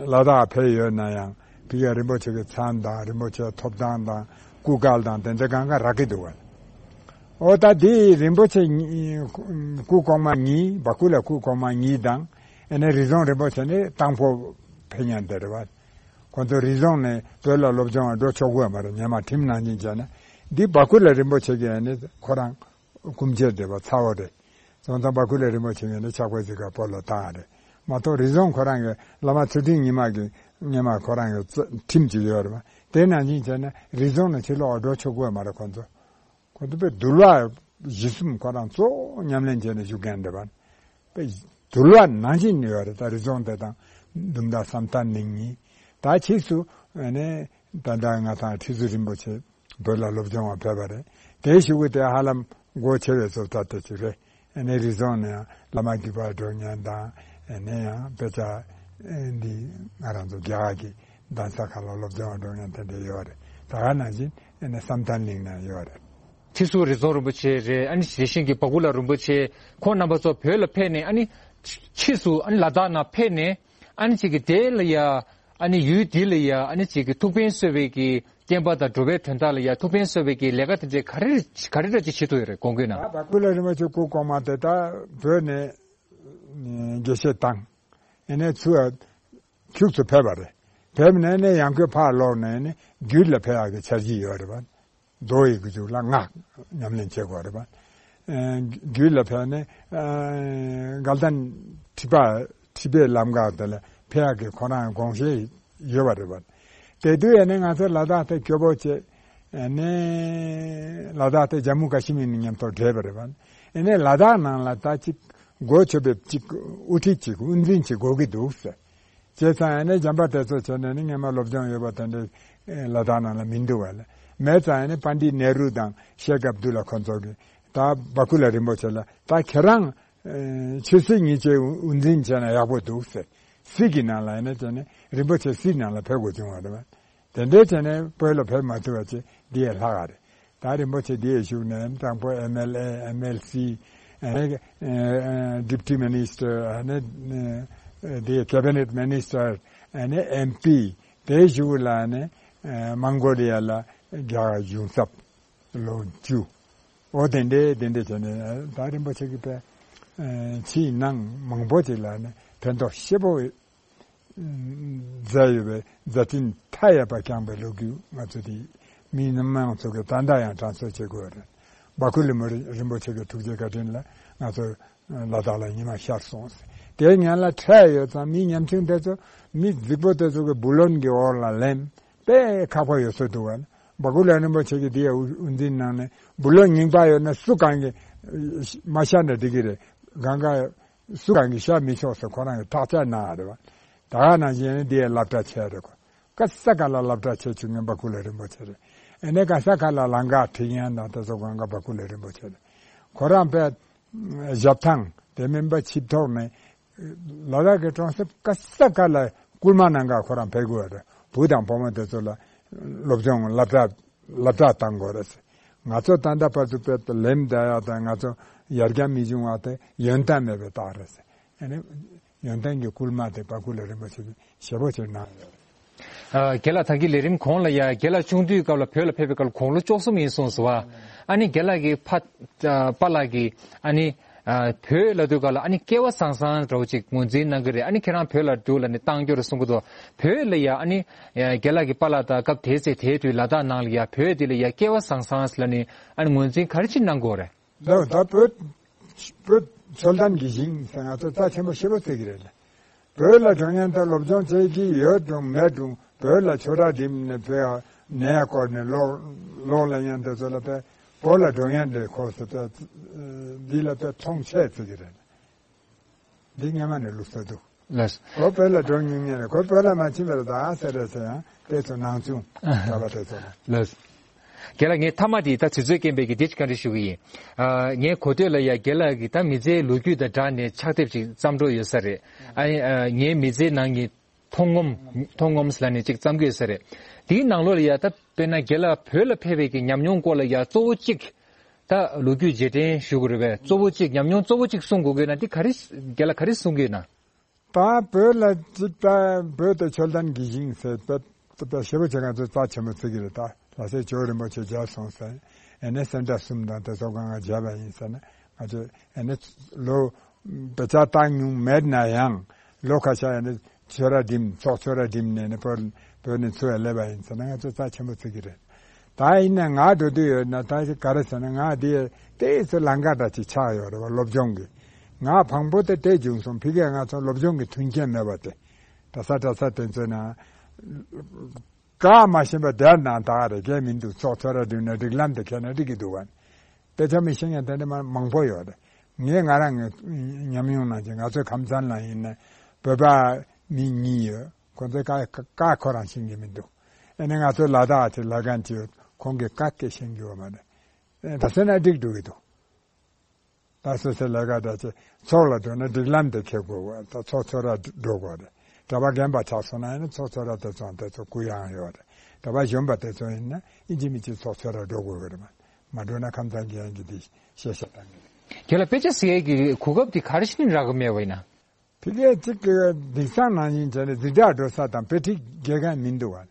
ལ་དྭགས་ཕེབས་ཡོད་ན་ཡང་། ཕ་གིར་རིན་པོ་ཆེ་གི་མཚན་དང་། རིན་པོ་ཆེའི་ཐོབ་ཐང་དང་། སྐུ་སྐལ་དང་དེ་འདྲ་གང་ག་རག་གི་འདུག་བ། འོ་ད་འདི་རིན་པོ་ཆེ་གཉིས། སྐུ་གོང་མ་གཉིས། བ་ཀུ་ལ་སྐུ་གོང་མ་གཉིས་དང་། ཨ་ནི་རི་རྫོང་རིན་པོ་ཆེ་ནི་དང་པོ་ཕེབས་མཁན་དེ་རེད་བ། ཁོ་ཚོ་རི་རྫོང་ནས་བོད་ལ་སློབ་སྦྱོང་འགྲོ་ཆོག་གི་ཡོད་མ་རེད། སྔོན་མ་ཁྲིམས་ནང་བཞིན་བྱས་ན། འདི་བ་ཀུ་ལ་རིན་པོ་ཆེ་གིས་ཨ་ནི་ཁོ་རང་སྐུ་མཆེད་རེད་པ། ཚ་བོ་རེད། སོང་ཙང་བ་ཀུ་ལ་རིན་པོ་ཆེ་ངོས་ནས་ཕྱག་དཔེ་གཟིགས་ག་བོད་ལ་བཏང་རེད་མ་གཏོགས། རི་རྫོང་ཁོ་རང་གི་བླ་མ་ཚུལ་ཁྲིམས་ཉི་མ་གི་སྔོན་མ་ཁོ་རང་གི་རྩ་ཁྲིམས་ཅིག་ཡོད་རེད་པ། དེ་ནང་བཞིན་བྱས་ན་རི་རྫོང་ནས་ཕྱིར་ལོག་འགྲོ་ཆོག་གི་ཡོད་མ་རེད། ཁོ་ཚོ་ཁོ་ཚོ་དཔེ་འདུལ་བ་གཞི་གསུམ་ཁོ་རང་གཙོ་བོ་ཉམས་ལེན་བྱས་ནས་བཞུགས་མཁན་རེད་པ། དཔེ་འདུལ་བ་ནང་བཞིན་ཡོད་རེད། ད་རི་རྫོང་དེ་དང་འདུམ་མདའ་བསམ་གཏན་གླིང་གཉིས། ད་ཕྱིས་སུ་ཨ་ནི་ད་ལྟ་ང་དང་ཁྲི་ཟུར་རིན་པོ་ཆེ་བོད་ལ་སློབ་སྦྱོང་བ་ཕེབས་པ་རེད། དེའི་གཞུག་གུ་དེ་ཧ་ལམ་སྒོ་ཕྱེ་བའི་བཟོ་ལྟ་དེ་ཅིག་རེད། ཨ་ནི་རི་རྫོང་ནས་ཡང་བླ་མ་བརྒྱུད་པ་འགྲོ་མཁན་དང་། ཨ་ནི་ཡང་དཔེ་ཆ་འདི་ང་རང་ཚོ་རྒྱ་གར་གྱི་གདན་ས་ཁག་ལ་སློབ་སྦྱོང་བ་འགྲོ་མཁན་དེ་འདྲ་ཡོད་རེད། ད་ག་ནང་བཞིན་ཨ་ནི་བསམ་གཏན་གླིང་ནས་ཡོད་རེད། ཁྲི་ཟུར་རི་རྫོང་རིན་པོ་ཆེ་རེད། ཨ་ནི་དེ་བཞིན་གྱི་བ་ཀུ་ལ་རིན་པོ་ཆེ། ཁོང་རྣམ་པ་ཚོ་བོད་ལ་ཕེབས་ནས་ཨ་ནི་ ཕྱིས་སུ་ཨ་ནི་ལ་དྭགས་ནང་ཕེབས་ནས་ཨ་ནི་ཅིག་གི་དེ་ལ་ཡ་ཨ་ནི་ཡུལ་འདི་ལ་ཡ་ཨ་ནི་ཅིག་གི་ཐུགས་ཕན་གསོས་པའི་གི་བསྟན་པ་དང་འགྲོ་བའི་དོན་དག་ལ་ཡ་ཐུགས་ཕན་གསོས་པའི་གི་ལས་ཀ་དེ་འདྲའི་ག་རེ་ག་རེ་འདྲ་ཅིག་བྱེད་ཐུབ་ཡོད་རེད། དགོངས་དག་ན། ད་བ་ཀུ་ལ་རིན་པོ་ཆེ་སྐུ་གོང་མ་དེ་ད་བོད་ནས་དགེ་བཤེས་བཏང་། ཨེ་ནས་ཚུར་ཁྱུག་ཙམ་ཕེབས་པ་རེད། ཕེབས་ནས་ནས་ཡང་ཁོས་ཕར་ལོག་ནས་ནས་རྒྱུད་ལ་ཕེབས་ཡག་གི་འཆར་གཞི་ཡོད་རེད་པ། མདོ་ཡི་གི་མཇུག་ལ་སྔགས་ཉམས་ལེན་བྱེད་དགོས་རེད་པ། ཨེ་རྒྱུད་ལ་ཕེབས་ནས་ཨེ་དགའ་ལྡན་ཁྲི་པ་ཁྲི་པའི་ལམ་ཁ་དེ་ལ་ཕེབས་ཡག་གི་ཁོ་རང་དགོངས་བཞེས་ཡོད་པ་རེད་པ། དེ་དུས་ཨེ་ནས་ང་ཚོ་ལ་དྭགས་དེ་སྐྱོ་པོ་བྱས། ཨེ་ནས་ལ་དྭགས་དེ་ཇམ་མུ་ཀ་ཤི་མིར་ནས་མཉམ་དུ་འདྲེས་པ་རེད་པ། ཨེ་ནས་ལ་དྭགས་ནང་ལ་ད་ཅིག་གོ་ཆོད་པའི་ཅིག་དབུ་ཁྲིད་ཅིག་དབུ་འཛིན་ཅིག་དགོས་ཀྱི་འདུག་ཟེར། བྱས་ཙང་ཨ་ནི་འཇམ་དཔལ་དེ་ཚོ་བྱས་ནས་ནི་སྔོན་མ་སློབ་སྦྱོང་ཡོད་པ་དེ་འདྲའི་ལ་དྭགས་ནང་ལ་མི་འདུག་བ་ལ། མེད་ཙང་ཨ་ནི་པཎྜི་ཏ་ནེ་རུ་དང་ཤེ་ཁ་ཨབ་དུ་ལ་ཁོ་ཚོ་གིས་ད་བ་ཀུ་ལ་རིན་པོ་ཆེ་ལ་ད་ཁྱེད་རང་ཆོས་སྲིད་གཉིས་ཆའི་དབུ་འཛིན་བྱས་ན་ཡག་པོ་འདུག་ཟེར། སྲིད་ཀྱི་ནང་ལ་ཨ་ནི་བྱས་ནས་རིན་པོ་ཆེ་སྲིད་ནང་ལ་ཕེབས་དགོས་བྱུང་བ་རེད་བ། དེ་འདྲའི་བྱས་ནས་བོད་ལ་ཕེབས་མ་ཐུབ་པ་བྱས་འདི་ཡས་ལྷག་ག་རེད། ད་རིན་པོ་ཆེ་འདི་ཡས་བཞུགས་ནས་དང་པོ་ཨེམ་ཨེལ་ཨེ་ཨེམ་ཨེལ་སི་ཨ་ནི་ཨ་ཨ་ཌི་པུ་ཊི་མི་ནི་སི་ཊར་ཨ་ནི་ཨ་འདི་ཡས་ཀེ་བི་ནེཊ་མི་ནི་སི་ཊར་ཨ་ནི་ཨེམ་པི་དེ་བཞུགས་ལ་ཨ་ནི་ཨ་མོང་གོ་ལི་ཡ་ལ་རྒྱ་གར་གཞུང་ཚབ་ལོ་བཅུ། འོ་དེ་འདྲའི་དེ་འདྲའི་བྱས་ནས་ད་རིན་པོ་ཆེ་གིས་དཔེ་ཨ་ཕྱིའི་ནང་མང་པོ་ཅིག་ལ་ཨ་ནི་ཕན་ཐོགས་ཞེ་པོ་མཛད་ཡོད་པའི་མཛད་འཕྲིན་མཐའ་ཡས་པ་བསྐྱངས་པའི་ལོ་རྒྱུས་ང་ཚོ་དེ་མི་མང་ཚོ་གིས་ད་ལྟ་ཡང་དྲན་གསོ་བྱེད་དགོས་རེད། བ་ཀུ་ལི་མོ་རིན་པོ་ཆེ་གི་ཐུགས་རྗེ་བཀའ་དྲིན་ལ་ང་ཚོ་ལ་དྭགས་ལ་ཉི་མ་ཤར་སོང་ཟེར། དེའི་སྔོན་ལ་འཕྲད་ཡོད་ཙང་མི་ཉམ་ཆུང་དེ་ཚོ་མི་རྫིག་པོ་དེ་ཚོ་གི་བུ་ལོན་གྱི་འོག་ལ་ལེན་དཔེ་ཁག་པོ་ཡོད་ས་འདུག་བ། བ་ཀུ་ལི་རིན་པོ་ཆེ་གི་དེ་ཡ་དབུ་འཛིན་གནང་ནས་བུ་ལོན་རྙིང་པ་ཡོད་ན་སུ་གང་གིས་མ་ཤར་ན་འགྲིག་གི་རེད། གང་ག་སུ་གང་གིས་བཤད་མི་ཆོག་ཟེར་ཁོ་རང་གིས་ཐག་བཅད་གནང་བ་རེད་བ། ད་ག་ནང་བཞིན་ནི་འདི་ཡ་སློབ་གྲྭ་ཆེ་རེད་ཁོ། ག་ས་ག་ལ་སློབ་གྲྭ་ཆེ་བཅུག་མཁན་བ་ཀུ་ལ་རིན་པོ་ཆེ་རེད། ཨ་ནི་ག་ས་ག་ལ་ལམ་ཁ་འཕྲིན་ཡང་དང་དེ་ཚོ་གང་ག་བ་ཀུ་ལ་རིན་པོ་ཆེ་རེད། ཁོ་རང་དཔེ་ཞབས་ཐང་དེ་མིན་པ་ཆིབས་ཐོག་ནས་ལ་དྭགས་ཀྱི་གྲོང་གསེབ་ག་ས་ག་ལ་སྐུལ་མ་གནང་ག་ཁོ་རང་ཕེབས་དགོས་རེད། བུ་དང་བུ་མོ་དེ་ཚོ་ལ་སློབ་སྦྱོང་སློབ་གྲྭ་སློབ་གྲྭ་བཏང་དགོས་རེད་ཟེར། ང་ཚོ་ད་ལྟ་བར་དུ་དཔེ་ལེམ་བསྡད་ཡག་དང་ང་ཚོ་ཡར་རྒྱས་མི་བྱུང་བ་དེ་ཡོན་ཏན་མེད་པའི་རྟགས་རེད་ཟེར། ཨ་ནི་ཡོན་ཏན་གྱི་སྐུལ་མ་དེ་བ་ཀུ་ལ་རིན་པོ་ཆེ་གིས་ཞེ་པོ་ཅིག་གནང་ཡོད་རེད། ཨ་རྒན་ལགས་ད་གིན་ལས་རིམ་གོང་ལ་ཡ་རྒན་ལགས་ཆུང་དུས་སྐབས་ལ་བོད་ལ་ཕེབས་པའི་སྐབས་ལ་དགུང་ལོ་བཅུ་གསུམ་ཡིན་གསུངས་སོང་བ། ཨ་ནི་རྒན་ལགས་ཀྱི་ཕ་ཨ་པཱ་ལགས་ཀྱིས་ཨ་ནི་ཨ་བོད་ལབ་དུས་སྐབས་ལ་ཨ་ནི་སྐལ་བ་བཟང་བཟང་འདྲ་བོ་ཅིག་ངོས་འཛིན་གནང་གི་རེད། ཨ་ནི་ཁྱེད་རང་བོད་ལ་འགྲོ་ལབ་ནས་བཏང་རྒྱུ་རེད་གསུང་གི་འདུག་བོད་ལ་ཡ་ཨ་ནི་ཨ་རྒན་ལགས་ཀྱི་པཱ་ལགས་དང་སྐབས་དེའི་ཚེ་དེའི་དུས་ལ་དྭགས་ནང་ལ་ཡ་བོད་འདི་ལ་ཡ་སྐལ་བ་བཟང་བཟང་ལབ་ནས་ཨ་ནི་ངོས་འཛིན་ག་རེ་ཅིག་གནང་གི་ཡོད་རེད། ལགས། ད་བོད་བོད་ཆོལ་གདན་གྱི་ཞིང་ཟེར་ང་ཚོ་རྩ་ཆེན་པོ་ཞེ་པོ་བརྩི་གི་རེད་ལ། བོད་ལ་འགྲོ་མཁན་དང་སློབ་སྦྱོང་བྱེད་ཀྱི་ཡོད་རུང་མེད་རུང་བོད་ལ་ཆོས་ར་འགྲིམས་ནས་བོད་ནས་བསྐོར་ནས་ལོག་ལོག་ལ་མཉམ་དུ་ཚོ་ལ་བོད་བོད་ལ་འགྲོ་མཁན་རེད་ཁོ་ཚོ་བོད་འདི་ལ་བོད་མཐོང་ཆེ་བརྩི་གི་རེད། འདི་སྔ་མ་ནས་ལུགས་སྲོལ་འདུག་ལགས། ཁོ་བོད་ལ་འགྲོ་མྱོང་མཁན་རེད། ཁོ་བོད་ལ་མ་ཕྱིན་པར་ད་ཟེར་རེད་ཟེར་ཡང་དེ་ཚོ་ནང་ཆུང་གྲྭ་པ་དེ་ཚོ་ལ། ལགས། རྒན་ལགས་ངས་མཐའ་མ་དེ་ད་དུས་ཚོད་རྐྱེན་པས་ཀྱི་འདི་ཅིག་བཀའ་འདྲི་ཞུ་གི་ཡིན། ཨ་ངས་གོ་ཐོས་ལ་ཡ་རྒན་ལགས་ཀྱིས་ད་མི་ཚེའི་ལོ་རྒྱུས་དང་སྦྲགས་ནས་ཕྱག་དེབ་ཅིག་བརྩམས་འགྲོ་ཡོད་ས་རེད། ཨ་ནི་ཨ་ངའི་མི་ཚེའི་ནང་གི་མཐོང་ངོམ་མཐོང་ངོམ་ཟེར་ལབ་ནས་ཅིག་བརྩམས་ཀྱི་ཡོད་ས་རེད། དེའི་ནང་ལོགས་ལ་ཡ་ད་དཔེར་ན་རྒན་ལགས་བོད་ལ་ཕེབས་པའི་གི་ཉམས་མྱོང་སྐོར་ལ་ཡ་གཙོ་བོ་གཅིག་ད་ལོ་རྒྱུས་རྗེས་དྲན་ཞུ་དགོས་རེད་པས། གཙོ་བོ་གཅིག་ཉམས་མྱོང་གཙོ་བོ་གཅིག་གསུང་དགོས་ཀྱི་ན་འདི་ག་རེ་རྒན་ལགས་ག་རེ་གསུང་གི་ཡོད་ན། ད་བོད་ལ་ཅིག་ད་བོད་དེ་ཆོལ་གདན་གྱི་ཞིང་ཟེར་ད་ད་ཞེ་པོ་ཅིག་ང་ཚོ་རྩ་ཆེན་པོ་བརྩི་གི་རེད། ད་ལྷ་སའི་ཇོ་བོ་རིན་པོ་ཆེ་མཇལ་སོང་ཟེར། ཨེ་ནས་སེ་འབྲས་གསུམ་དང་དེ་ཚོ་གང་ག་མཇལ་བ་ཡིན་ཟེར་ན་ང་ཚོ་ཨེ་ནས་ལོ་དཔེ་ཆ་བཏང་མྱོང་མེད་ན་ཡང་ལོ་ཁ་ཤས་ཨེ་ནས་ཆོས་ར་འགྲིམས་ཚོགས་ཆོས་ར་འགྲིམས་ནས་ནས་བོད་བོད་ནས་ཚུར་སླེབས་པ་ཡིན་ཟེར་ན་ང་ཚོ་རྩ་ཆེན་པོ་བརྩི་གི་རེད། ད་ཡིན་ན་ང་འགྲོ་དུས་ཡོད་ན་ད་ག་རེ་ཟེར་ན་ང་དེ་དེ་ཚོ་ལམ་ཁ་འདྲ་ཅིག་ཆགས་ཡོད་རེད་བ། སློབ་སྦྱོང་གི་ང་དང་པོ་དེ་དེ་བྱུང་སོང་། ཕ་གིར་ང་ཚོ་སློབ་སྦྱོང་གི་མཐུན་རྐྱེན་མེད་པ་དེ་གྲྭ་ས་གྲྭ་ས་དེ་ཚོའི་ནང་ག་མ་ཤེས་པ་དེར་ནང་ད་ག་རེ་གས་མི་འདུག་ཚོགས་ཚོགས་ར་འགྲིམས་ན་སྒྲིག་ལམ་དེ་ཁྱེར་ན་འགྲིག་གི་འདུག་བ། དཔེ་ཆ་མི་ཤེས་མཁན་དེ་འདྲ་མ་མང་པོ་ཡོད་རེད། ངས་ང་རང་ངའི་ཉམས་མྱོང་ནང་བཞིན་ང་ཚོའི་ཁམས་ཚན་ལ་ཡིན་ན་བོད་པ་མི་གཉིས་ཡོད། ཁོང་ཚོའི་ཀ་ཀ་ཁོ་རང་ཤེས་ཀྱི་མི་འདུག་ཨ་ནི་ང་ཚོའི་ལ་དྭགས་ཀྱི་ལས་མཁན་གྱིས་ཁོང་གི་ཀ་སྐད་ཤེས་ཀྱི་ཡོད་མ་རེད། ད་སེ་ན་འགྲིག་འགྲོ་གི་འདུག་ད་སོ་སོའི་ལས་ཀ་འདྲ་ཆེ་ཚོགས་ལ་འགྲོ་ན་སྒྲིག་ལམ་དེ་འཁྱེར་དགོས་པ། ད་ཚོགས་ཚོགས་ར་འགྲོ་དགོས་རེད། གྲྭ་པ་རྒན་པ་ཆགས་སོང་ན་ཡང་ཚོགས་ཚོགས་ར་དེ་ཚོ་དེ་ཚོ་གུ་ཡངས་ཡོད་རེད། གྲྭ་པ་གཞོན་པ་དེ་ཚོ་ཡིན་ན་ཨིན་ཇི་མི་གཅིག་ཚོགས་ཚོགས་ར་འགྲོ་དགོས་ཀྱི་རེད། མ་མ་འགྲོ་ན་ཁམས་ཚན་གྱི་ཡན་གྱི་དེ་ཤེས་བྱ་བཏང་གི་རེད། དེ་ལ་དཔེ་ཆ་ཟེར་ཡས་ཀྱི་གོ་སྐབས་དེ་ག་རེ་ཞིག་ནས་རག་གི་མེད་པ་ཡིན་ན། ཕ་གིར་གཅིག་གི་དེང་སང་ནང་བཞིན་བྱས་ནས་འཛིན་གྲྭ་འགྲོ་ས་དང་དཔེ་ཁྲིད་རྒྱག་མཁན་མི་འདུག་བ།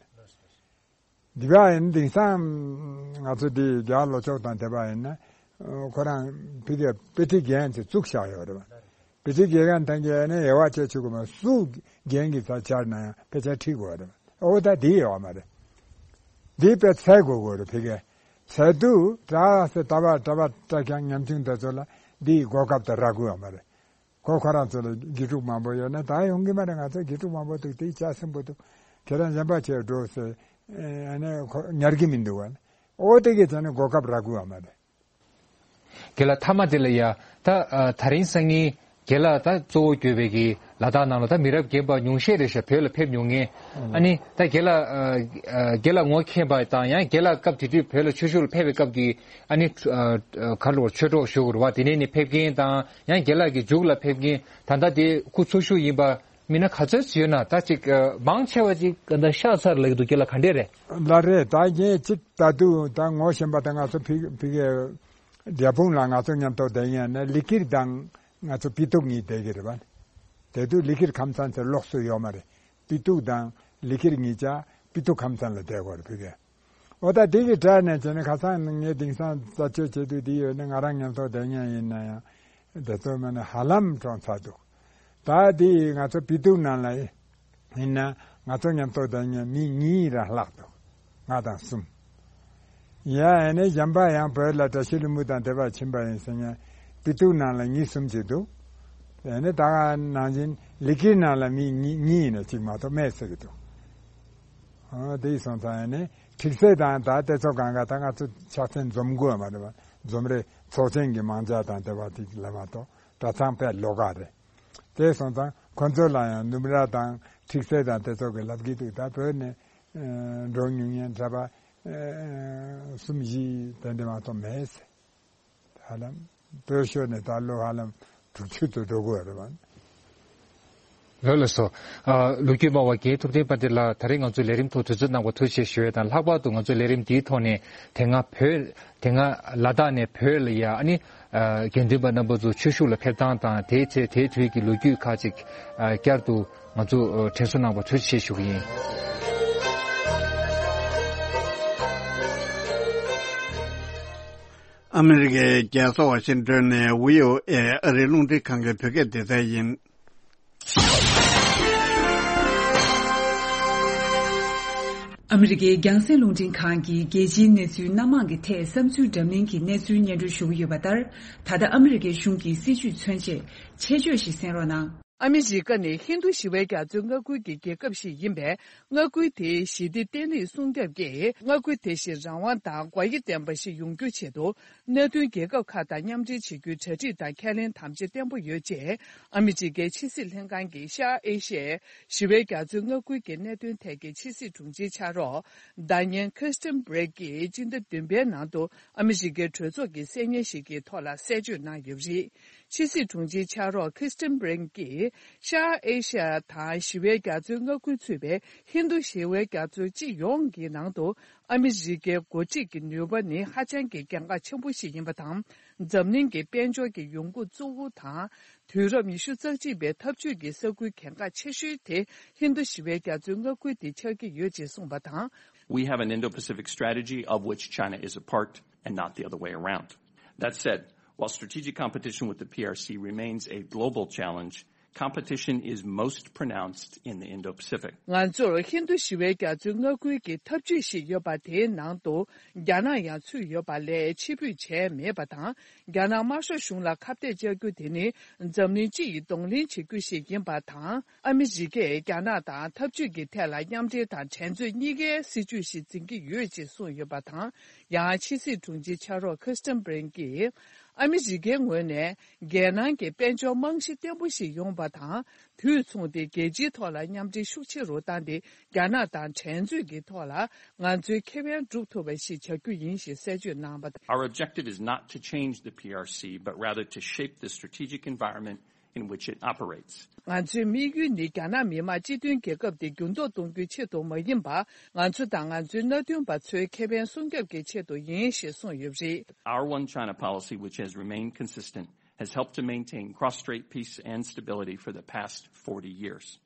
འདི་བ་ཡིན་དེང་སང་ང་ཚོ་འདི་རྒྱ་ལོ་ཅོག་དང་དེ་བ་ཡིན་ན་ཁོ་རང་ཕ་གིར་དཔེ་ཁྲིད་རྒྱག་མཁན་ཚོ་བཙུགས་བཞག་ཡོད་རེད་བ། དཔེ་ཁྲིད་རྒྱག་མཁན་དང་གི་ནས་དབྱེ་བ་བྱས་ཆོག་གི་མ། སུ་རྒན་གྱི་ས་ཆར་ན་ཡང་དཔེ་ཆ་ཁྲིད་དགོས་རེད་བ། ཨོ་ད་འདི་ཡོད་མ་རེད། འདི་དཔེ་འཚལ་དགོས་དགོས་རེད། ཕ་གིར་འཚལ་དུས་གྲྭ་ས་གྲྭ་པ་གྲྭ་པ་གྲྭ་རྐྱང་ཉམ་ཆུང་དེ་ཚོ་ལ་འདི་གོ་སྐབས་དེ་རག་གི་ཡོད་མ་རེད། ཁོ་ཁོ་རང་ཚོ་ལ་དགེ་ཕྲུག་མང་པོ་ཡོད་ན་ད་ཡོང་གི་མ་རེད། ང་ཚོ་དགེ་ཕྲུག་མང་པོ་འདུག་དེ་ཆ་སྲིན་པོ་འདུག་ཁྱེད་རང་གཞན་པ་ཆེ་འགྲོ་ཟེར་ཨ་ནི་ཁོ་ཉར་གི་མི་འདུག་བ། ཨོ་དེ་གི་ཚ་ནི་གོ་སྐབས་རག་གི་ཡོད་མ་རེད། རྒན་ལགས་མཐའ་མ་དེ་ལ་ཡ་ད་ཨ་ད་རིང་སང་ཉིན་རྒན་ལགས་ད་གཙོ་བོ་གྱུར་པའི་གི་ལ་དྭགས་ནང་ལ་ད་མི་རབས་རྒན་པ་ཉུང་ཤས་རེད་ཤག་བོད་ལ་ཕེབས་མྱོང་མཁན། ཨ་ནི་ད་རྒན་ལགས་ཨ་ཨ་རྒན་ལགས་ངོ་མཁྱེན་པ་དང་ཡང་རྒན་ལགས་སྐབས་དེ་དུས་བོད་ལ་ཆོས་ཞུ་ལ་ཕེབས་པའི་སྐབས་ཀྱི་ཨ་ནི་ཨ་ཨ་ག་རེ་ལབ་ཆོས་གྲོགས་ཞུ་དགོས་རེད་བ། དེ་ནས་ནི་ཕེབས་མཁན་དང་ཡང་རྒན་ལགས་ཀྱི་མཇུག་ལ་ཕེབས་མཁན་ད་ལྟ་དེ་སྐུ་འཚོ་བཞུགས་ཡིན་པ་མི་སྣ་ག་ཚོད་ཡོད་ན་ད་ཅིག་ཨ་མང་ཆེ་བ་ཅིག་ད་ཤག་ཚར་ལབ་ཀྱི་འདུག་རྒན་ལགས་ག་འདྲས་རེད། ལགས་རེད། ད་ངས་ཅིག་ད་དུང་ད་ངོ་ཤེས་པ་ད་ང་ཚོ་ཕ་ཕ་གིའི་རྒྱབ་དཔུང་ལ་ང་ཚོ་མཉམ་དུ་བསྡད་མཁན་ནི་ལི་ཀིར་དང་ང་ཚོ་པི་ཏུག་གཉིས་བསྡད་ཀྱི་རེད་བ། དེ་དུས་ལི་ཀིར་ཁམས་ཚན་ཚེ་ལོགས་སུ་ཡོད་མ་རེད། པི་ཏུག་དང་ལི་ཀིར་གཉིས་ཆ་པི་ཏུག་ཁམས་ཚན་ལ་བསྡད་ཀྱི་ཡོད་རེད་ཕ་གིར། འོ་ད་དེ་གི་གྲས་ནས་བྱས་ནས་ཁ་སང་ངས་དེང་སང་རྩད་གཅོད་བྱེད་དུས་དེ་ཡོད་ན་ང་རང་མཉམ་དུ་བསྡད་མཁན་ཡིན་ན་ཡང་དེ་ཚོ་མ་ནི་ཧ་ལམ་གྲོངས་ཚར་འདུག་ད་དེ་ང་ཚོ་པི་ཏུག་ནང་ལ་ཡིན་ན་ང་ཚོ་མཉམ་དུ་བསྡད་མཁན་མི་གཉིས་རང་ལྷག་འདུག་ལྔ་དང་གསུམ། ཡ་ཨ་ནི་གཞན་པ་ཡང་བོད་ལ་བཀྲ་ཤིས་ལྷུན་པོ་དང་དེ་བར་ཕྱིན་པ་ཡིན་ཟེར་མཁན་པི་ཏུག་ནང་ལ་གཉིས་གསུམ་ཅིག་འདུག་ཨ་ནི་ད་ག་ནང་བཞིན་ལི་ཀིར་ནང་ལ་མི་གཉིས་གཉིས་ཡིན་ན་གཅིག་མ་གཏོགས་མེད་ཟེར་གྱི་འདུག་ཨ་དེ་སོང་ཙང་ཨ་ནི་ཁྲིག་སེ་དང་ད་དེ་ཚོ་གང་ག་ད་ང་ཚོ་ཕྱག་མཚན་འཛོམས་དགོས་མ་རེད་བ། འཛོམས་རེད། ཚོགས་ཆེན་གྱི་མང་ཇ་དང་དེ་བ་དེ་ལ་མ་གཏོགས་གྲྭ་ཚང་དཔེ་ལོགས་ཀ་རེད། དེ་སོང་ཙང་ཁོ་ཚོ་ལ་ཡང་ནུབ་ར་དང་ཁྲིག་སེ་དང་དེ་ཚོ་གི་ལབ་ཀྱི་འདུག་ད་བོད་ནས་འགྲོ་མྱོང་མཁན་གྲྭ་པ་གསུམ་བཞི་དེ་འདྲ་མ་གཏོགས་མེད་ཟེར། ཧ་ལམ་བོད་ཤོར་ནས་ད་ལོ་ཧ་ལམ་དྲུག་ཅུ་ཙམ་འགྲོ་གི་ཡོད་རེད་བ། ལགས་ལགས་སོ། ཨ་ལོ་རྒྱུས་སྨྲ་བ་རྒན་ཐུབ་བསྟན་དཔལ་ལྡན་ལགས་ད་རེས་ང་ཚོའི་ལས་རིམ་ཐོག་དུས་ཚོད་གནང་བར་ཐུགས་རྗེ་ཆེ་ཞུ་ཡས་དང་ལྷག་པར་དུ་ང་ཚོའི་ལས་རིམ་འདིའི་ཐོག་ནས་དེ་སྔ་བོད་དེ་སྔ་ལ་དྭགས་ནས་བོད་ལ་ཡ་ཨ་ནི་ཨ་དགེ་འདུན་པ་རྣམ་པ་ཚོ་ཆོས་ཞུགས་ལ་ཕེབས་སྟངས་དང་དེའི་ཚེ་དེའི་དུས་ཀྱི་ལོ་རྒྱུས་ཁག་ཅིག་ཨ་བསྐྱར་དུ་ང་ཚོ་ཨ་དྲན་གསོ་གནང་བར་ཐུགས་རྗེ་ཆེ་ཞུ་གི་ཡིན། ཨ་མི་རི་ཀའི་རྒྱལ་ས་ཝ་ཤིང་ཏོན་ནས་བྷི་ཨོ་ཨེ་ཨ་རིའི་རླུང་འཕྲིན་ཁང་གི་བོད་སྐད་སྡེ་ཚན་ཡིན། ཨ་མི་རི་ཀའི་རྒྱང་སྲིང་རླུང་འཕྲིན་ཁང་གིས་རྒྱལ་སྤྱིའི་གནས་ཚུལ་སྣ་མང་གི་ཐད་བསམ་ཚུལ་འདྲ་མིན་གྱི་གནས་ཚུལ་སྙན་སྒྲོན་ཞུ་གི་ཡོད་པ་ལྟར། ད་ལྟ་ཨ་མི་རི་ཀའི་གཞུང་གི་སྲིད་བྱུས་མཚོན་ཆེད་ཆེད་བརྗོད་ཞིག་གསན་རོགས་གནང་། ཨ་མི་རི་ཀ་ནི་ཧིན་རྡུ་ཞི་བའི་རྒྱ་མཚོའི་མངའ་ཁུལ་གྱི་རྒྱལ་ཁབ་ཞིག་ཡིན་པས། མངའ་ཁུལ་དེའི་ཞི་བདེ་བརྟན་ལྷིང་སྲུང་སྐྱོབ་ཀྱིས་མངའ་ཁུལ་དེ་བཞིན་རང་དབང་དང་དགོས་ཡིད་ལྡན་པ་ཞིག་ཡོང་རྒྱུའི་ཆེད་དུ། གནད་དོན་རྒྱལ་ཁབ་ཁག་དང་མཉམ་འབྲེལ་བྱེད་རྒྱུའི་གྲ་སྒྲིག་དང་ཁས་ལེན་དམ་བཅའ་བརྟན་པོ་ཡོད་ཅེས། ཨ་མི་རི་ཀའི་ཕྱི་སྲིད་ལྷན་ཁང་གི་ཤར་ཨེ་ཤི་ཡའི་ཞི་བའི་རྒྱ་མཚོའི་མངའ་ཁུལ་གྱི་གནད་དོན་ཐད་ཀྱི་ཕྱི་སྲིད་དྲུང་ཆེའི་ཕྱག་རོགས། ཟླ་ཉན་ཁི་རི་སྟན་བྷི་རེག་གིས་སྤྱི་ཟླ་བདུན་པའི་ནང་དུ་ཨ་མི་རི་ཀའི་གྲོས་ཚོགས་ཀྱི་གསན་སྙན་ཞིག་གི་ཐོག་ལ་གསལ་བརྗོད་གནང་ཡོད་པ་རེད། ཕྱི་སྲིད་དྲུང་ཆེའི་ཕྱག་རོགས་ཁི་རི་སྟན་བྷི་རེག་གིས་ཤར་ཨེ་ཤ་ཡ་དང་ཞི་བའི་རྒྱ་མཚོའི་མངའ་ཁུལ་ཚུད་པའི་ཧིན་རྡུ་ཞི་བའི་རྒྱ་མཚོ་སྤྱི་ཡོངས་ཀྱི་ནང་དུ་ཨ་མི་རི་ཀའི་འགོ་ཁྲིད་ཀྱི་ནུས་པ་ནི་ཧ་ཅང་གི་གལ་འགངས་ཆེན་པོ་ཞིག་ཡིན་པ་དང་། འཛམ་གླིང་གི་དཔལ་འབྱོར་གྱི་ཡོང་སྒོ་གཙོ་བོ་དང་། དུས་རབས་ཉི་ཤུ་རྩ་གཅིག་པའི་འཐབ་ཇུས་ཀྱི་ས་ཁུལ་གལ་འགངས་ཆེ་ཤོས་དེ་ཧིན་རྡུ་ཞི་བའི་རྒྱ་མཚོའི་མངའ་ཁུལ་དེ་ཆགས་ཀྱི་ཡོད་ཅེས་གསུངས་པ་དང་། We have an Indo-Pacific strategy of which China is a part and not the other way around. That said, while strategic competition with the P R C remains a global challenge, competition is most pronounced in the Indo-Pacific. ང་ཚོར་ཧིན་རྡུ་ཞི་བའི་རྒྱ་མཚོའི་མངའ་ཁུལ་གྱི་འཐབ་ཇུས་ཤིག་ཡོད་པ་དེའི་ནང་དུ་རྒྱ་ནག་ཡང་ཚུད་ཡོད་པ་ལས་ཕྱིར་འབུད་བྱས་མེད་པ་དང་། རྒྱ་ནག་དམར་ཤོག་གཞུང་ལ་ཁ་གཏད་བཅག་རྒྱུ་དེ་ནི་འཛམ་གླིང་སྤྱི་ཡི་གདོང་ལེན་བྱེད་རྒྱུ་ཞིག་ཡིན་པ་དང་། ཨ་མི་རི་ཀས་རྒྱ་ནག་དང་འཐབ་ཇུས་ཀྱི་ཐད་ལ་མཉམ་འབྲེལ་དང་འགྲན་རྩོད་གཉིས་ཀའི་སྲིད་ཇུས་ཤིག་འཛིན་གྱི་ཡོད་ཅེས་གསུངས་ཡོད་པ་དང་། ཡང་ཕྱི་སྲིད་དྲུང་ཆེའི་ཕྱག་རོགས་ཁི་རི་སྟན་བྷི་རེག་གིས། ཨ་མི་རི་ཀའི་ངོས་ནས་རྒྱལ་ནང་གི་དཔལ་འབྱོར་རྨང་གཞི་བརྟན་པོ་ཞིག་ཡོང་བ་དང་། དུས་མཚུངས་ཏེ་རྒྱལ་སྤྱིའི་ཐོག་ལ་མཉམ་འབྲེལ་ཤུགས་ཆེ་རུ་བཏང་སྟེ། རྒྱ་ནག་དང་འགྲན་རྩོད་ཀྱི་ཐོག་ལ་ང་ཚོའི་ཁེ་ཕན་སྒྲུབ་ཐུབ་པ་ཞིག་བྱ་རྒྱུ་ཡིན་ཞེས་གསལ་བརྗོད་གནང་བ་དང་། Our objective is not to change the P R C, but rather to shape the strategic environment in which it operates. ང་ཚོའི་དམིགས་ཡུལ་ནི་རྒྱ་ནག་མི་དམངས་སྤྱི་མཐུན་རྒྱལ་ཁབ་དེ་འགྱུར་ལྡོག་གཏོང་རྒྱུའི་ཆེད་དུ་མ་ཡིན་པར། ང་ཚོ་དང་ང་ཚོའི་མནའ་མཐུན་པ་ཚོའི་ཁེ་ཕན་སྲུང་སྐྱོབ་ཀྱི་ཆེད་དུ་ཡིན་ཞེས་གསུངས་ཡོད་པ་རེད། Our One China policy, which has remained consistent, has helped to maintain cross-strait peace and stability for the past forty years.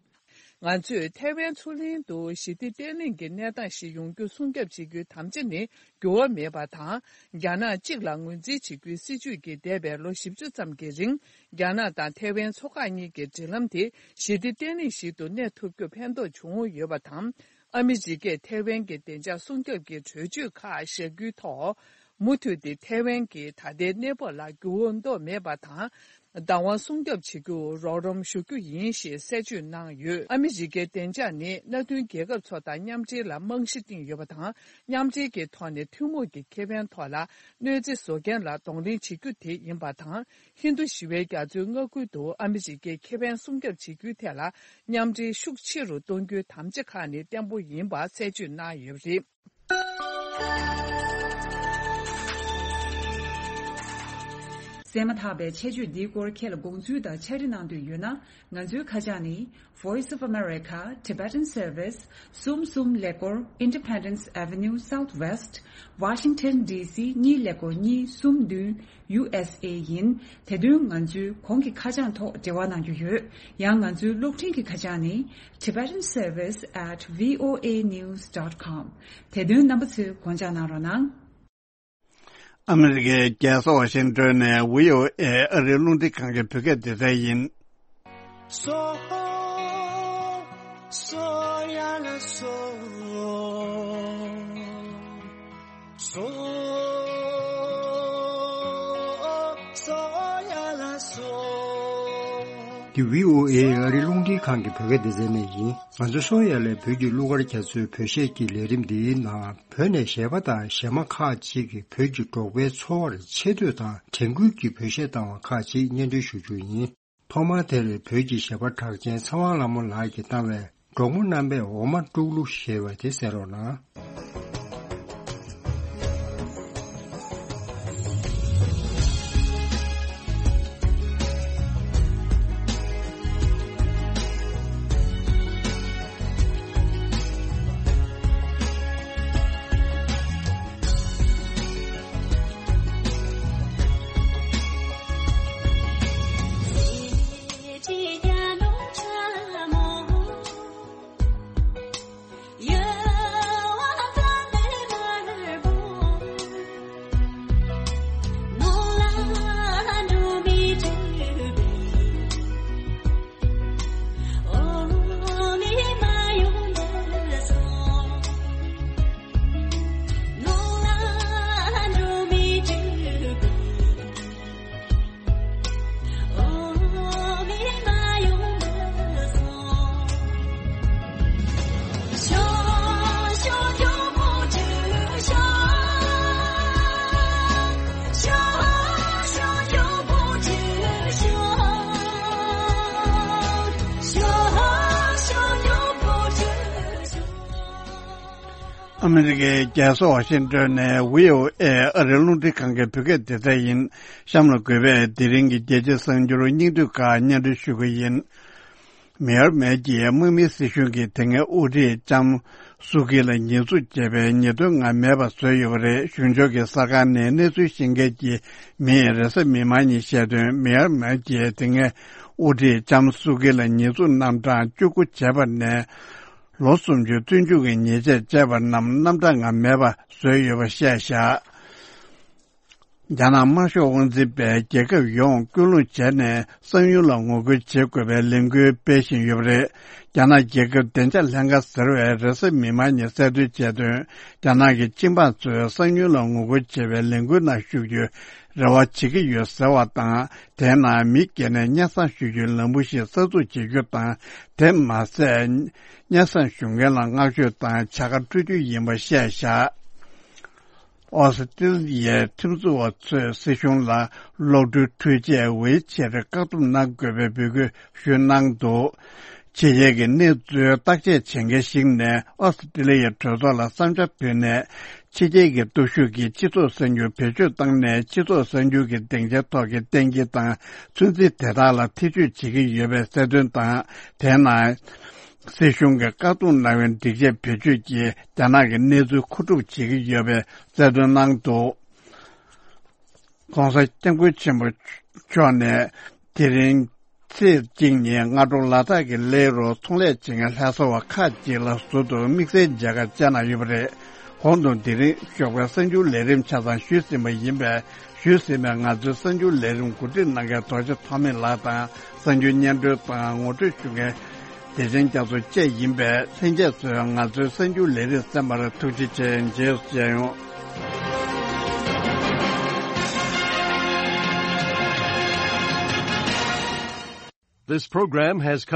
ང་ཚོས་ཐའེ་ཝན་མཚོ་གླིང་དུ་ཞི་བདེ་བརྟན་ལྷིང་གི་གནས་སྟངས་ཤིག་ཡོང་རྒྱུ་སྲུང་སྐྱོབ་བྱེད་རྒྱུའི་དམ་བཅའ་ནི་འགྱུར་བ་མེད་པ་དང་། རྒྱ་ནག་གཅིག་ལ་ངོས་འཛིན་བྱེད་རྒྱུའི་སྲིད་བྱུས་ཀྱིས་འདས་པའི་ལོ་བཞི་བཅུ་ཙམ་གྱི་རིང་། རྒྱ་ནག་དང་ཐའེ་ཝན་མཚོ་འགག་གཉིས་ཀྱི་འབྲེལ་ལམ་དེ་ཞི་བདེ་བརྟན་ལྷིང་ཞིག་ཏུ་གནས་ཐུབ་རྒྱུར་ཕན་ཐོགས་བྱུང་ཡོད་པ་དང་། ཨ་མི་རི་ཀས་ཐའེ་ཝན་གྱི་བདེ་འཇགས་སྲུང་སྐྱོབ་ཀྱི་གྲོས་ཆོད་ཁག་བཞག་རྒྱུའི་ཐོག་མུ་མཐུད་དེ་ཐའེ་ཝན་གྱི་ད་ལྟའི་གནས་བབ་ལ་འགྱུར་བ་གཏོང་མེད་པ་དང་། བདག་དབང་སྲུང་སྐྱོབ་བྱེད་རྒྱུར་རོགས་རམ་ཞུ་རྒྱུ་ཡིན་ཞེས་གསལ་བརྗོད་གནང་ཡོད། ཨ་མི་རི་ཀའི་བདེ་འཇགས་ནི་མནའ་མཐུན་རྒྱལ་ཁབ་ཚོ་དང་མཉམ་འབྲེལ་ལ་རྨང་གཞི་བཏིང་ཡོད་པ་དང་། མཉམ་འབྲེལ་གྱི་ཐོག་ནས་ཐུན་མོང་གི་ཁེ་ཕན་ཐོག་ལ་གནོད་འཚེ་བཟོ་མཁན་ལ་གདོང་ལེན་བྱེད་རྒྱུ་དེ་ཡིན་པ་དང་། ཧིན་རྡུ་ཞི་བའི་རྒྱ་མཚོའི་མངའ་ཁུལ་དུ་ཨ་མི་རི་ཀའི་ཁེ་ཕན་སྲུང་སྐྱོབ་བྱེད་རྒྱུའི་ཐད་ལ་མཉམ་འབྲེལ་ཤུགས་ཆེ་རུ་གཏོང་རྒྱུའི་དམ་བཅའ་ཁག་ནི་བརྟན་པོ་ཡིན་པ་གསལ་བརྗོད་གནང་ཡོད་པ་རེད། གསན་མ་ཐག་པའི་ཆེད་བརྗོད་འདིའི་སྐོར་ཁྱེད་ལ་དགོངས་ཚུལ་དང་ཕྱག་བྲིས་གནང་འདོད་ཡོད་ན། ང་ཚོའི་ཁ་བྱང་ནི། Voice of America, Tibetan Service, གསུམ་གསུམ་ཀླད་ཀོར། Independence Avenue Southwest, Washington D C གཉིས་ཀླད་ཀོར་གཉིས་གསུམ་བདུན། ཡུ་ཨེས་ཨེ་ཡིན། དེ་དོན་ང་ཚོའི་གོང་གི་ཁ་བྱང་ཐོག་འབྲེལ་བ་གནང་རྒྱུ་ཡོད། ཡང་ང་ཚོའི་གློག་འཕྲིན་གྱི་ཁ་བྱང་ནི། Tibetan Service at V O A news dot com། དེ་དོན་རྣམ་པ་ཚོས་དགོངས་འཇགས་གནང་རོགས་གནང་། ཨ་མི་རི་ཀའི་རྒྱལ་ས་ཝ་ཤིང་ཏོན་ནས་བྷི་ཨོ་ཨེ་ཨ་རིའི་རླུང་འཕྲིན་ཁང་གི་བོད་སྐད་སྡེ་ཚན་ཡིན། སོ། སོ་ཡ་ལ་སོ། སོ། སོ་ཡ་ལ་སོ། འདི་བྷི་ཨོ་ཨེ་ཨ་རིའི་རླུང་འཕྲིན་ཁང་གི་བོད་སྐད་སྡེ་ཚན་ནས་ཡིན། ང་ཚོ་སོ་ཡ་ལས་བོད་ཀྱི་གླུ་གར་རྒྱ་མཚོའི་བོད་གཞས་ཀྱི་ལས་རིམ་འདིའི་ནང་བོད་ནས་གཞས་པ་དང་གཞས་མ་ཁག་ཅིག་གིས་བོད་ཀྱི་འབྲོག་པའི་འཚོ་བར་ཆེ་བསྟོད་དང་དྲན་སྐུལ་གྱི་བོད་གཞས་བཏང་བ་ཁག་ཅིག་སྙན་སྒྲོན་ཞུ་རྒྱུ་ཡིན། ཐོག་མར་དེར་བོད་ཀྱི་གཞས་པ་གྲགས་ཅན་ཚེ་དབང་ལྷ་མོ་ལགས་ཀྱིས་བཏང་བའི་འབྲོག་མོ་རྣམ་པས་འོ་མ་དཀྲུག་གླུ་ཞེས་པ་དེ་གསན་རོགས་གནང་། ཨ་མི་རི་ཀའི་རྒྱལ་ས་ཝ་ཤིང་ཏོན་ནས་བྷི་ཨོ་ཨེ་ཨ་རིའི་རླུང་འཕྲིན་ཁང་གི་བོད་སྐད་སྡེ་ཚན་ཡིན། གཤམ་ལ་འགོད་པའི་དེ་རིང་གི་རྒྱལ་སྤྱིའི་གསར་འགྱུར་སྙིང་བསྡུས་ཁག་སྙན་སྒྲོན་ཞུ་གི་ཡིན། མེ་ཡར་མེར་གྱིས་དམག་མིའི་སྲིད་གཞུང་གིས་དེ་སྔའི་དབུ་ཁྲིད་ལྕམ་སུ་ཀི་ལ་ཉེས་འཛུགས་བྱས་པའི་ཉེས་དོན་ང་མེད་པ་བཟོས་ཡོད་པ་རེད། གཞུང་ཕྱོགས་ཀྱི་གསར་ཁང་ནས་གནས་ཚུལ་ཤེས་མཁན་གྱི་མིས་རེས་གཟའ་མིག་དམར་ཉིན་བཤད་དོན། མེ་ཡར་མེར་གྱིས་དེ་སྔའི་དབུ་ཁྲིད་ལྕམ་སུ་ཀི་ལ་ཉེས་འཛུགས་རྣམ་གྲངས་བཅུ་དགུ་བྱས་པ་ནས། ལོ་སུམ་ཅུ་བཙོན་འཇུག་གི་ཉེས་ཆད་བཅད་པ་རྣམས་རྣམ་གྲངས་ང་མེད་པ་བཟོས་ཡོད་པ་བཤད་བཞག་རྒྱ་ནག་དམར་ཤོག་དབང་འཛིན་པས་རྒྱལ་ཁབ་ཡོངས་སྐུལ་སློང་བྱས་ནས་གསང་ཡུལ་ལ་ངོ་རྒོལ་བྱེད་དགོས་པའི་ལས་འགུལ་སྤེལ་བཞིན་ཡོད་པ་རེད། རྒྱ་ནག་རྒྱལ་ཁབ་བདེ་འཇགས་ལྷན་ཁང་ཟེར་བས་རེས་གཟའ་མིག་དམར་ཉིན་གསལ་སྟོན་བྱས་དོན། རྒྱ་ནག་གི་སྤྱི་འབངས་ཚོས་གསང་ཡུལ་ལ་ངོ་རྒོལ་བྱེད་པའི་ལས་འགུལ་ནང་ཞུགས་རྒྱུའི་རེ་བ་བྱེད་ཀྱི་ཡོད་ཟེར་བ་དང་། དེའི་ནང་མི་སྒེར་ནས་སྙན་སེང་ཞུ་རྒྱུའི་ལམ་བུ་ཞིག་གསར་འཛུགས་བྱེད་རྒྱུ་དང་། དེ་མ་ཟད། སྙན་སེང་ཞུ་མཁན་ལ་བསྔགས་བརྗོད་དང་བྱ་དགའ་སྤྲོད་རྒྱུ་ཡིན་པ་བཤད་བཞག་ཨོ་སི་ཀྲི་ལི་ཡའི་ཁྲིམས་བཟོ་བ་ཚོས་སྲིད་གཞུང་ལ་གློག་འཕྲུལ་འཕྲུལ་ཆས་ཝེ་ཆེར་བཀག་སྡོམ་གནང་དགོས་པའི་འབོད་སྐུལ་ཞུས་གནང་འདུག་ཕྱི་རྒྱལ་གྱི་གནས་ཚུལ་བརྟག་དཔྱད་བྱེད་མཁན་ཞིག་ནས་ཨོ་སི་ཀྲི་ལི་ཡའི་གྲོས་ཚོགས་ལ་བསམ་འཆར་ཕུལ་ནས། ཕྱི་རྒྱལ་གྱི་སྟོབས་ཤུགས་ཀྱིས་སྤྱི་ཚོགས་གསར་འགྱུར་བེད་སྤྱོད་བཏང་ནས། སྤྱི་ཚོགས་གསར་འགྱུར་གྱི་སྡིངས་ཆའི་ཐོག་གི་གཏན་འཁེལ་དང་ཚོད་འཛིན་དེ་དག་ལ་ཐེ་བྱུས་བྱེད་ཀྱི་ཡོད་པའི་གསལ་སྟོན་དང་། དེའི་ནང་། སྲིད་གཞུང་གིས་བཀག་སྡོམ་གནང་བའི་སྒྲིག་ཆས་བེད་སྤྱོད་ཀྱིས་རྒྱ་ནག་གི་གནས་ཚུལ་མཁོ་སྒྲུབ་བྱེད་ཀྱི་ཡོད་པའི་གསལ་སྟོན་གནང་འདུག ༸གོང་ས་༸སྐྱབས་མགོན་ཆེན་པོ་མཆོག་ནས་དེ་རིང་ཚེས་གཅིག་ཉིན་སྔ་དྲོ་ལ་དྭགས་ཀྱི་ལའེ་རུ་ཚོང་ལས་བྱེད་མཁན་ལྷ་ས་བ་ཁག་ཅིག་ལ་ཟུར་དུ་དམིགས་བསལ་མཇལ་ཁ་བཅར་གནང་ཡོད་པ་རེད། གོང་དུ་དེ་རིང་ཞོགས་པའི་གསར་འགྱུར་ལས་རིམ་ཆ་ཚང་ཞུས་ཟིན་པ་ཡིན་པས། ཞུས་ཟིན་པའི་ང་ཚོའི་གསར་འགྱུར་ལས་རིམ་གོ་སྒྲིག་གནང་མཁན་རྡོ་རྗེ་ཐོགས་མེད་ལགས་དང་། གསར་འགྱུར་སྙན་སྒྲོན་དང་ངོ་སྤྲོད་ཞུ་མཁན་བདེ་ཆེན་རྒྱ་མཚོ་བཅས་ཡིན་པས། ལྷན་རྒྱས་ཚོས་ང་ཚོའི་གསར་འགྱུར་ལས་རིམ་གསན་པར་ཐུགས་རྗེ་ཆེ། རྗེས་སུ་མཇལ་ཡོང་། This program has come